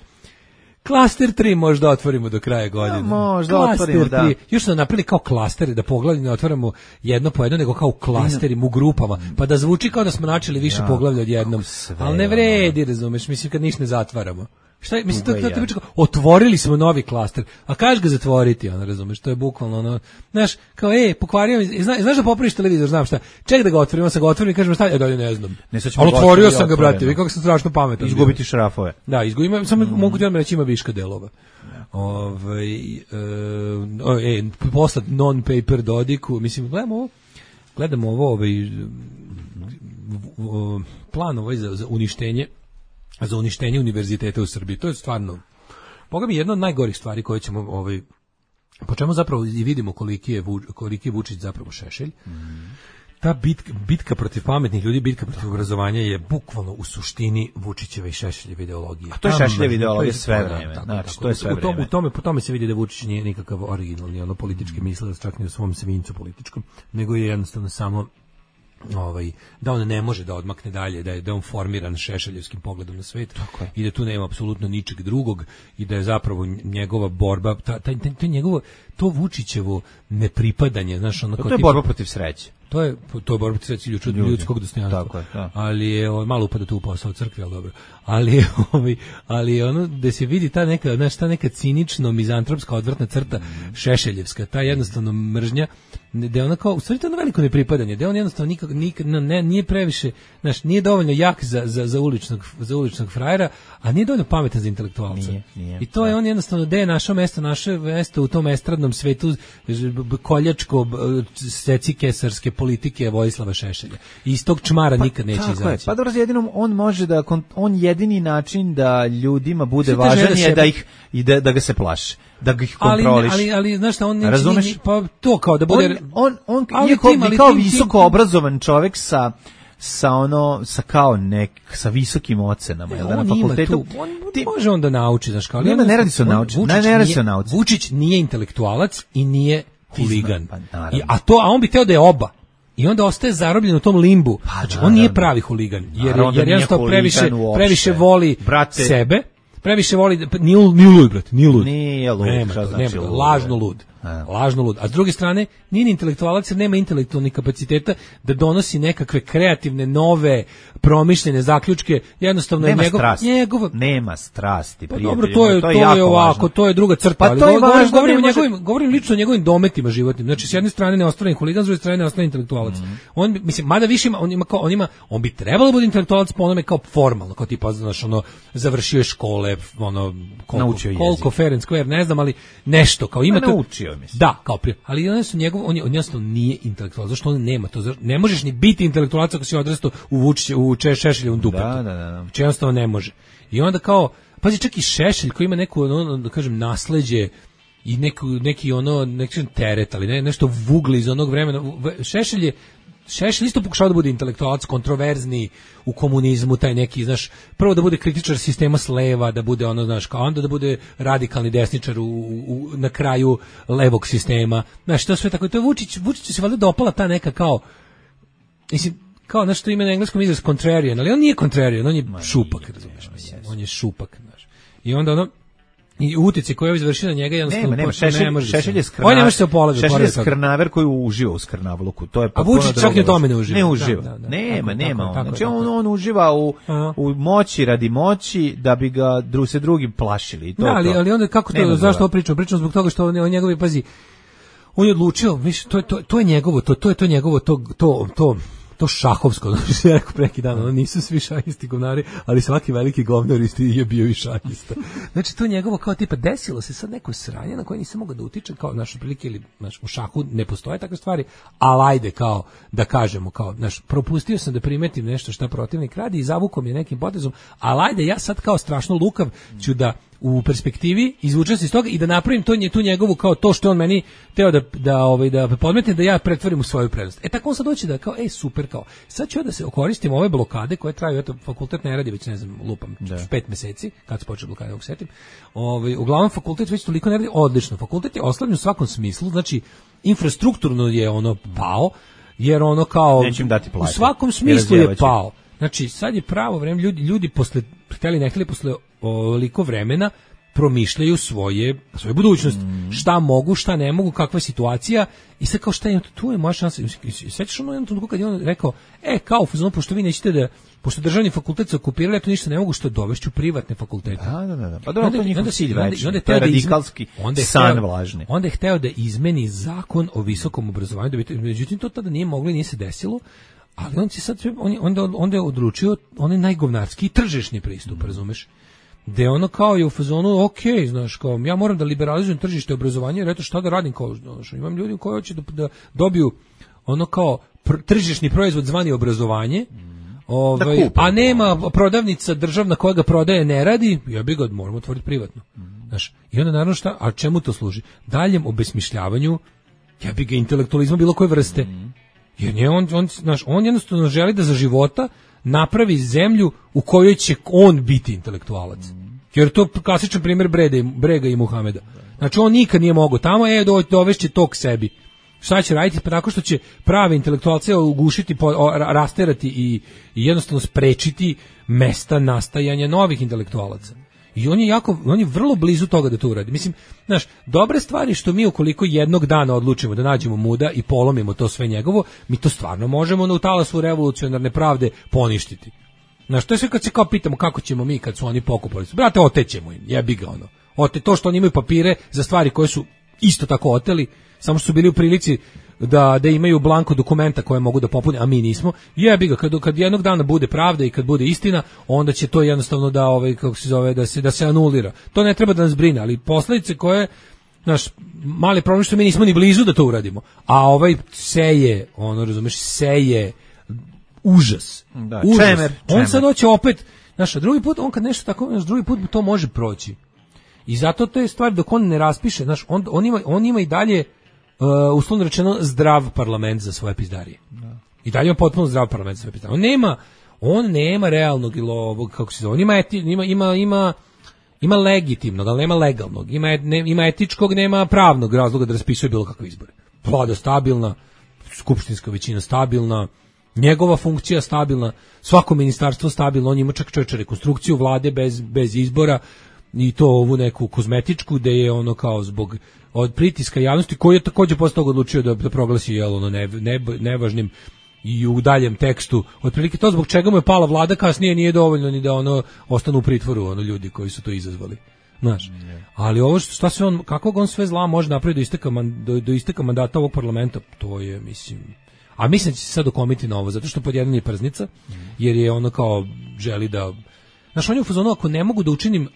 Klaster 3 možda otvorimo do kraja godine. Možda otvorimo, da. Još smo napravili kao klastere, da poglavlje ne otvaramo jedno po jedno, nego kao klasterima u grupama, pa da zvuči kao da smo načeli više poglavlja odjednom. Ali ne vredi, razumeš, mislim kad ništa ne zatvaramo. Šta je, mislim, otvorili smo novi klaster, a kažeš ga zatvoriti, ono, razumeš, to je bukvalno ono, znaš, kao, pokvario mi, znaš da popraviš televizor, znam šta, ček da ga otvorim, sam ga otvorim i kažem šta, dalje ne znam. Ali otvorio sam ga, brate, vi kako sam strašno pametan. Izgubiti šrafove. Da, izgubim, samo mogu ti odmah reći ima viška delova. Poslat non-paper Dodiku, mislim, gledamo ovo, plan ovaj za uništenje univerziteta u Srbiji. To je stvarno, Boga mi, jedna od najgorih stvari koje ćemo, po čemu zapravo i vidimo koliki je Vučić zapravo šešelj. Ta bitka protiv pametnih ljudi, bitka protiv obrazovanja je bukvalno u suštini Vučićeve i Šešeljeve ideologije. A to je Šešeljeva ideologija sve vreme. Znači, to je sve vreme. Po tome se vidi da Vučić nije nikakav originalni, politički mislilac, čak ni u svom svincu političkom, nego je jednostavno samo da on ne može da odmakne dalje, da je on formiran šešeljevskim pogledom na svet i da tu nema apsolutno ničeg drugog i da je zapravo njegova borba, to Vučićevo nepripadanje, znaš, ono, to je borba protiv sreće. To je borba protiv sreće ljudskog dostojanstva. Ali je malo upada tu u posao crkve, ali dobro. Ali ono da se vidi ta neka cinično mizantropska odvratna crta šešeljevska, ta jednostavno mržnja, da je ona kao, u stvari to je ono veliko nepripadanje, da on jednostavno nije previše, znaš, nije dovoljno jak za uličnog frajera, a nije dovoljno pametan za intelektualca. Nije, i to je on jednostavno, gde je naše mesto u tom estradnom svetu koljačko secikesarske politike Vojislava Šešelja. I iz tog čmara nikad neće izaći. Pa dobro, jedinom on može da, on jedini način da ljudima bude važan je da ga se plaše, da ga ih kontroliš. Ali znaš šta, on razumeš? Pa to kao da bude... On kao visoko obrazovan čovjek sa visokim ocenama, jel da, na fakultetu. Može on da nauči, znaš kao. Ne radi se o nauči. Vučić nije intelektualac i nije huligan. A on bi teo da je oba. I onda ostaje zarobljen u tom limbu. Znači, on nije pravi huligan, jer jednostavno previše voli sebe, previše voli, nije lud, brate, nije lud. Nije lud, šta znači lud? Lažno lud. A s druge strane, nije ni intelektualac, jer nema intelektualnih kapaciteta da donosi nekakve kreativne, nove, promišljene zaključke, jednostavno nema strasti, pa dobro, to je ovako, to je druga crta, pa ali govorim lično o njegovim dometima životnim. Znači, s jedne strane neostvaren huligan, s druge strane neostvaren intelektualac. On, mislim, mada više on bi trebalo da bude intelektualac po onome kao formalno, kao tipa, znaš, završio je škole, koliko fair and square, ne znam, ali nešto, kao ima to. Da, kao prije. Ali on jednostavno nije intelektualac. Zašto on nema to? Ne možeš ni biti intelektualac ako si odrastao u Šešeljevom dupetu. Da. Znači jednostavno ne može. I onda kao, pazi, čak i Šešelj koji ima neko, da kažem, nasleđe i neki teret, ali nešto vugli iz onog vremena. Šešelj je Šešelj isto pokušao da bude intelektualac, kontroverzni u komunizmu, taj neki, znaš, prvo da bude kritičar sistema s leva, da bude ono, znaš, kao onda da bude radikalni desničar na kraju levog sistema. Znaš, to sve tako, to je Vučiću se valjda dopala ta neka kao, mislim, kao nešto ime na engleskom izraz contrarian, ali on nije contrarian, on je šupak, razumiješ, mislim, on je šupak, znaš. I onda ono, i utjeci koji je izvršio na njega jednostavno nema Šešelj je on ne može se opolagati. Šešelj je skrnaver koji uživa u skrnavluku. To je a Vučić čak i u tome ne uživa. Ne uživa. Nema. Znači on uživa u moći radi moći da bi ga se drugi plašili. To, ali onda kako to, zašto ovo pričam? Pričam zbog toga što on njegovi, pazi, on je odlučio, viš, to je njegovo, to je njegovo, to šahovsko, znači ja rekao preki dan, ono nisu svi šahisti govnari, ali svaki veliki govnar je bio i šahista. Znači to njegovo kao tipa desilo se sad neko sranje na koje nisam mogao da utičem, kao naš prilike ili naš u šahu ne postoje takve stvari, ali ajde kao da kažemo kao naš propustio sam da primetim nešto šta protivnik radi i zavukom je nekim potezom, ali ajde ja sad kao strašno lukav ću da u perspektivi izvučem se iz toga i da napravim tu njegovu kao to što on meni teo da podmetne da ja pretvorim u svoju prednost. Tako on sad doći da kao super kao sad ću da se koristim ove blokade koje traju, eto fakultet ne radi već ne znam lupam 5 meseci kad se počeo blokada ovog setim. Uglavnom fakultet već toliko ne radi odlično. Fakultet je oslabljen u svakom smislu, znači infrastrukturno je ono pao jer ono kao u svakom smislu je pao. Znači sad je pravo vreme, ljudi posle hteli ne hteli posle ovoliko vremena promišljaju svoje budućnosti. Šta mogu, šta ne mogu, kakva je situacija i sad kao šta je, tu je moja šansa. Sećaš ono jednom trenutku kad je on rekao, kao fuzon, pošto vi nećete da, pošto državni fakultet se okupirali, eto ništa ne mogu, što dovešću privatne fakultete. Da. Pa dobro, to je njihov cilj veći, to je radikalski san vlažni. Onda je hteo da izmeni zakon o visokom obrazovanju, međutim to tada nije moglo i nije se desilo. Ali on će sad, onda je odlučio onaj najgovnarski tržišni pristup, razumeš? Gde ono kao je u fazonu, znaš, kao ja moram da liberalizujem tržište obrazovanja, jer eto šta da radim, kao, znaš, imam ljudi koji hoće da dobiju ono kao tržišni proizvod zvani obrazovanje, a nema prodavnica državna koja ga prodaje ne radi, ja bi ga moramo otvoriti privatno. Znaš, i onda naravno šta, a čemu to služi? Daljem obesmišljavanju, ja bi ga intelektualizma bilo koje vrste. Jer on jednostavno želi da za života napravi zemlju u kojoj će on biti intelektualac. Jer to klasičan primjer Brega i Muhameda. Znači on nikad nije mogao tamo, dovešće to k sebi. Šta će raditi? Pa tako što će prave intelektualce ugušiti, rasterati i jednostavno sprečiti mesta nastajanja novih intelektualaca. I on je vrlo blizu toga da to uradi. Mislim, znaš, dobre stvari što mi ukoliko jednog dana odlučimo da nađemo muda i polomimo to sve njegovo, mi to stvarno možemo u talasu revolucionarne pravde poništiti. Znaš, to je sve kad se kao pitamo kako ćemo mi kad su oni pokupali. Brate, otećemo im, jebi ga ono. To što oni imaju papire za stvari koje su isto tako oteli, samo što su bili u prilici da imaju blanko dokumenta koje mogu da popune, a mi nismo. Jebi ga, kad jednog dana bude pravda i kad bude istina, onda će to jednostavno da se anulira. To ne treba da nas brine, ali posledice koje, naš mali problem što mi nismo ni blizu da to uradimo. A seje užas. Da, užas. Čemer. On sad hoće opet, znaš, drugi put, on kad nešto tako, drugi put to može proći. I zato to je stvar dok on ne raspiše, znaš, on ima i dalje uslovno rečeno zdrav parlament za svoje pizdarije. I dalje ima potpuno zdrav parlament za svoje pizdarije. On nema realnog ili ovog, kako se zove, ima legitimnog, ali nema legalnog. Ima etičkog, nema pravnog razloga da raspisuje bilo kakve izbore. Vlada stabilna, skupštinska većina stabilna, njegova funkcija stabilna, svako ministarstvo stabilno, on ima čak rekonstrukciju vlade bez izbora, i to ovu neku kozmetičku gde je ono kao zbog od pritiska javnosti koji je također posle toga odlučio da proglasi nevažnim i u daljem tekstu otprilike to zbog čega mu je pala vlada kasnije nije dovoljno ni da ostanu u pritvoru ljudi koji su to izazvali. Znaš, ali ovo šta se kakvog on sve zla može napraviti do isteka mandata ovog parlamenta, to je mislim da će se sad okomiti na ovo, zato što pod jedan je prznica, jer je ono kao želi da. Znaš, on je u fazonu, ako ne mogu da učinim,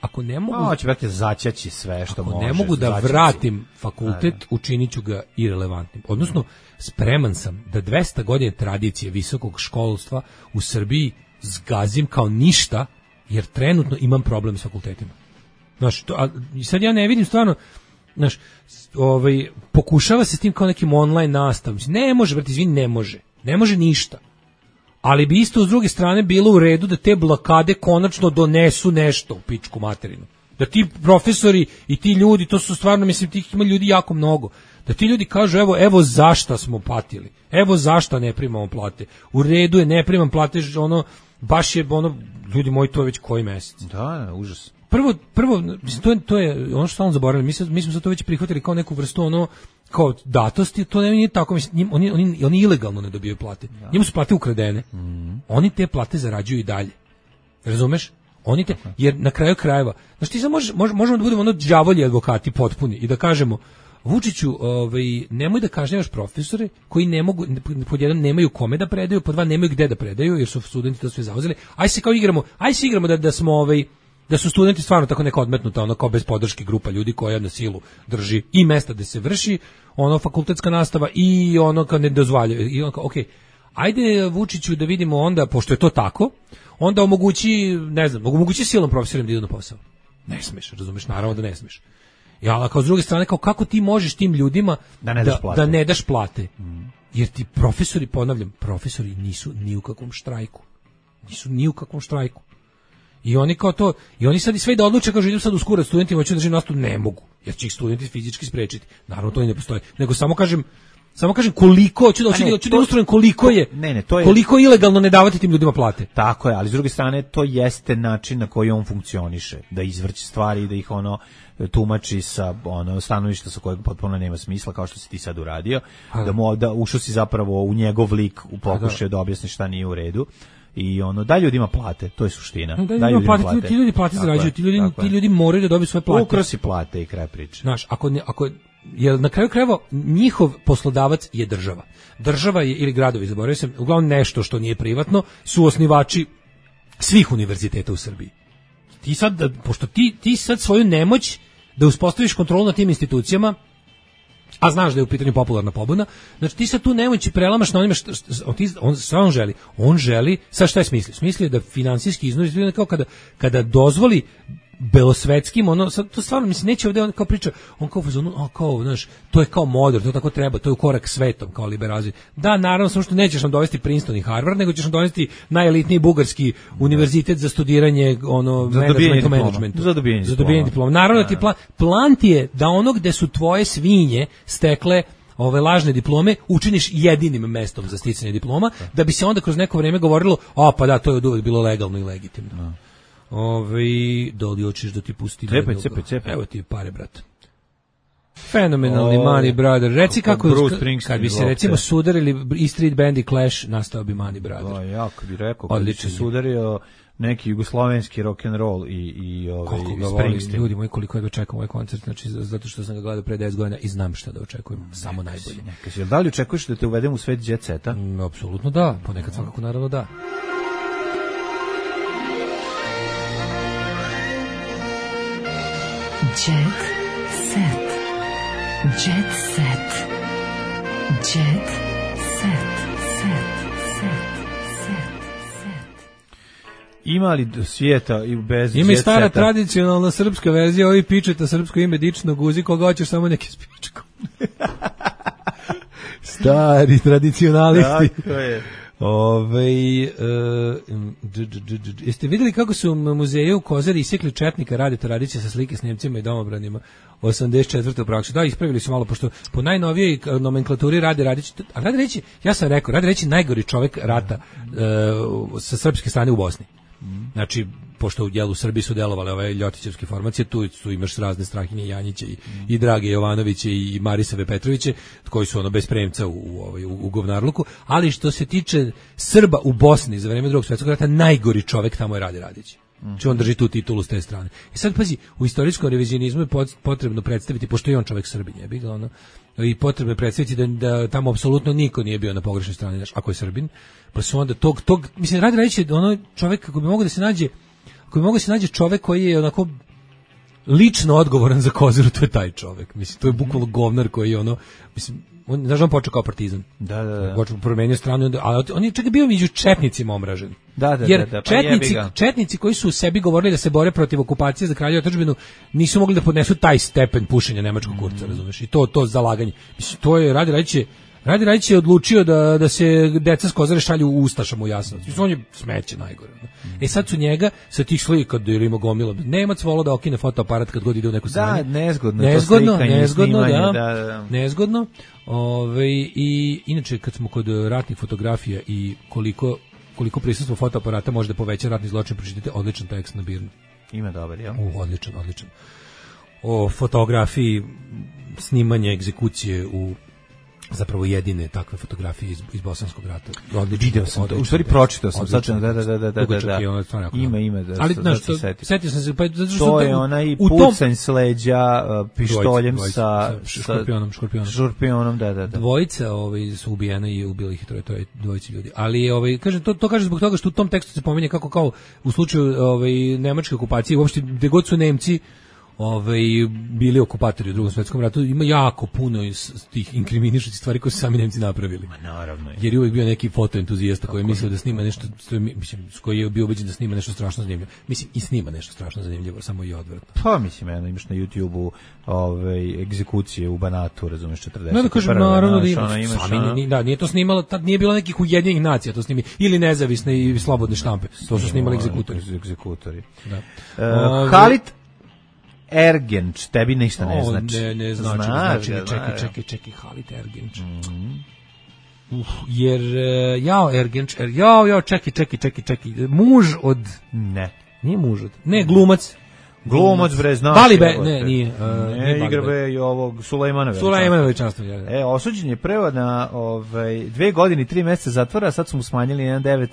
će brate začaći sve što može. Ako ne mogu da vratim fakultet, učinit ću ga irelevantnim. Odnosno, spreman sam da 200 godina tradicije visokog školstva u Srbiji zgazim kao ništa, jer trenutno imam problem s fakultetima. Znaš, sad ja ne vidim stvarno, znaš, pokušava se s tim kao nekim online nastavom. Ne može, brate, izvini, ne može. Ne može ništa. Ali bi isto s druge strane bilo u redu da te blokade konačno donesu nešto u pičku materinu. Da ti profesori i ti ljudi, to su stvarno, mislim, tih ima ljudi jako mnogo, da ti ljudi kažu evo zašto smo patili, evo zašto ne primamo plate. U redu je, ne primam plate, ono, baš je, ono, ljudi moji, to je već koji mesec. Da, užas. Prvo, mislim, to je ono što stalno zaboravili, mi smo za to već prihvatili kao neku vrstu, ono, kao datosti, to nije tako, mislim, oni ilegalno ne dobijaju plate. Da. Njima su plate ukradene. Oni te plate zarađuju i dalje. Razumeš? Oni te, jer na kraju krajeva, znači ti sad možemo da budemo ono đavolji advokati potpuni i da kažemo, Vučiću, nemoj da kažnjavaš profesore koji ne mogu, pod jedan nemaju kome da predaju, pod dva nemaju gde da predaju, jer su studenti to sve zauzeli. Aj se igramo da smo da su studenti stvarno tako neka odmetnuta, ono kao bez podrške grupa ljudi koja na silu drži i mesta gde se vrši ono fakultetska nastava i ono kao ne dozvoljava. I ono kao, okej, ajde Vučiću da vidimo onda, pošto je to tako, onda omogući silom profesorima da idu na posao. Ne smeš, razumeš, naravno da ne smeš. Ja, kao s druge strane, kao kako ti možeš tim ljudima da ne daš plate? Jer ti profesori, ponavljam, profesori nisu ni u kakvom štrajku. Nisu ni u kakvom štrajku. I oni kao to, i oni sad i sve da odluče, kažu idem sad uskurat studentima, hoću da držim nastavu, ne mogu. Jer će ih studenti fizički sprečiti. Naravno, to i ne postoji. Nego samo kažem koliko, hoću da ilustrujem koliko je, koliko je ilegalno ne davati tim ljudima plate. Tako je, ali s druge strane to jeste način na koji on funkcioniše, da izvrće stvari i da ih ono tumači sa ono stanovišta sa kojeg potpuno nema smisla, kao što si ti sad uradio, da ušao si zapravo u njegov lik u pokušaju da objasni šta nije u redu. I ono, daj ljudima plate, to je suština. Daj ljudima plate. Ti ljudi plate zarađuju, ti ljudi moraju da dobiju svoje plate. Ukrosi plate i kraj priče. Znaš, ako jer na kraju krajeva njihov poslodavac je država. Država je, ili gradovi, zaboravio sam, uglavnom nešto što nije privatno, su osnivači svih univerziteta u Srbiji. Ti sad, pošto ti sad svoju nemoć da uspostaviš kontrolu nad tim institucijama, a znaš da je u pitanju popularna pobuna, znači ti sad tu nemoći prelamaš na onima on želi, sad šta je smislio? Smislio je da finansijski iznos, kao kada dozvoli belosvetskim, ono, sad, to stvarno, mislim, neće ovdje on kao priča, on kao, znaš, to je kao modern, to tako treba, to je u korak svetom, kao liberalizam. Da, naravno, samo što nećeš nam dovesti Princeton i Harvard, nego ćeš nam dovesti najelitniji bugarski univerzitet za studiranje, ono, managementu. Za dobijanje diploma. Naravno da ti plan ti je da ono gde su tvoje svinje stekle ove lažne diplome učiniš jedinim mestom za sticanje diploma, da bi se onda kroz neko vreme govorilo, pa da, to je od uvek bilo legalno i legitimno. Da li hoćeš da ti pusti cepaj. Evo ti pare, brat. Fenomenalni Money Brother. Reci kako, kad bi se recimo sudarili i Street Band i Clash, nastao bi Money Brother. Jako bi rekao, kad bi se sudario neki jugoslovenski rock and roll i Springsteen. Ljudi moji, koliko ja ga čekam ovaj koncert, znači zato što sam ga gledao pre 10 godina i znam šta da očekujem, samo najbolje. Da li očekuješ da te uvedem u svet jet seta? Apsolutno da, ponekad svakako naravno da. Jet set. Jet set. Jet set. Ima li svijeta i bez ima i stara tradicionalna srpska verzija, ovi pičeta srpsko ime dično guzi, koga hoćeš samo neki s pičkom. Stari tradicionalisti. Tako je. Jeste vidjeli kako su u muzeju u Kozari isekli četnika Radeta Radića sa slike s Njemcima i domobranima 84. u praksu? Da, ispravili su malo, pošto po najnovijoj nomenklaturi Rade Radić, a Rade Radić, ja sam rekao, Rade Radić je najgori čovek rata sa srpske strane u Bosni. Znači, pošto u dijelu Srbiji su delovale ove ljotićevske formacije, tu imaš razne Strahinje Janjiće i Drage Jovanoviće i Marisave Petroviće, koji su ono bez premca u govnarluku, ali što se tiče Srba u Bosni za vreme Drugog svjetskog rata, najgori čovek tamo je Rade Radić. Znači on drži tu titulu s te strane. I sad pazi, u istorijskom revizionizmu je potrebno predstaviti, pošto je on čovek Srbin, je bilo ono, i potrebno je predstaviti da tamo apsolutno niko nije bio na pogrešnoj strani, znači, ako je Srbin, pa su onda tog mislim, Rade Radić je ono čovek, kako bi mogao da se nađe čovek koji je onako lično odgovoran za Kozaru, to je taj čovek. Mislim, to je bukvalno govnar koji je ono, mislim, on počeo kao partizan. Da. Počeo promenio stranu, ali on je čak bio među četnicima omražen. Jer četnici koji su u sebi govorili da se bore protiv okupacije za kraljevu otadžbinu nisu mogli da podnesu taj stepen pušenja nemačkog kurca, razumeš? I to zalaganje. Mislim, to je Rade Radić Radi Radić je odlučio da se deca s Kozare šalju u Ustašama u Jasenovac. On je smeće najgore. Sad su njega sa tih slika da ima gomila. Nemac volao da okine fotoaparat kad god ide u neku sranje. Da, nezgodno. Nezgodno. I inače kad smo kod ratnih fotografija i koliko prisustvo fotoaparata može da poveća ratni zločin, pročitajte odličan tekst na Birnu. Ima dobar, ja? Odličan. O fotografiji snimanja egzekucije u zapravo jedine takve fotografije iz Bosanskog rata. Video sam to. U stvari pročitao sam. Da. Ima. Ali znaš, setio sam se, pa zato što to je onaj pucanj s leđa pištoljem sa škorpionom, da. Dvojica su ubijena i ubili ih troje dvojice ljudi. Ali kažem to kaže zbog toga što u tom tekstu se pominje kako kao u slučaju nemačke okupacije, uopšte gde god su Nemci bili okupatori u Drugom svetskom ratu, ima jako puno iz tih inkriminišućih stvari koje su sami Nemci napravili. Naravno. Jer je uvijek bio neki fotoentuzijasta koji je mislio da snima nešto, koji je bio ubeđen da snima nešto strašno zanimljivo. Mislim, i snima nešto strašno zanimljivo, samo i odvratno. Pa mislim, imaš na YouTube-u egzekucije u Banatu, razumeš, 40. Da kažem, naravno da ima. Nije to snimalo, tad nije bilo nekih Ujedinjenih nacija, to snimi, ili nezavisne i slobodne štampe. To su snimali egzekutori. Halit Ergenč, tebi ništa ne znači. Ne znači. Čekaj, Halit Ergenč. Jer, Ergenč, čekaj. Muž od... Ne. Nije muž od... Ne, glumac. Glumac, bre, znaš. Balibe, nije. Ne, igra be i ovog Sulejmanovića. Sulejmanovića. Osuđen je prvo na 2 godine i 3 meseca zatvora, a sad su mu smanjili 1,9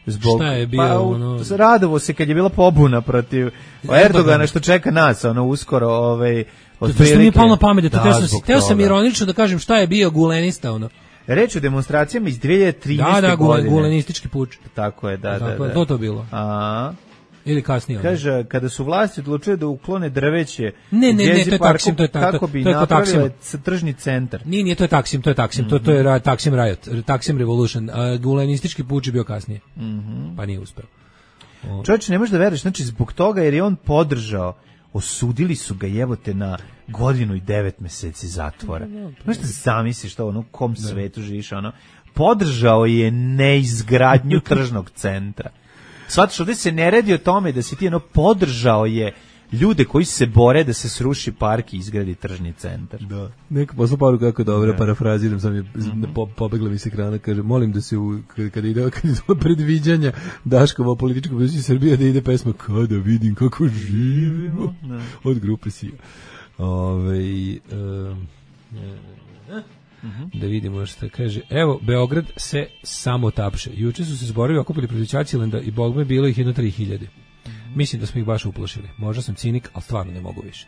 zbog, šta je bio radovo se kad je bila pobuna protiv Erdogana što čeka nas uskoro to što mi je palo na pamet teo sam ironično da kažem šta je bio gulenista reč o demonstracijama iz 2013. godine gulenistički puč tako je da to bilo ili kasnije. Kaže, kada su vlasti odlučile da uklone drveće ne, to je Taksim, kako bi napravile tržni centar. Nije, to je Taksim, to je Taksim Riot, Taksim Revolution, a gulenistički puč je bio kasnije. Pa nije uspeo. Čovječe, ne možeš da veruješ, znači zbog toga jer je on podržao, osudili su ga jebote na 1 godinu i 9 meseci zatvora. Možeš da zamisliš to, u kom svetu živiš, podržao je neizgradnju tržnog centra. Svatiš, ovdje se ne radi o tome da si ti podržao je ljude koji se bore da se sruši park i izgradi tržni centar. Da. Neka posla paru kako dobro, parafraziram, sam je pobegla mi se ekrana, kaže, molim da se kada ide predviđanja Daškova političkog budućnosti Srbije da ide pesma Kada vidim kako živimo od grupe Sija. Da vidimo što kaže. Evo, Beograd se samo tapše. Juče su se zborovi okupili protiv Ćaćilenda i bogme bilo ih 3.000. Mislim da smo ih baš uplašili. Možda sam cinik, ali stvarno ne mogu više.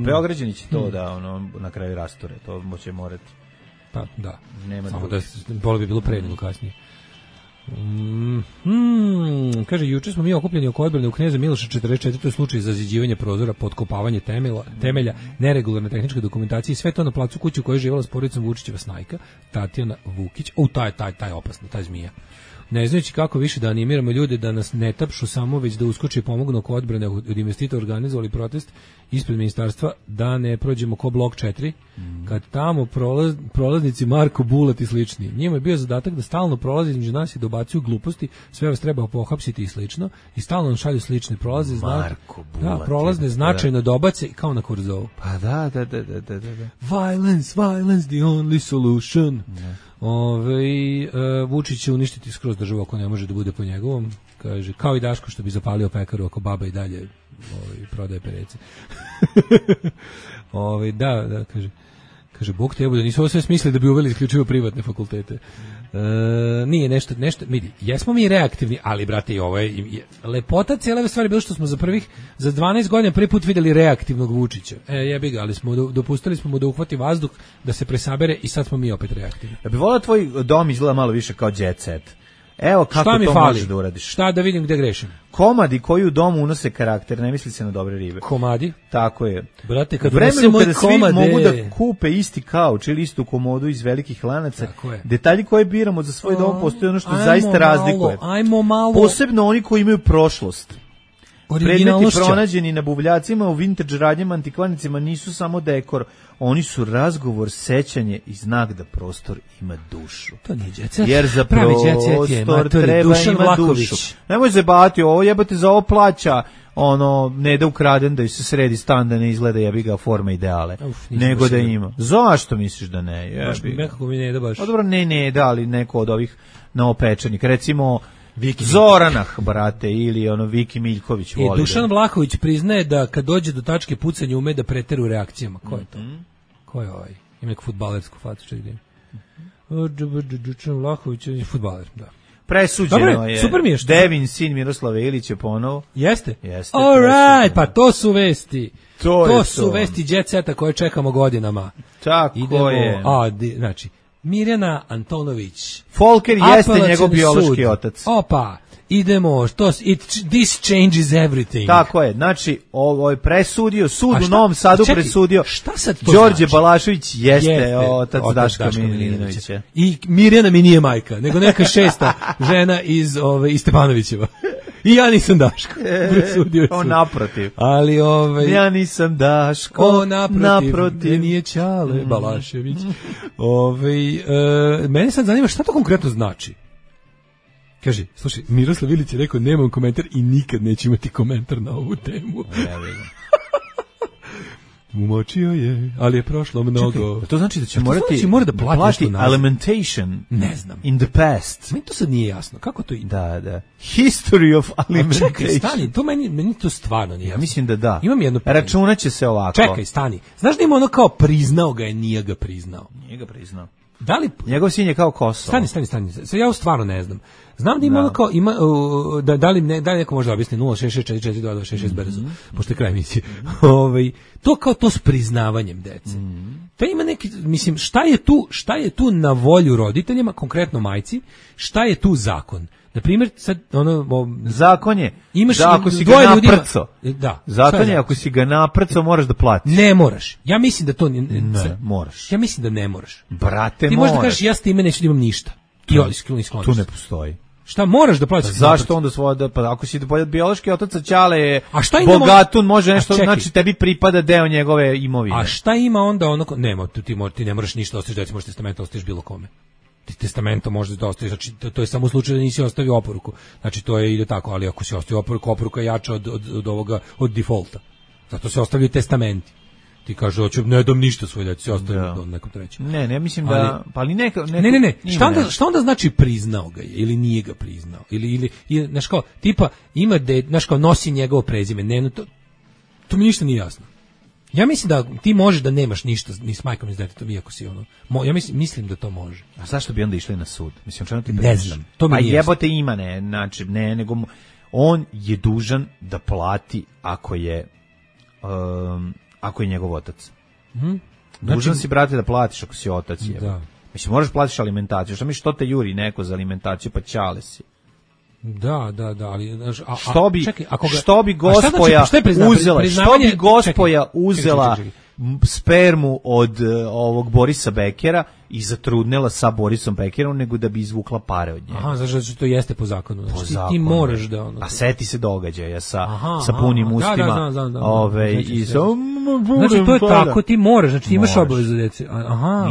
Beograđani će to da na kraju rasture. To će morati. Pa da. Nema samo da bolo bi bilo pre nego kasnije. Kaže, juče smo mi okupljeni oko odbrane u Kneza Miloša 44. To je slučaj za zaziđivanje prozora, potkopavanje temelja, neregularne tehničke dokumentacije i sve to na placu kuće u kojoj je živala s porodicom Vučićeva snajka, Tatjana Vukić. Taj opasna, taj zmija. Ne znajući kako više da animiramo ljude da nas ne tapšu samo, već da uskoče i pomognu oko odbrane od investitora organizovali protest ispred ministarstva da ne prođemo ko blok 4, kad tamo prolaznici Marko Bulat i slični. Njima je bio zadatak da stalno prolaze između nas i dobacuju gluposti, sve vas treba pohapsiti i slično, i stalno nam šalju slične prolaze, prolazne značajno dobace kao na Kurzovu. Pa da. Violence, the only solution. Vučić će uništiti skroz državu ako ne može da bude po njegovom, kaže, kao i Daško što bi zapalio pekaru ako baba i dalje prodaje perece. Da, kaže, Bog te da nisu ovo sve smislili da bi uveli isključivo privatne fakultete. Nije nešto, vidi, jesmo mi reaktivni, ali brate, i ovo je lepota cijele stvari bilo što smo za 12 godina prvi put videli reaktivnog Vučića. Jebi ga, ali dopustili smo mu da uhvati vazduh, da se presabere i sad smo mi opet reaktivni. Ja bih volio tvoj dom izgleda malo više kao jet set. Evo kako to možeš da uradiš. Šta da vidim gde grešim? Komadi koji u domu unose karakter, ne misli se na dobre ribe. Komadi? Tako je. Brate, kad unesemo kada svi mogu da kupe isti kauč ili istu komodu iz velikih lanaca, detalji koje biramo za svoj dom postoje ono što zaista razlikuje. Ajmo malo. Posebno oni koji imaju prošlost. Predmeti pronađeni na buvljacima u vintage radnjama, antikvarnicima nisu samo dekor, oni su razgovor, sećanje i znak da prostor ima dušu. To nije djecet. Jer za prostor treba ima dušu. Nemoj zebati ovo, jebate za ovo plaća, ne da ukraden da se sredi stan, da ne izgleda jebi ga forma ideale, nego da ima. Zašto misliš da ne? Baš nekako mi ne da baš. Dobro, ne, da li neko od ovih novopečenih, recimo Zoranah, brate, ili Viki Miljković voli. Dušan Vlahović priznaje da kad dođe do tačke pucanja ume da preteru reakcijama. Ko je to? Ko je ovaj? Ima neku fudbalersku facu, čekaj. Dušan Vlahović je fudbaler, da. Presuđeno je. Super mi je što. Devin, sin Miroslava Ilića ponovo. Jeste? All right, pa to su vesti. To su vesti Jet Seta koje čekamo godinama. Tako je. Znači, Mirjana Antonović. Folker jeste njegov biološki otac. Opa, idemo, this changes everything. Tako je, znači, ovo je presudio, sud u Novom Sadu presudio, šta sad to Đorđe znači? Balašević jeste otac Daška Milinovića. I Mirjana mi nije majka, nego neka šesta žena iz Stepanovićeva. I ja nisam Daško. Presudio on naprotiv. Ali ja nisam Daško. Naprotiv. Nije Ćale Balašević. Mene sad zanima šta to konkretno znači. Kaže, slušaj, Miroslav Ilić je rekao nemam komentar i nikad neće imati komentar na ovu temu. Umočio je, ali je prošlo mnogo. Čekaj, to znači da će mora da plati alimentation. Ne znam. In the past. Meni to sad nije jasno. Kako to ide? Da. History of alimentation. Čekaj, stani, to meni to stvarno nije jasno. Ja mislim da. Imam jedno pitanje. Računaće se ovako. Čekaj, stani. Znaš da ima kao priznao ga je, nije ga priznao. Nije ga priznao. Da li njegov sin je kao Kosovo? Stani. Ja stvarno ne znam. Znam da ima kao da li neko može objasniti 066442266 brzo, pošto je kraj emisije. To kao to s priznavanjem dece. To ima neki, mislim, šta je tu na volju roditeljima, konkretno majci, šta je tu zakon? Na primjer, sad zakon je da ako si ga naprco. Zakon je ako si ga naprco moraš da platiš. Ne moraš. Ja mislim da to ne moraš. Ja mislim da ne moraš. Brate, ti možeš da kažeš ja s time neću da imam ništa. Tu ne postoji. Šta moraš da platiš? Zašto onda pa ako si biološki otac Ćale je bogatun, može nešto, znači tebi pripada deo njegove imovine. A šta ima onda nema, ti ne moraš ništa ostaviš deci, možeš testamentom ostaviš bilo kome. Ti testamentom možeš da ostaviš, znači to je samo u slučaju da nisi ostavio oporuku. Znači to ide tako, ali ako si ostavio oporuka je jača od defaulta. Zato se ostavljaju testamenti. Ti kaže, ne dam ništa svoje deci, se ostavljaju do nekom trećem. Ne, mislim da, ali neka. Ne. Šta onda znači priznao ga je ili nije ga priznao? Ili znaš kao, tipa ima znaš kao nosi njegovo prezime. Ne, to mi ništa nije jasno. Ja mislim da ti možeš da nemaš ništa ni s majkom ni s detetom, iako si ja mislim da to može. A zašto bi onda išli na sud? Mislim, čemu ti ne znam. To mi nije jebote ima, znači, nego on je dužan da plati ako je njegov otac. Dužan si, brate, da platiš ako si otac. Da. Mislim, moraš platiš alimentaciju. Šta mi što te juri neko za alimentaciju, pa Ćale si. Da, ali što bi gospoja uzela spermu od ovog Borisa Bekera i zatrudnela sa Borisom Bekerom nego da bi izvukla pare od njega. Aha, znači to jeste po zakonu. Znači, ti moraš da a seti se događaja sa punim ustima. Znači to je tako, ti moraš, znači imaš obavezu deci.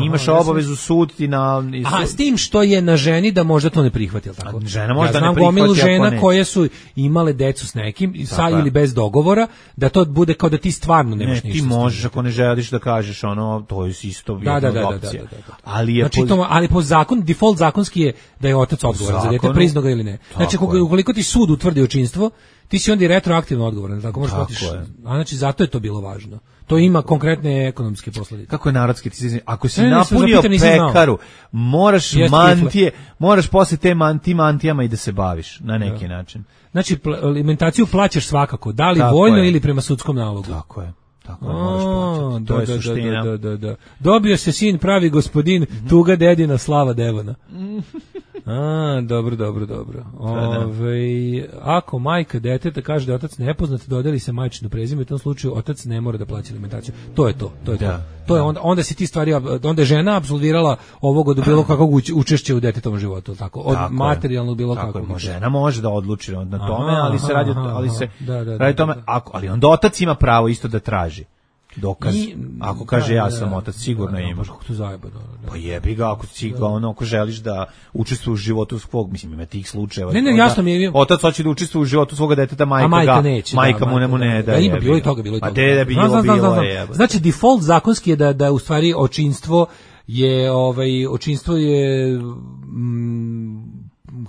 Imaš obavezu sud ti na. S tim što je na ženi da možda to ne prihvati, al tako. Žena možda ne prihvati. Znam gomilu žena koje su imale decu s nekim sa ili bez dogovora, da to bude kao da ti stvarno nemaš ništa. Ti možeš ako ne želiš da kažeš to je isto jedna opcija. Ali po zakonu, default zakonski je da je otac odgovoran za dete, priznao ga ili ne. Znači, ukoliko ti sud utvrdi očinstvo, ti si onda i retroaktivno odgovoran, tako možeš platiš. A znači, zato je to bilo važno. To ima konkretne ekonomske posledice. Kako je narodski? Ako si napunio pekaru, moraš posle tim mantijama i da se baviš na neki način. Znači, alimentaciju plaćaš svakako, da li voljno ili prema sudskom nalogu. Tako je. To je suština. Da. Dobio se sin pravi gospodin, tuga dedina, slava Devona. Dobro. Ako majka deteta kaže da je otac nepoznat, dodeli se majčino prezime, u tom slučaju otac ne mora da plaća alimentaciju. To je to. To je onda se ti stvari, onda je žena apsolvirala ovog od bilo kakvog učešća u detetovom životu, tako, od materijalnog bilo kakvog. Žena može da odluči na tome, ali se radi radi tome, ali onda otac ima pravo isto da traži dokaz. Ako kaže ja sam otac, sigurno ima. Kako to zajeba, Pa jebi ga, ako želiš da učestvuješ u životu svog, mislim, ima tih slučajeva. Ne, jasno mi je. Otac hoće da učestvuje u životu svoga deteta, majka neće. Majka mu ne da. Ima bilo i toga. A te da bi bilo. Znači, default zakonski je da u stvari očinstvo je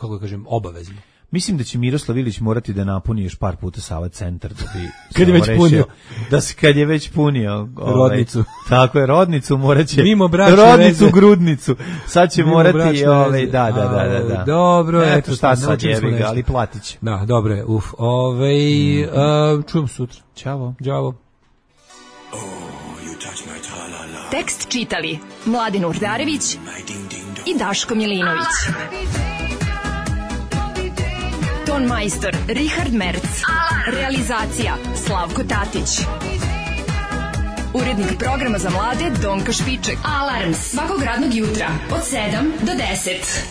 kako da kažem, obavezno. Mislim da će Miroslav Ilić morati da napuni još par puta Sava centar da bi kad je već punio. Kad je već punio rodnicu. Tako je, rodnicu moraće. Mimo bračne rodnicu veze. Grudnicu. Sad će morati da. Dobro, eto šta sad jebi ga, ali platiće. Da, dobro je. Čujemo sutra. Ćao. Đavo. Tekst čitali Mladin Urdarević i Daško Milinović. Ton majstor Richard Merc. Realizacija Slavko Tatić. Urednik programa za mlade Donka Špiček. Alarms svakog radnog jutra od 7 do 10.